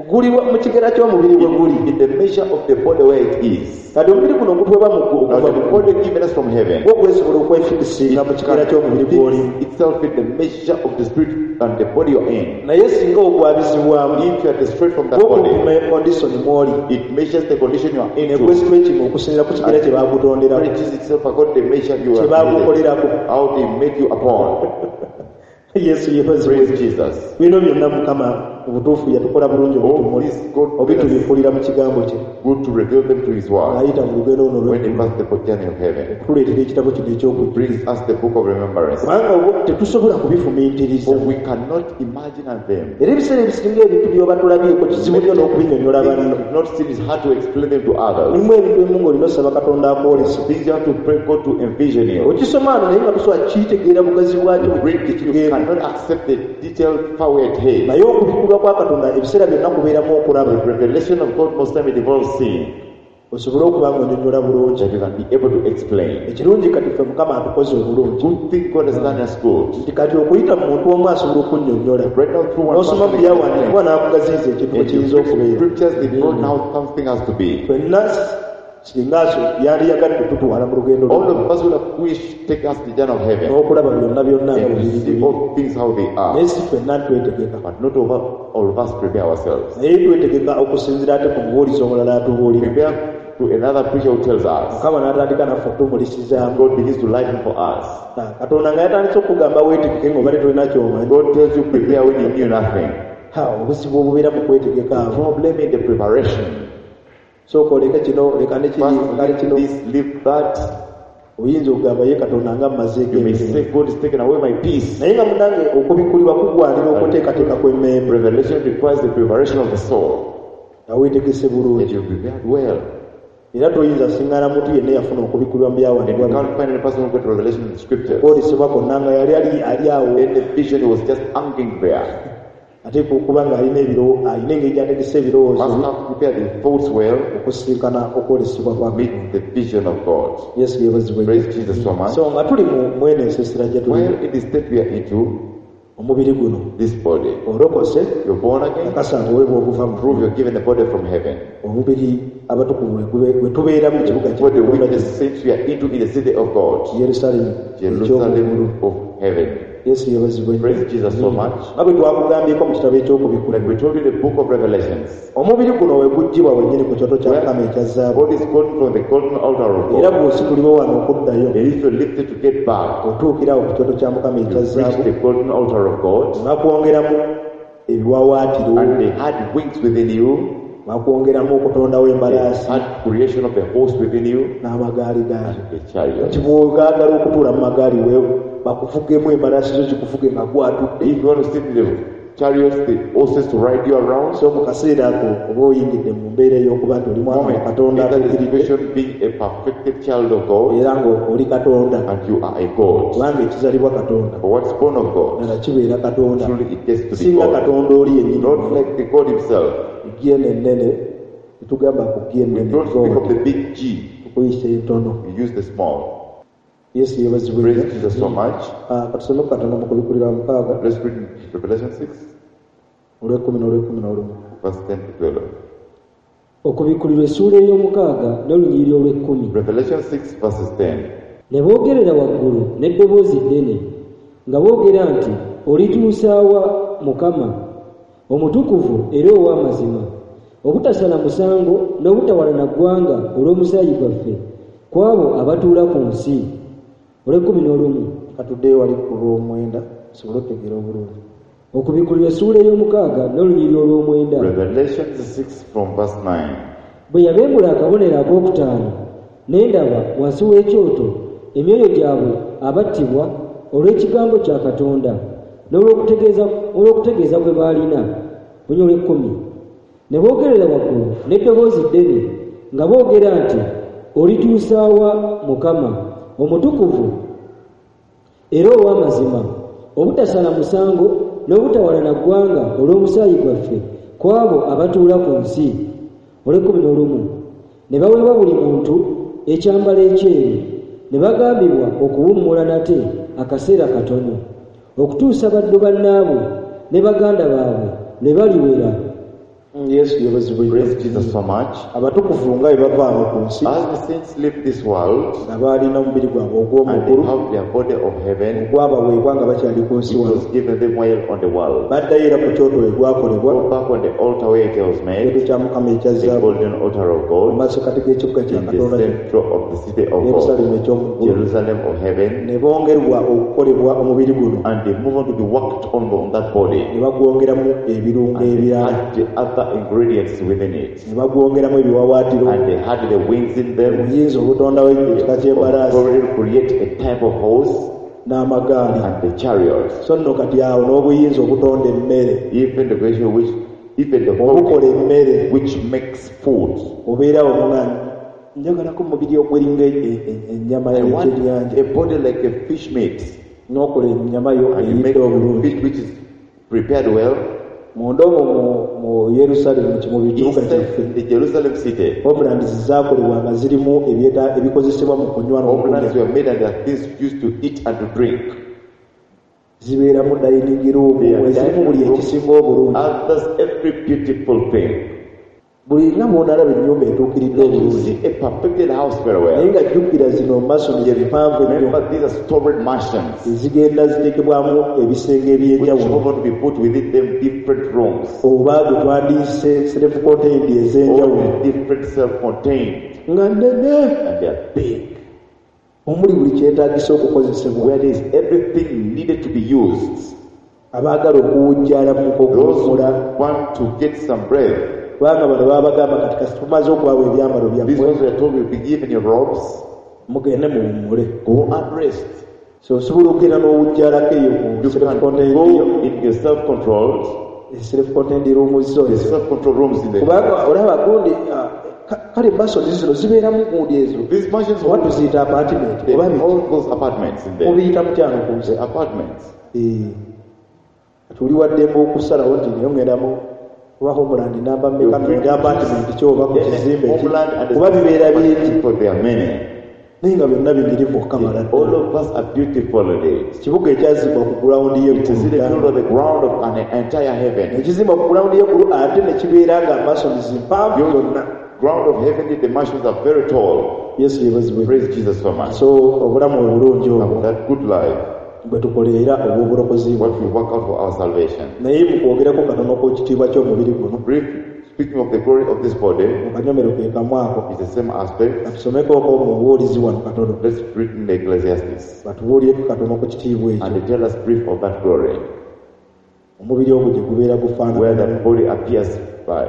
guli mu kigera ky'omubiri bwe guli In the measure of the body where it is. kati omubiri guno gutuweebwa mu ggulu Now okuva the mu ggulu body given us from heaven gwo gwesobola okwefikisinga mu kigera ky'omubiri gw'olimu fits itself in the measure of the spirit and the body you're in. naye singa ogwabizibwamu If you are destroyed from that gwo body, gupima kondisoni mw'oli it measures the condition you are ne into. gwesitwekinga okusinziira ku kigera kye baakutonderako Stretches itself according to the measure you kye are baakukolerako how they made you upon. Yesu yeebazibwe. Praise Jesus. Bino byonna Mukama mu butuufu yatukola bulungi All obitumuli this God made us obitubikulira mu kigambo kye good to reveal them to His word. ng'ayita mu lugendo luno When He olw'eggulu passed the journey of heaven, okutuleetera ekitabo kino eky'okujjukiza brings us the book of remembrance. kubanga obwo tetusobola kubifumiitiriza For we cannot imagine them. era ebiseera ebisinga ebintu by'oba tulabyeko kizibu nnyo n'okubinyonnyola Things banno we've not seen is hard to explain them to others. mulimu ebintu ebimu ng'olina osaba Katonda akwolese Things you have to pray God to envision you. okisoma ano naye nga tosobola kitegeera bugazi bwakyo Read it, you kitegeera cannot accept the detailed power it has. naye okubikkulwa kwa Katonda ebiseera byonna kubeeramu okulaba The revelation of God most time it involves seeing osobole okuba ng'onyonnyola bulungi that you can be able to explain. ekirungi kati ffe Mukama atukoze obulungi Good thing God has done us good. nti kati okuyita mu muntu omu asobola okunnyonnyola Right now through one n'osoma mu person, they can byawandiikibwa n'akugaziyiza ekintu bwe explain. And kiyinza you okubeera scriptures they brought now something has to be. ffenna singa aso yandiyagadde tutwala mu lugendo All lwo of us would have wished take us to the journey of heaven n'okulaba byonna byonna nga and bwe to biri see biri all things how they are. naye si ffenna twetegeka But not over all of us prepare ourselves. naye twetegeka okusinziira ate ku mubuulizi omulala atubuulira Prepare to another preacher who tells us. Mukama n'atandika naffe okutumulisizaamu God begins to lighten for us. Katonda nga yatandise okugamba weetegeke ng'obadde tolina ky'omanyi God tells you prepare when you knew nothing. Ha, obuzibu obubeera mu kwetegeka The awo problem in the preparation. Sooka oleke kino leka ne kiri First, leka ne leave kino this, leave that. Oyinza okugamba ye Katonda nga mmazeeko You may emirembe. say, God is taking away my peace. Naye nga munnange okubikkulirwa kugwanira okuteekateeka kw'emmeeme. Revelation requires the preparation of the soul. Nga weetegese That bulungi. you prepared well. Era toyinza siŋŋaana muntu yenna eyafuna okubikkulirwa mu And you byawandiikibwa can't find any person who got revelation in the scriptures. Okwolesebwa kwonna nga yali ali ali awo. In the vision, he was just hanging there. Ate okuba ng'alina ebiro alina engeri gy'ategese ebirowoozo Must have prepared the thoughts well, okusisinkana okwolesebwa kwa meet the vision of God. Yesu yeebazibwe. Praise Jesus so much. So nga tuli mu mwene ensiisira gye tuli Well, in the state we are into, omubiri guno this body, olokose you're born again, akasa nga oweebwa obuva mu prove you're given the body from heaven. Omubiri abatukuvu we gube- we tubeera mu kibuga The body kya which the saints we are into in the city of God, Yerusaalemi eky'omuggulu. Jerusalem of heaven. Yesu yeebazibwe nnyo. Praise Jesus so much. Nga bwe twakugambyeko mu kitabo eky'okubikkulirwa Like we told you in the book of Revelations, omubiri guno we guggyibwa wennyini ku kyoto kya Mukama ekya zaabu God is golden from the golden altar of era God. bw'ositulibwa wano okuddayo And if you're lifted to get back, otuukira awo ku kyoto kya Mukama you ekya reach zaabu the golden altar of God, bakwongeramu ebiwaawaatiro and they had wings within you, bakwongeramu okutondawo they embalaasi had creation of the horse within you, n'amagaali gaayo the chariot. Nti bw'ogaagala okutuula mu magaali we bakuvugemu embalaasi zo zikuvuge nga gwatudde. If you want to sit in the chariots, the horses to ride you around, So mu kaseera ako oba oyingidde mu mbeera ey'okuba nti oli mwana wa moment, Katonda in that atuukiridde situation, being a perfected child of God, era ng'oli Katonda and you are a God. Kubanga ekizalibwa Katonda For what's born of God, ddala kibeera Katonda truly it gets to be singa God. Katonda oli yennyini. Not like the God himself. G eno ennene tetugamba ku G We ennene don't speak of God the big G, tukuyisa entono. We use the small. Yesu yeebazibwe Praise nnyo. Jesus so much. Ah, katusome ku katono mu kubikkulirwa mukaaga Let's read Revelation six, olw'ekkumi n'olw'ekkumi n'olumu. Verse ten to twelve. Okubikkulirwa essuula ey'omukaaga n'olunyiriri olw'ekkumi. Revelation six, verses ten. Ne boogerera waggulu n'eddoboozi ddene nga boogera nti olituusaawa Mukama omutukuvu era ow'amazima obutasala musango n'obutawalana ggwanga olw'omusaayi gwaffe ku abo abatuula ku nsi. Olw'ekkumi n'olumu. Katuddeyo wali ku lw'omwenda tusobole okutegeera obulungi. Okubikkulirwa essuula ey'omukaaga n'olunyiriri olw'omwenda. Revelation six from verse nine. Bwe yabembula akabonero ak'okutaano ne ndaba wansi w'ekyoto emyoyo gyabwe abattibwa olw'ekigambo kya Katonda n'olw'okutegeeza olw'okutegeeza kwe baalina. Bunyo olw'ekkumi. Ne boogerera waggulu n'eddoboozi ddene nga boogera nti olituusaawa Mukama omutukuvu era ow'amazima obutasala musango n'obutawalana ggwanga olw'omusaayi gwaffe ku abo abatuula ku nsi. Olw'ekkumi n'olumu. Ne baweebwa buli muntu ekyambalo ekyeru ne bagambibwa okuwummula nate akaseera katono okutuusa baddu bannaabwe ne baganda baabwe lwe baliwera. Yesu yeebazibwe nnyo. Praise Jesus so much. Abatukuvu nga bwe bava awo ku nsi As the saints leave this world nga baalina omubiri gwabwe and they ogw'omuggulu have their body of heaven, ogwabaweebwa nga bakyali ku nsi it wano was given them while on the world. Baddayo era ku kyoto we gwakolebwa Go back on the altar where it was made, ekyoto kya Mukama ekya the zaabu golden altar of mu God, masekati g'ekibuga kya in the Katonda center of the city of God, Yerusaalemi eky'omuggulu Jerusalem of heaven, ne bongerwa okukolebwa omubiri guno and they move on to be worked on on that body. Ne bagwongeramu ebirungo And they ebirala had the other ingredients within it. Ne bagwongeramu ebiwaawaatiro And they had the wings in them. Obuyinza obutondawo ekika ky'embalaasi Already create a type of horse n'amagaali and the chariots. So nno kati awo n'obuyinza obutonda emmere Even the creation which even the obukola body emmere which makes food. Obeerawo nga njagalako mubiri ogweringa e- e- ennyama I want y'ekyennyanja a body like a fish meat. N'okola ennyama yo And you make eyidde obulungi fish which is prepared well. Munda omwo mu- mu Yerusaalemi mu kibuga kyaffe Inside the Jerusalem city, homelands zaakolebwa nga zirimu ebyeta ebikozesebwa mu kunywa homelands n'okulya were made and there are things used to eat and to drink. Zibeeramu dining room There are ezirimu buli dining rooms, ekisinga obulungi others, every beautiful thing. Buli nga bw'onalaba ennyumba etuukiridde You obulungi see a perfected house very naye well. nga jjukira zino masoni empanvu ennyo Remember, these are storied mansions ezigenda ziteekebwamu ebisenge which eby'enjawulo move on to be put within them different rooms, oba gwe twandiyise self contained ez'enjawulo all different self-contained, nga nnene and they are big, omuli buli kyetaagisa okukozesebwa where there is everything needed to be used. Abaagala okuwujjalamuko Those who okuwummula want to get some breath. Kubanga bano babagamba kati kasi tumaze okubawa ebyambalo These byammwe ones were told will be given your robes. Mugende muwummule. Go and rest. So osobola okugenda n'owujjalako eyo mu You can self-contained go yo in your self-controlled, self-contained room zo the ezo. Self-controlled rooms in the Kubanga olaba gundi ah, ka- kale masoni zino zibeeramu gundi ezo These mansions oba tuziyita apartment they oba biki? all those apartments in there. Mubiyita mutyano ku nsi? The apartments. Eh, kati oli waddembe okusalawo nti naye ngendamu oba homeland namba mmeka nonda apartment ki oba ku kizimbe ki Homeland and kuba bibeera bingi for there are many. Naye nga byonna binyirivu okukamala All ddala. of us are beautiful today. Kibuga ekyazimbwa ku ground It is in the y'eggulu build of the ground of an entire heaven. Nekizimbwa ku ground y'eggulu ate ne kibeera nga masons mpanvu zonna. Ground of heavenly, the mansions are very tall. Yesu yeebazibwe. Praise Jesus so much. So obulamu obulungi obwo That good life, bwe tukoleera obw'obulokozi what we work out for our salvation. Naye mu kwogerako katono ku kitiibwa ky'omubiri guno Brief, speaking of the glory of this body, mu kanyomero ke kamu ako is the same aspect. Katusomekooko mu bubuulizi wano katono. Let's read in the Ecclesiastes batubuulireko katono ku kitiibwa ekyo and they tell us brief of that glory, omubiri ogwo gye gubeera where gufaanana. That body appears by.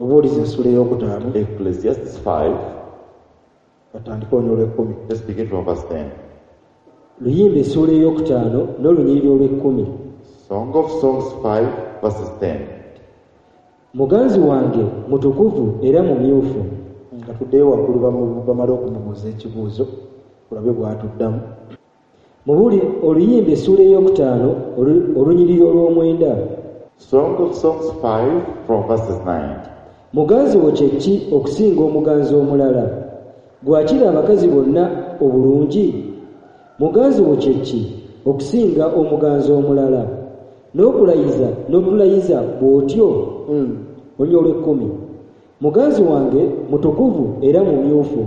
Obuulizi essula ey'okutaano Ecclesiastes five, batandike onyo olw'ekkumi. Let's begin from verse ten. Luyimba essuula ey'okutaano n'olunyiriri olw'ekkumi. Song of Songs five, verses ten. Muganzi wange mutukuvu era mumyufu. Nga tuddeyo waggulu bamu- bamale okumubuuza ekibuuzo olabe bw'atuddamu. Mubuli oluyimba essuula ey'okutaano olu- olunyiriri olw'omwenda. Song of Songs five, from verses nine. Muganzi wo kye ki okusinga omuganzi omulala? Gwakira abakazi bonna obulungi? Muganzi wo kye ki okusinga omuganzi omulala? N'okulayiza n'okulayiza bw'otyo? Mm. Olunyiriri olw'ekkumi. Muganzi wange mutukuvu era mumyufu,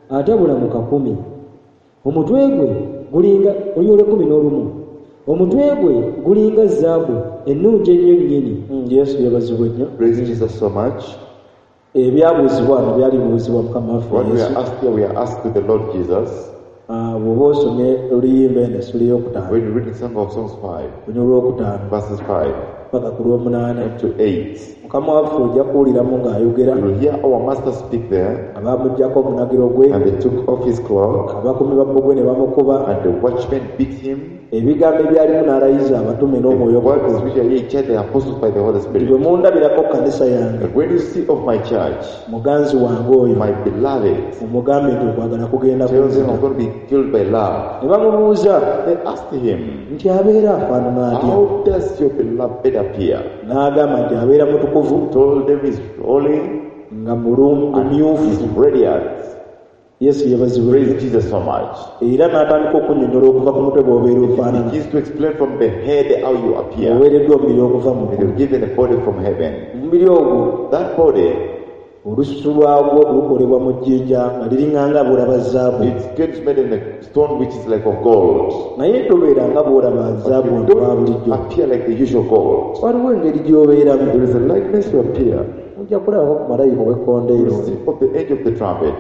atabula mu kakumi. Omutwe gwe gulinga olunyiriri olw'ekkumi n'olumu. Omutwe gwe gulinga zaabu ennungi ennyo nnyini. Mm, Yesu yeebazibwe nnyo. Praise Jesus so much. Ebyabuuzibwa wano byali bibuuzibwa Mukama waffe What we Yesu. are asked here, we are asked with the Lord Jesus. Ah, bw'oba osomye oluyimba eno essula ey'okutaano When you read the Song of Songs five, olunyiriri olwokutaano verses five paka ku lw'omunaana to eight, Mukama waffe ojja kuwuliramu ng'ayogera you will hear our master speak there, abamuggyako omunagiro gwe and they took off his cloak, abakuumi ba bbugwe ne bamukuba and the watchmen beat him. Ebigambo ebyalimu n'alayiza abatume The n'omwoyo words omutukuvu which are here charged the apostles by the Holy nti Spirit. bwe mundabirako kanisa yange But when you see of my church, muganzi wange oyo my beloved, mumugambe nti okwagala kugenda tell them kunzita I'm going to be killed by love. Ne bamubuuza They asked him, nti abeera afaanana atya how does your beloved appear? N'agamba nti abeera mutukuvu Told them he's holy nga mulungu and myufu he's radiant. Yesu yeebazibwe. Praise Jesus so much. Era n'atandika okunnyonnyola okuva ku mutwe bw'obeera ofaanana He begins to explain from the head how you appear. oweereddwa omubiri okuva mu And ggulu you're given a body from heaven. Omubiri ogwo That body, olususu lwagwo lukolebwa mu jjinja nga liringa nga bw'olaba zaabu it gets made in a stone which is like of gold. Naye tobeera nga bw'olaba But zaabu you ono owa don't bulijjo appear like the usual gold. Waliwo engeri gy'obeeramu There is a likeness you appear. Mujja kulabako ku malayika ow'ekkondeero You see of the edge of the trumpet.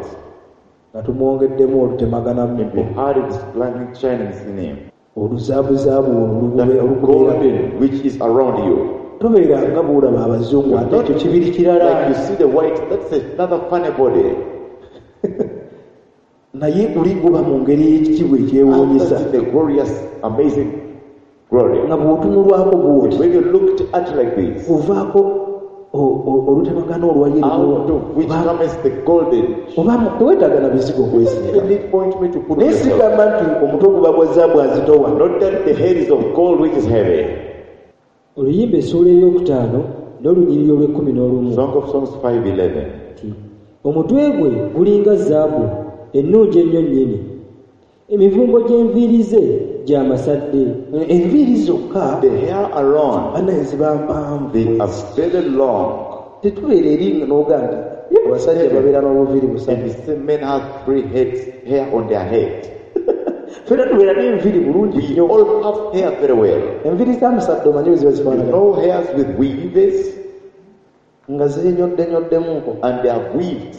Nga tumwongeddemu olutemaganamu And we heard it blinding shining in him. oluzaabuzaabu olwo That olukubeera golden which is around you. Tobeera nga bw'olaba abazungu ate ekyo kibiri kirala Like you see the white, that's another funny body. Naye guli guba mu ngeri y'ekitiibwa ekyewuunyisa That's the glorious, amazing glory. Nga bw'otunulwako bw'oti When you looked at like this, ovaako o- o- olutemagana olwa out of which yero comes the golden. Oba teweetaaga na bizigo okwesiiga You need ointment to put on naye yourself. sigamba nti omutwe guba gwa zaabu azitowa. Not that the head is of gold which is heavy. Oluyimba essuula ey'okutaano n'olunyiriri olw'ekkumi n'olumu. Song of Songs five eleven. Nti omutwe gwe gulinga zaabu ennungi ennyo nnyini emivumbo gy'enviiri ze gya masadde. Enviiri zokka The hair alone, bannaye ziba mpanvu they are very long. Tetubeera eri n'oga nti abasajja babeera n'obuviiri And busatu the same men have three heads, hair on their head. Ffenna tubeera n'enviiri bulungi We nnyo all have hair very well. Enviiri za musadde omanyi bwe ziba You zifaanagana know hairs with weaves nga zinyoddennyoddemmuko and they are weaved.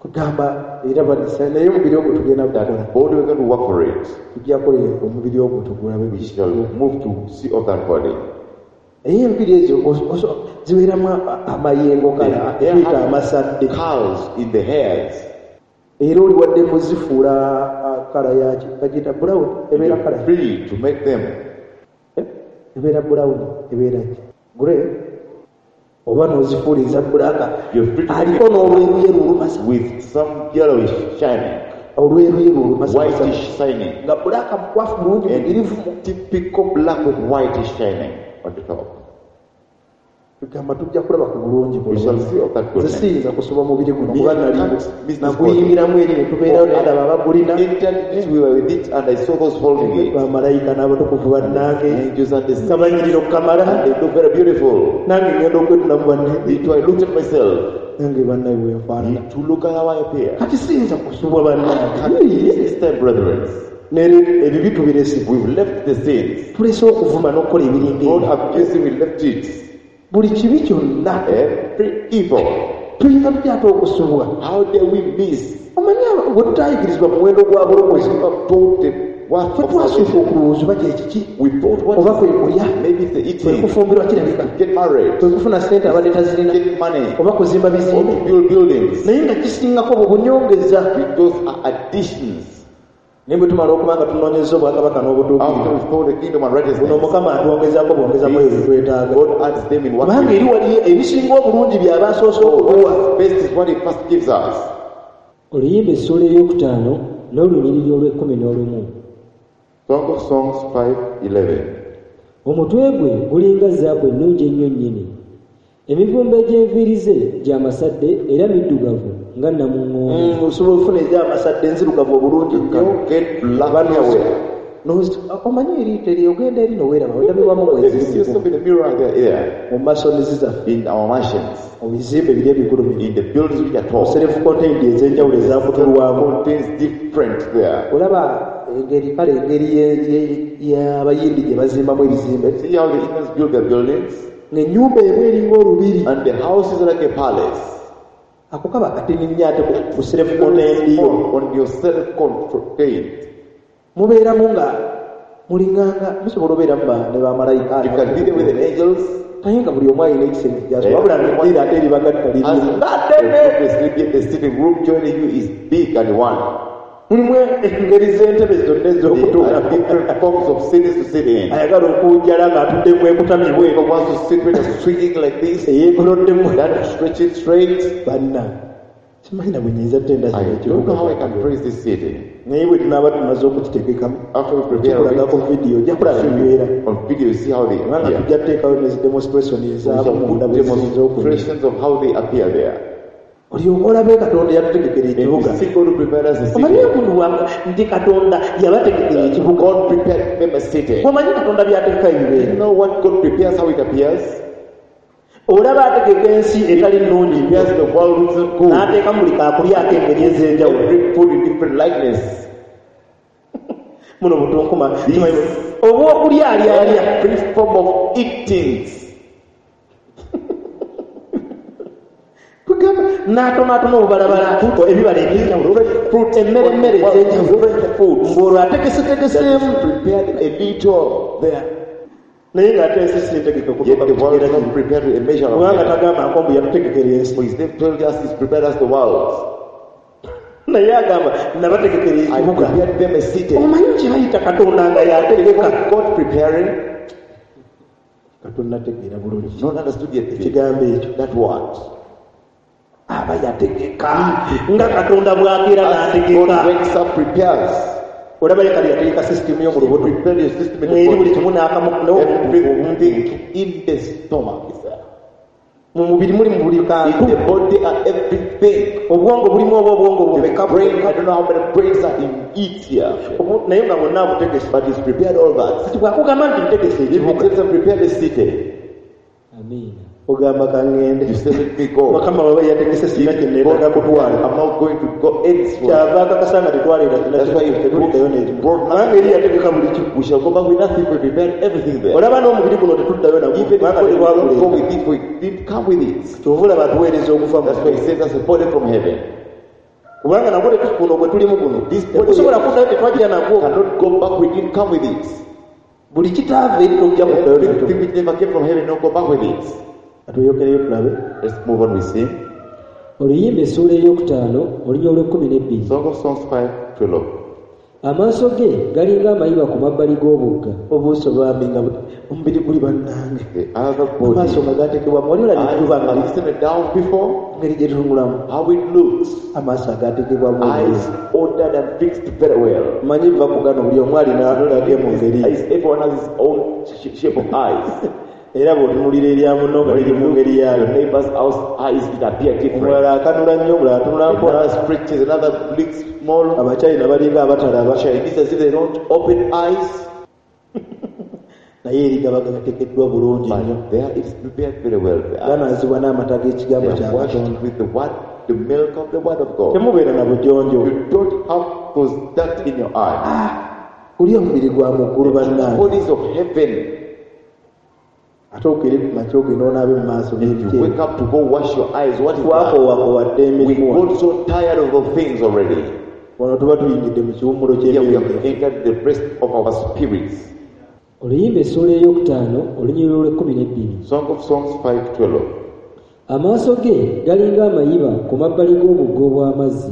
Kugamba era banisa naye omubiri ogwo tugenda That kukola. body we're going to work for it. Tujja kukola omubiri ogwo tugulabe. We shall move to see of that body. Naye enviiri ezo oso- oso- zibeeramu a- amayengo kale They tuyita have amasadde. curls in the hairs. Era oli wadde muzifuula ah, kala yaki bagiyita brown ebeera You're kala free to make them. Eh, ebeera brown ebeera ki grey oba n'ozifuula eza black You're free to aliko n'olweruyeru olumasa with some yellowish shining, olweruyeru olumasa whitish shining, nga black mukwafu bulungi mugirivu and typical black with whitish shining on the top. tugamba tujja kulaba ku bulungi We shall see of that nze goodness. siyinza kusoba mubiri guno Me, kuba I nali can't miss this naguyingiramu eri ne tubeerayo naye ndaba abagulina Entered it, we were with it, and I saw those holding it. bamalayika n'abatukuvu bannange Angels and the nga saints, banyirira okukamala and they look very beautiful. nange ngenda okwetunamu banne Me too, I looked at myself. nange bannaye bwenfaanana Me too, look at how I appear. kati siyinza kusubwa bannange This time, brethren, nere ebibi tubirese we've left the sins. tulese okuvuma n'okukola ebiringa God ebyo abusing, we left it. buli kibi kyonna Every evil. tuyinza tutya ate okusubwa How dare we miss? omanyi abo- bwe tutayigirizibwa muwendo gwa bulokozi We have taught the worth ffe of twasooka salvation. okulowooza oba kyekiki We thought what oba kwe kulya maybe it's the kwe eating, kufumbirwa kirabika get married, kwe kufuna ssente abadde tazirina get money, oba kuzimba or bizimbe to build buildings. naye nga kisingako bwe bunyongeza Those are additions. naye bwe tumala okuba nga tunoonyeza obwakabaka After n'obutuukirivu we found the kingdom and buno righteousness, mukama atwongezaako bwongezamu ebyo bye twetaaga God adds them in what kubanga we eri waliyo ebisinga obulungi by'aba asoose So okutuwa what is best is what He first gives us. Oluyimba essuula ey'okutaano n'olunyiriri olw'ekkumi n'olumu. Song of Songs five eleven. Omutwe gwe gulinga zaabu ennungi ennyo nnyini. Emivumba egy'enviiri ze gya masadde era middugavu nga namuŋŋoona. Mm, osobola okufuna egy'amasadde enzirugavu obulungi You nnyo can get black Oba hair. n'ozi- n'ozi- omanyi eri teri ogenda eri noweeraba odabirwamu You see mweziri yourself in the mirror there, there, mu masonizi zaffe in our mansions, mu bizimbe biri ebigulumivu in the buildings which are mu tall. self contained ez'enjawulo ezakutulwamu Contains different there. olaba engeri kale engeri ye- ye- y'abayindi gye bazimbamu ebizimbe See how the Indians build their buildings? ng'ennyumba emu eringa olubiri And the house is like a palace. ako kaba katini nnyo ate ku- ku self contained yo Small on your self-contained. mubeeramu nga mulinganga musobola obeeramu ba- ne bamalayika You can be there with the angels. naye nga buli omu alina ekisenge gyaso Eh. wabula ng'eddiiro ate eribagatta As lirimu the sleep, yet the sitting room joining you is big and one. mulimu engeri z'entebe zonna There are ez'okutuulamu different forms of seats to sit in. ayagala okuwujjala ng'atudde mwekutamye bwe Whoever wants to sit with a swinging like this, eyeekoloddemu that stretch it straight. banna simanyi na bwe nyinza ttenda I kino don't know how I can ekibuga praise this city. naye bwe tunaaba tumaze okukitegekamu After we prepare kikulagako it, vidiyo ojja kulaba ebibeera on video, you see how they kubanga appear. tujja kuteekayo ne zi demonstration We ezaamu shall munda put bwe ziyinza okunyira demonstrations of how they appear there. olyoka olabe katonda yatutegekera And ekibuga you see God who prepared us a city. omanyi omuntu wa- nti katonda yabategekera ekibuga God prepared them a city. omanyi katonda byategeka You ebibeera know what God prepares, how it appears? olaba ategeka ensi etali nnungi Prepares the world which is not good. n'ateekamu buli kakulyako engeri ez'enjawulo Every food in different likeness. muno butunkuma kimanyi obwokulya alyalya Every form of eatings. Tugamba n'atonaatona obubalabala ebibala ebyenjawulo emmere emmere ez'enjawulo ng'olwo ategesetegeseemu Prepared a little there. naye ng'ate ensi si ntegeke Yet okutuuka the ku world kigera is not kino prepared to a measure of kubanga it. tagamba nko mbu yatutegekera ensi For his name told us he's prepared us the world. naye agamba nabategekera I ekibuga prepared them a city. omanyi kye bayita katonda nga yategeka God preparing, katonda ategeera bulungi not understood yet. ekigambo ekyo That word. aba yategeka nga katonda bw'akeera As n'ategeka God wakes up, prepares. olaba ye kali yategeka sisitimu yo mu lubuto Prepare your system in mweri the buli body. kimu n'akamu Everything in the stomach is there. mu mubiri muli mu buli In kantu the body are everything. obwongo bulimu oba obwongo The bumeka brain, I don't know how many brains are in it here. Obu- naye nga bwonna abutegese But he's prepared all that. kati bw'akugamba nti ntegese If he ekibuga tells them prepare the city, Amiina. ogamba kaŋŋende you say let me go. mukama waba yategese sirina kye neetaaga kutwala I'm not going to go elsewhere. kyava akakasa nga tetwaleera kina That's why if tetuliddayo n'ekimu brought kubanga eri yategeka buli kimu We shall go back with nothing. We prepared everything there. olaba n'omubiri guno tetuddayo nagwo Even if kubanga we don't go tetwaguleeta with it, we didn't come with it. kyova olaba atuweereza okuva mu That's why he sends us a body from heaven. Kubanga nagwo guno gwe tulimu guno This body tetusobola kuddayo, tetwajja nagwo. Cannot go back, we didn't come with it. Buli kitaava eri tojja kuddayo nakyo. Everything which never came from heaven, don't go back with it. Atweyokereyo tulabe. Let's move on with him. Oluyimba essuula eyokutaano olunya olw'ekkumi n'ebbiri. Song of Songs five twelve. Amaaso ge galinga amayiba ku mabbali g'obugga. Obuuso bambi nga bu- omubiri guli bannange. The other body. Amaaso nga gateekebwamu wali olabye Eyes, enjuba nga have you seen a dove before? engeri gye tunulamu? How it looks. Amaaso agateekebwamu Eyes ordered and fixed very well. manyi nva ku gano buli omu alina gage mu ngeri. Eyes, everyone has his own sh- shape of eyes. Era bw'otunulira erya munno nga When liri you mu look ngeri at your yaalyo. neighbor's house, eyes it appear different. Omulala akanula nnyo, omulala atunula mpola. Another stretches, another blinks small. Abachina balinga abatalaba. Chinese as if they don't open eyes. Naye eri gaba gateekeddwa bulungi nnyo. But there it's prepared very well. They are, Ganaazibwa n'amata g'ekigambo they kya are washed Katonda. with the word, the milk of the word of God. Temubeera na bujonjo. You don't have those dirt in your eyes. Guli omubiri gwa mu ggulu bannange. Bodies of heaven. Ate okere ku makya ogenda onaabe mu maaso You n'ebiki. wake up to go wash your eyes. What is that? Twakoowakowadde We emirimu wano. got so tired of those things already. Wano tuba tuyingidde mu kiwummulo Here we ky'emyoyo have gyaffe. entered the rest of our spirits. Oluyimba essuula eyokutaano olunyiriri olw'ekkumi n'ebbiri. Song of Songs five twelve. Amaaso ge galinga amayiba ku mabbali g'obugga obw'amazzi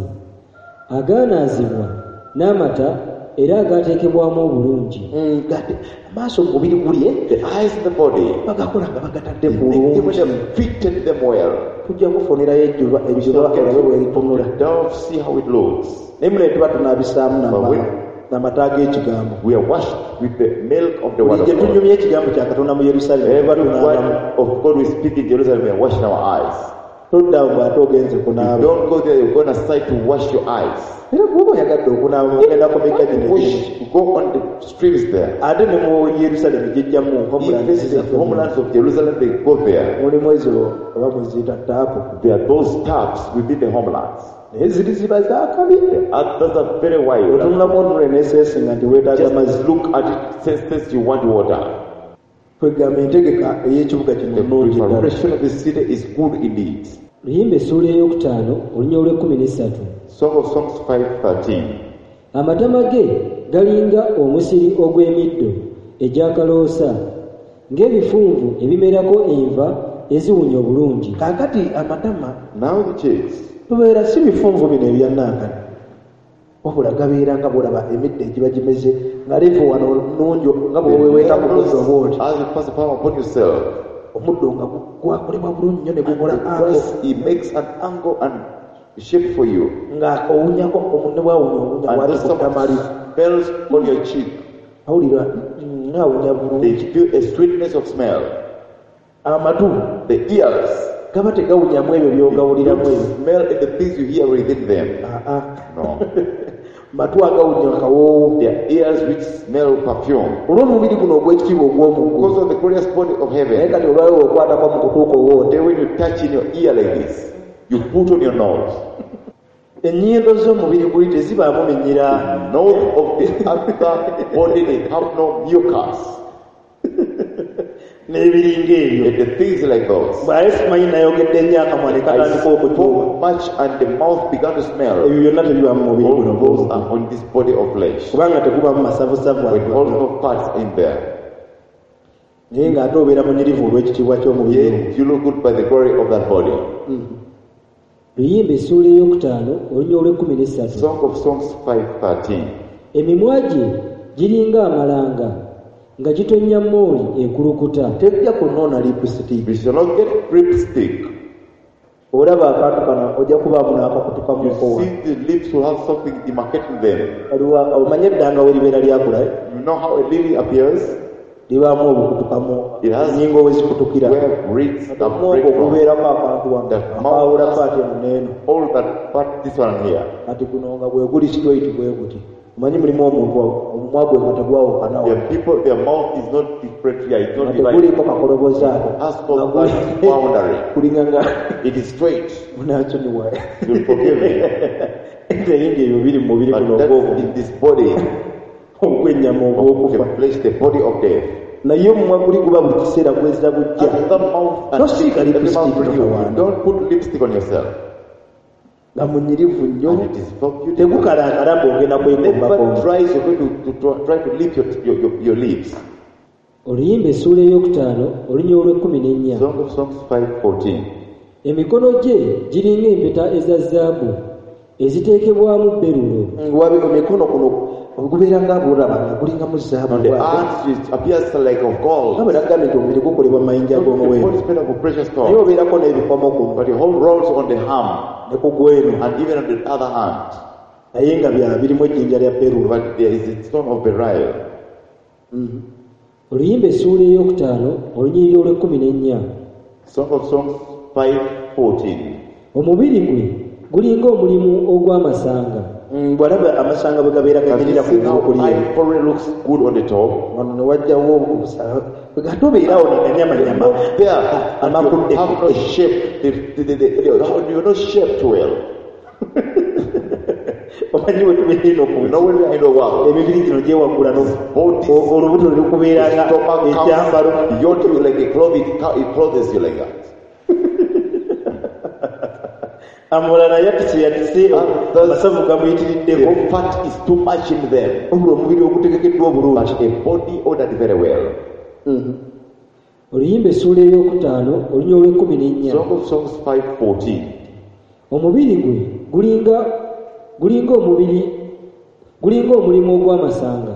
agaanaazibwa n'amata era agaateekebwamu obulungi. Mm, gate amaaso mu mubiri guli eh, The eyes in the body, bagakola nga bagatadde they make them bulungi. when they fitted them well. Tujja kufunirayo ejjuba ejjuba olabe bwe litunula. Don't see how it looks. Naye mune tuba tunaabisaamu But when n'amata g'ekigambo. we are washed with the milk of the word Buli of gye God. tunyumya ekigambo kya Katonda mu Yerusaalemi tuba Every tunaabamu. word of God we speak in Jerusalem, we are washing our eyes. Todda awo bw'ate ogenze You kunaaba. don't go there, you're going aside to wash your eyes. Era bw'oba oyagadde okunaaba ogenda ku migga gino egimu. Wash, go on the streams there. Ate ne mu Yerusaalemi gijjamu homeland Even the zaffe. homelands of Jerusalem, they go there. Mulimu ezo oba muziyita taapu. There are those taps within the homelands. Naye ziri ziba zaakabi. The others are very wild. Otunulamu otunule n'eseesinga nti weetaaga mazzi. Just look at it, sense, sense you want water. Kwegamba entegeka ey'ekibuga kino The nnungi ddala. preparation of the city is good indeed. Oluyimba essuula eyokutaano olunya olw'ekkumi n'essatu. Song of Songs five thirteen. Amatama ge galinga omusiri ogw'emiddo egy'akaloosa ng'ebifunvu ebimerako enva eziwunya obulungi. Kaakati amatama Now the cheeks, tubeera si bifunvu bino ebya nankani, wabula gabeera nga bw'olaba emiddo egiba gimeze nga levo wano nnungi nga the bw'oweweeta ku muddo levels bw'oti. as you pass the palm upon yourself. Omuddo nga gu- gwakolebwa bulungi nnyo ne gukola The ango. grass, he makes an angle and shape for you. Nga owunyako omunne bw'awunya owunya And bw'ati those ku ttama lyo. smells on your cheek. Awulira mm, ng'awunya bulungi. They feel a sweetness of smell. Amatu The ears gaba tegawunyamu ebyo by'ogawuliramu don't ebyo. smell the things you hear within them. Ah, ah. No. Matu agawunya akawoowo. Their ears which smell perfume. Olw'omubiri guno ogw'ekitiibwa ogw'omu ggulu. Because of the glorious body of Naye heaven. kati olwayo okwatako mu kutuuka owoote. Then when you touch in your ear like this, you put on your nose. Ennyindo z'omubiri guli tezibaamu minyira. Nose of the other body, they have no mucus. N'ebiringa ebyo. And the things like those. Bw'aye simanyi nayogedde nnyo akamwa ne I katandika okutuuba. spoke much and the mouth began to smell. Ebyo byonna tebiba mu mubiri All guno those ogw'omu are on this body of flesh. kubanga tegubaamu masavusavu With ago. all no parts in there. Naye ng'ate obeera munyirivu olw'ekitiibwa ky'omubiri ogwo. Yet you look good by the glory of that body. Luyimba essuula eyokutaano olunya olw'ekkumi n'essatu. Song of Songs five thirteen. Emimwa gye giringa amalanga nga gitonnya mooli ekulukuta. Tejja kunoona lipusitiiki. We shall not get lipstick. Olaba akantu kano ojja kubaamu n'akakutukamuko You wano. see the lips will have something demarcating them. Waliwo omanye eddanga we libeera lyakula eh? You know how a lily appears? Libaamu obukutukamu It has ennyingo we zikutukira. Where reeds are Omwongo break from. ogubeerako akantu wano That mouth akaawula has paati eno n'eno. all that part, this one here. Kati guno nga bwe guli straight bwe guti. Omanyi mulimu omuntu omumwa gwe nga tegwawukanawo. There are people, their mouth is not different here, it's Nga not divided. teguliiko kakolobozaako. Has no Nga guli- that boundary. Kulinga nga It is straight. munansonyiwa. You'll forgive me. Naye ng'ebyo biri mu mubiri guno But that's ogw'obu- in this body ogw'ennyama of ogw'okufa. the flesh, the body of death. Naye omumwa guli guba buli kiseera gwezza bujja. And the mouth and Tosiiga every lipstick mouth renew. totawaana. Don't put lipstick on yourself. Nga munyirivu nnyo And it is so beautiful. Tegukalankala ng'ogenda kwekombako. Never dries. You're going to, to, to try to lift your, your, your, your leaves. Oluyimba essuula eyokutaano olunyiriri olw'ekkumi n'ennya. Song of Songs five fourteen. Emikono gye giringa empeta eza zaabu eziteekebwamu berulo. Wabe emikono kuno gubeera nga bw'olaba nga gulingamu zaabu. On the arms it appears like of gold. Nga bwe nagambye nti omubiri gukolebwa mu mayinja The ag'omuwendo. body is made up of precious Naye stones. obeerako n'ebikomo kuno. But the whole rolls on the arm Ne ku gweno. and even on the other hand. Naye nga bya birimu ejjinja lya berulo. But there is a stone of beryl. Oluyimba essuula eyokutaano olunyiriri olw'ekkumi n'ennya. Song of Songs five fourteen. Omubiri gwe gulinga omulimu ogw'amasanga. Mm, bw'alaba amasanga bwe gabeera Have you ganyirira ku seen how ngulu kuli eno. ivory looks good on the top? Wano ne wajjawo obusala. Bwe gatobeerawo ne ganyamanyama. Not there. And you have no shape. The, the, the, the, the, you're not shaped well. Omanyi bwe tubeera eno ku You know when we are in the world, emibiri gino gyewaggula no- bodies, o- olubuto ne lukubeera nga stomach ekyambalo. comes beyond you like a cloth, it, it clothes you like that. Amulala yatise yatise And thus, amasavu gamuyitiriddeko. The fat is too much in them. Wabula omubiri ogutegekeddwa obulungi. But a body ordered very well. Oluyimba essuula eyokutaano olunyiriri olw'ekkumi n'ennya. Song of Songs five fourteen. Omubiri gwe gulinga gulinga omubiri gulinga omulimu ogw'amasanga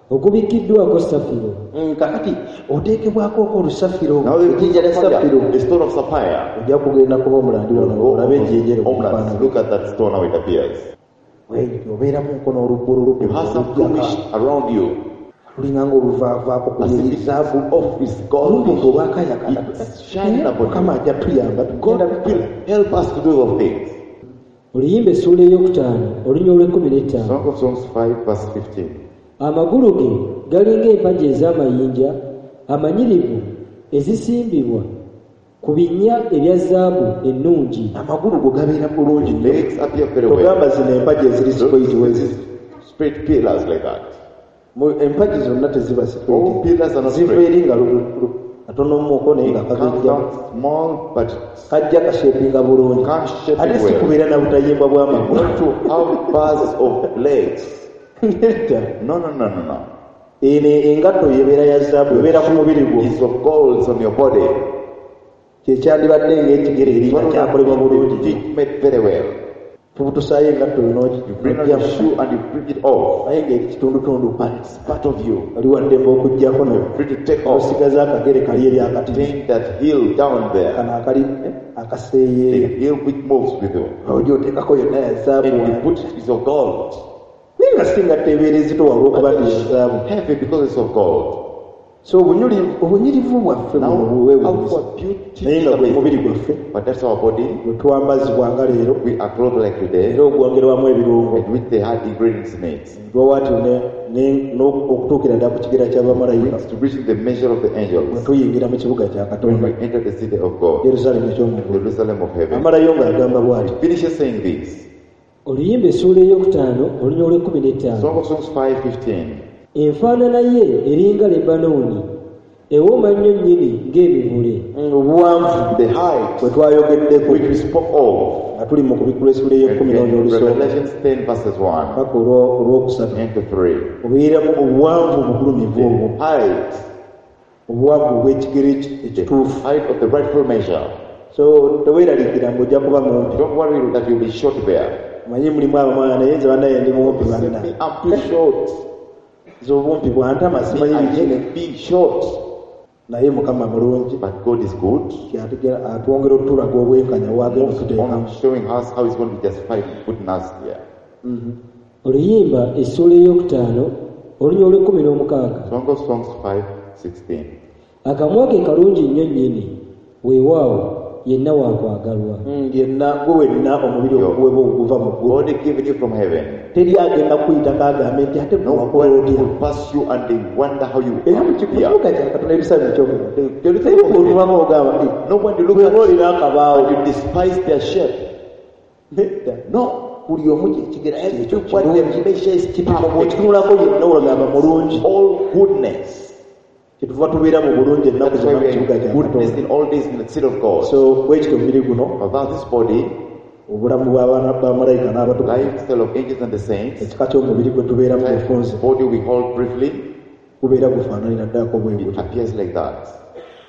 ogubikkiddwako safiro. Mm, kakati oteekebwako okwo olusafiro, Now the ejjinja lya safiro. the stone of sapphire. Ojja kugenda kuba omulandi wano olabe ejjinja eryo Homelands, look at that stone how it appears. Bw'etyo obeeramu nkono olubbululu. You have some bluish around you. Lulinga ng'oluvaavaako ku As if ngeri it's zaabu. off is gold. Olubumba olwakayakana. It's shining upon you. Mukama ajja tuyamba God tugenda will bikola. help us to do those things. Oluyimba essuula eyokutaano olunyiriri olw'ekkumi n'ettaano. Song of Songs five verse fifteen. Amagulu ge galinga empagi ez'amayinja amanyirivu ezisimbibwa ku binnya ebya zaabu ennungi. Amagulu go gabeera bulungi nnyo. Legs appear very well. Togamba zino empagi eziri straight wezi. Straight pillars like that. Mu empagi zonna teziba All straight. pillars are not Ziva straight. eri nga lu- lu- katonomuko naye nga It comes kagejja. down small, but Kajja kashepinga bulungi. can't shape Ate it si well. kubeera na butayimbwa bw'amagulu. Not to have bars of legs. Nedda. No, no, no, no, no. Eno engatto ebeera ya zaabu ebeera ku mubiri gwo. It's of gold on your body. Kye kyandibadde ng'ekigere eri nga kyakolebwa bulungi. It made very well. Tubutusaayo engatto eno You bring on your shoe and you bring it off. naye ng'eri kitundutundu. But it's part of you. Oli waddembe okuggyako no Free to take off. osigaza akagere kali eri akatini. Take that heel down there. Kano akali eh, akaseeyeeya. The heel which moves with you. Ojja oteekako yonna ya zaabu. And you put it is of gold. Naye nga si ngatto ebeera ezitowa olw'okuba nti ya zaabu. Heavy because it's of gold. So obunyuli- obunyirivu bwaffe Now, buno buweewuunyisa. our beauty Naye is nga gwe mubiri amazing. gwaffe But that's our body. bwe twambazibwa nga leero We are clothed like today, era ogwongerwamu ebirungo. and which they had ingredients in it. Lwawaati ne- ne- n'okutuukira ddala ku kigera ky'abamalayika To reaching the measure of the bwe angels. tuyingira mu kibuga kya When Katonda we enter the city of God, Yerusaalemu eky'omu ggulu. Jerusalem of heaven. Amalayo ng'agamba bw'ati. Finishes saying this. Oluyimba essuula eyokutaano olunyiriri olw'ekkumi n'ettaano. Song of Songs five fifteen. Enfaanana ye eringa Lebanooni, ewooma nnyo nnyini ng'emivule. Mm, obuwanvu The height bwe twayogeddeko which we spoke of nga tuli mu kubikkula essuula ey'ekkumi n'onya in olusooka Revelation ten verses one paka olwo- olwokusatu and to three. obeeramu obuwanvu obugulumivu obwo The height, obuwanvu obw'ekigere eki- the ekituufu. height of the rightful measure. So teweeraliikira ng'ojja kuba mumpi. Don't worry that you'll be short there. Manyi mulimu abamwana naye nze bannaye ndi mumpi banna. Me, I'm too short. Nze obumpi bwantama simanyi I biki. hate being short. Naye Mukama mulungi. But God is good. Ate atwongera otulaga obwenkanya bw'agenda Moves otuteekamu. on showing us how he's going to justify putting us here. Oluyimba essuula eyokutaano olunyiriri olw'ekkumi n'omukaaga. Song of Songs five sixteen. Akamwa ke kalungi nnyo nnyini, weewaawo yenna waakwagalwa. Mm, yenna gwe wenna omubiri oguweebwa oguva mu ggulu. God given you from heaven. Teri agenda kuyitako agambe nti ate No wakola one otya. will pass you and they wonder how you Era mu are. kibuga kya Katonda ebisaanyi eky'omu. Jerusalem Teri of heaven. bw'otuulako ogamba nti No one will look bw'oba at you olina akabaawo. and you despise their shape. Nedda. No. Buli omu kyekigera kyekyo What the kirungi. measure is Kipimo perfect. bw'okitunulako yenna olagamba mulungi. All goodness. Kyetuva tubeera mu bulungi ennaku That's why zonna mu we kibuga are kya in goodness Katonda. in all days in the city of God. So bwekityo omubiri guno About this body, Obulamu bw'abaana bamalayika n'abatukuvu, Lifestyle of angels and the saints, ekika ky'omubiri gwe tubeeramu type bufunze of body we hold briefly, gubeera gufaananira ddako bwe it gutyo. appears like that.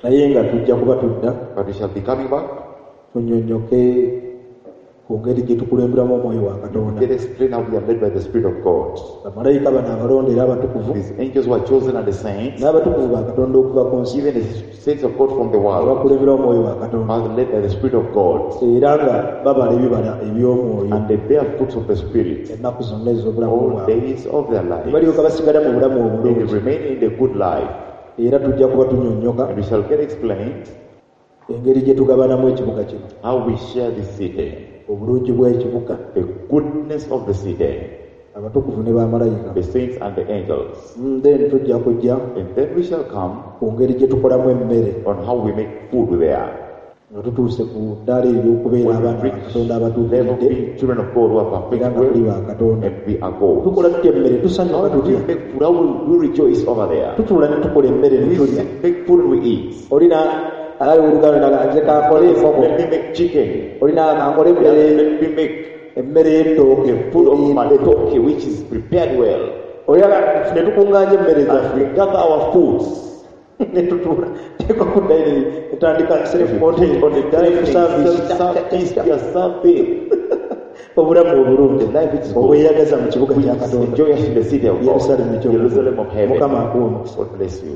Naye nga tujja kuba tudda But we shall be coming back tunnyonnyoke ku ngeri gye tukulemberamu omwoyo wa Katonda. Get explain how we are led by the Spirit of God. Bamalayika bano abalonde era abatukuvu These angels were chosen and the saints, n'abatukuvu ba Katonda okuva ku nsi even the saints of God from the world, abakulembera omwoyo wa Katonda are led by the Spirit of God, era nga babala ebibala eby'omwoyo and they bear fruits of the Spirit ennaku zonna ez'obulamu all bwabwe. days of their life. Balyoka basigala mu bulamu They obulungi remain in the good life, era tujja kuba tunnyonnyoka and we shall get explained engeri gye tugabanamu ekibuga kino, how we share this city, obulungi bw'ekibuga, the goodness of the city, abatukuvu ne bamalayika. the saints and the angels. Mm, then tujja kujja And then we shall come ku ngeri gye tukolamu emmere on how we make food there. nga tutuuse ku ddaala ery'okubeera When we abaana ba reach Katonda level of abatuukiridde being children of God who are era perfect nga tuli well, ba Katonda. and we are God. Tukola tutya emmere? Tusanyuka How do we tutya? make food? How will we rejoice over there? Tutuula ne tukola emmere ne We tulya. sit, make food and we eat. Olina ali oluganda naga nze kankole enkoko, Let me make chicken. olina kankole emmere Let me make emmere y'ettooke food of erinde. matoke, which is prepared well. Olina ne tukuŋŋaanya emmere And zaffe we gather our foods. ne tutuula teeka ku dining etandika self contained On the dining, self service self-service, we are serving. obulamu obulungi The life which is good. obweyagaza mu kibuga Which kya is Katonda joyous in the city of God, Yerusaalemu eky'omu Jerusalem of heaven. Mukama akuwe omukisa. God bless you.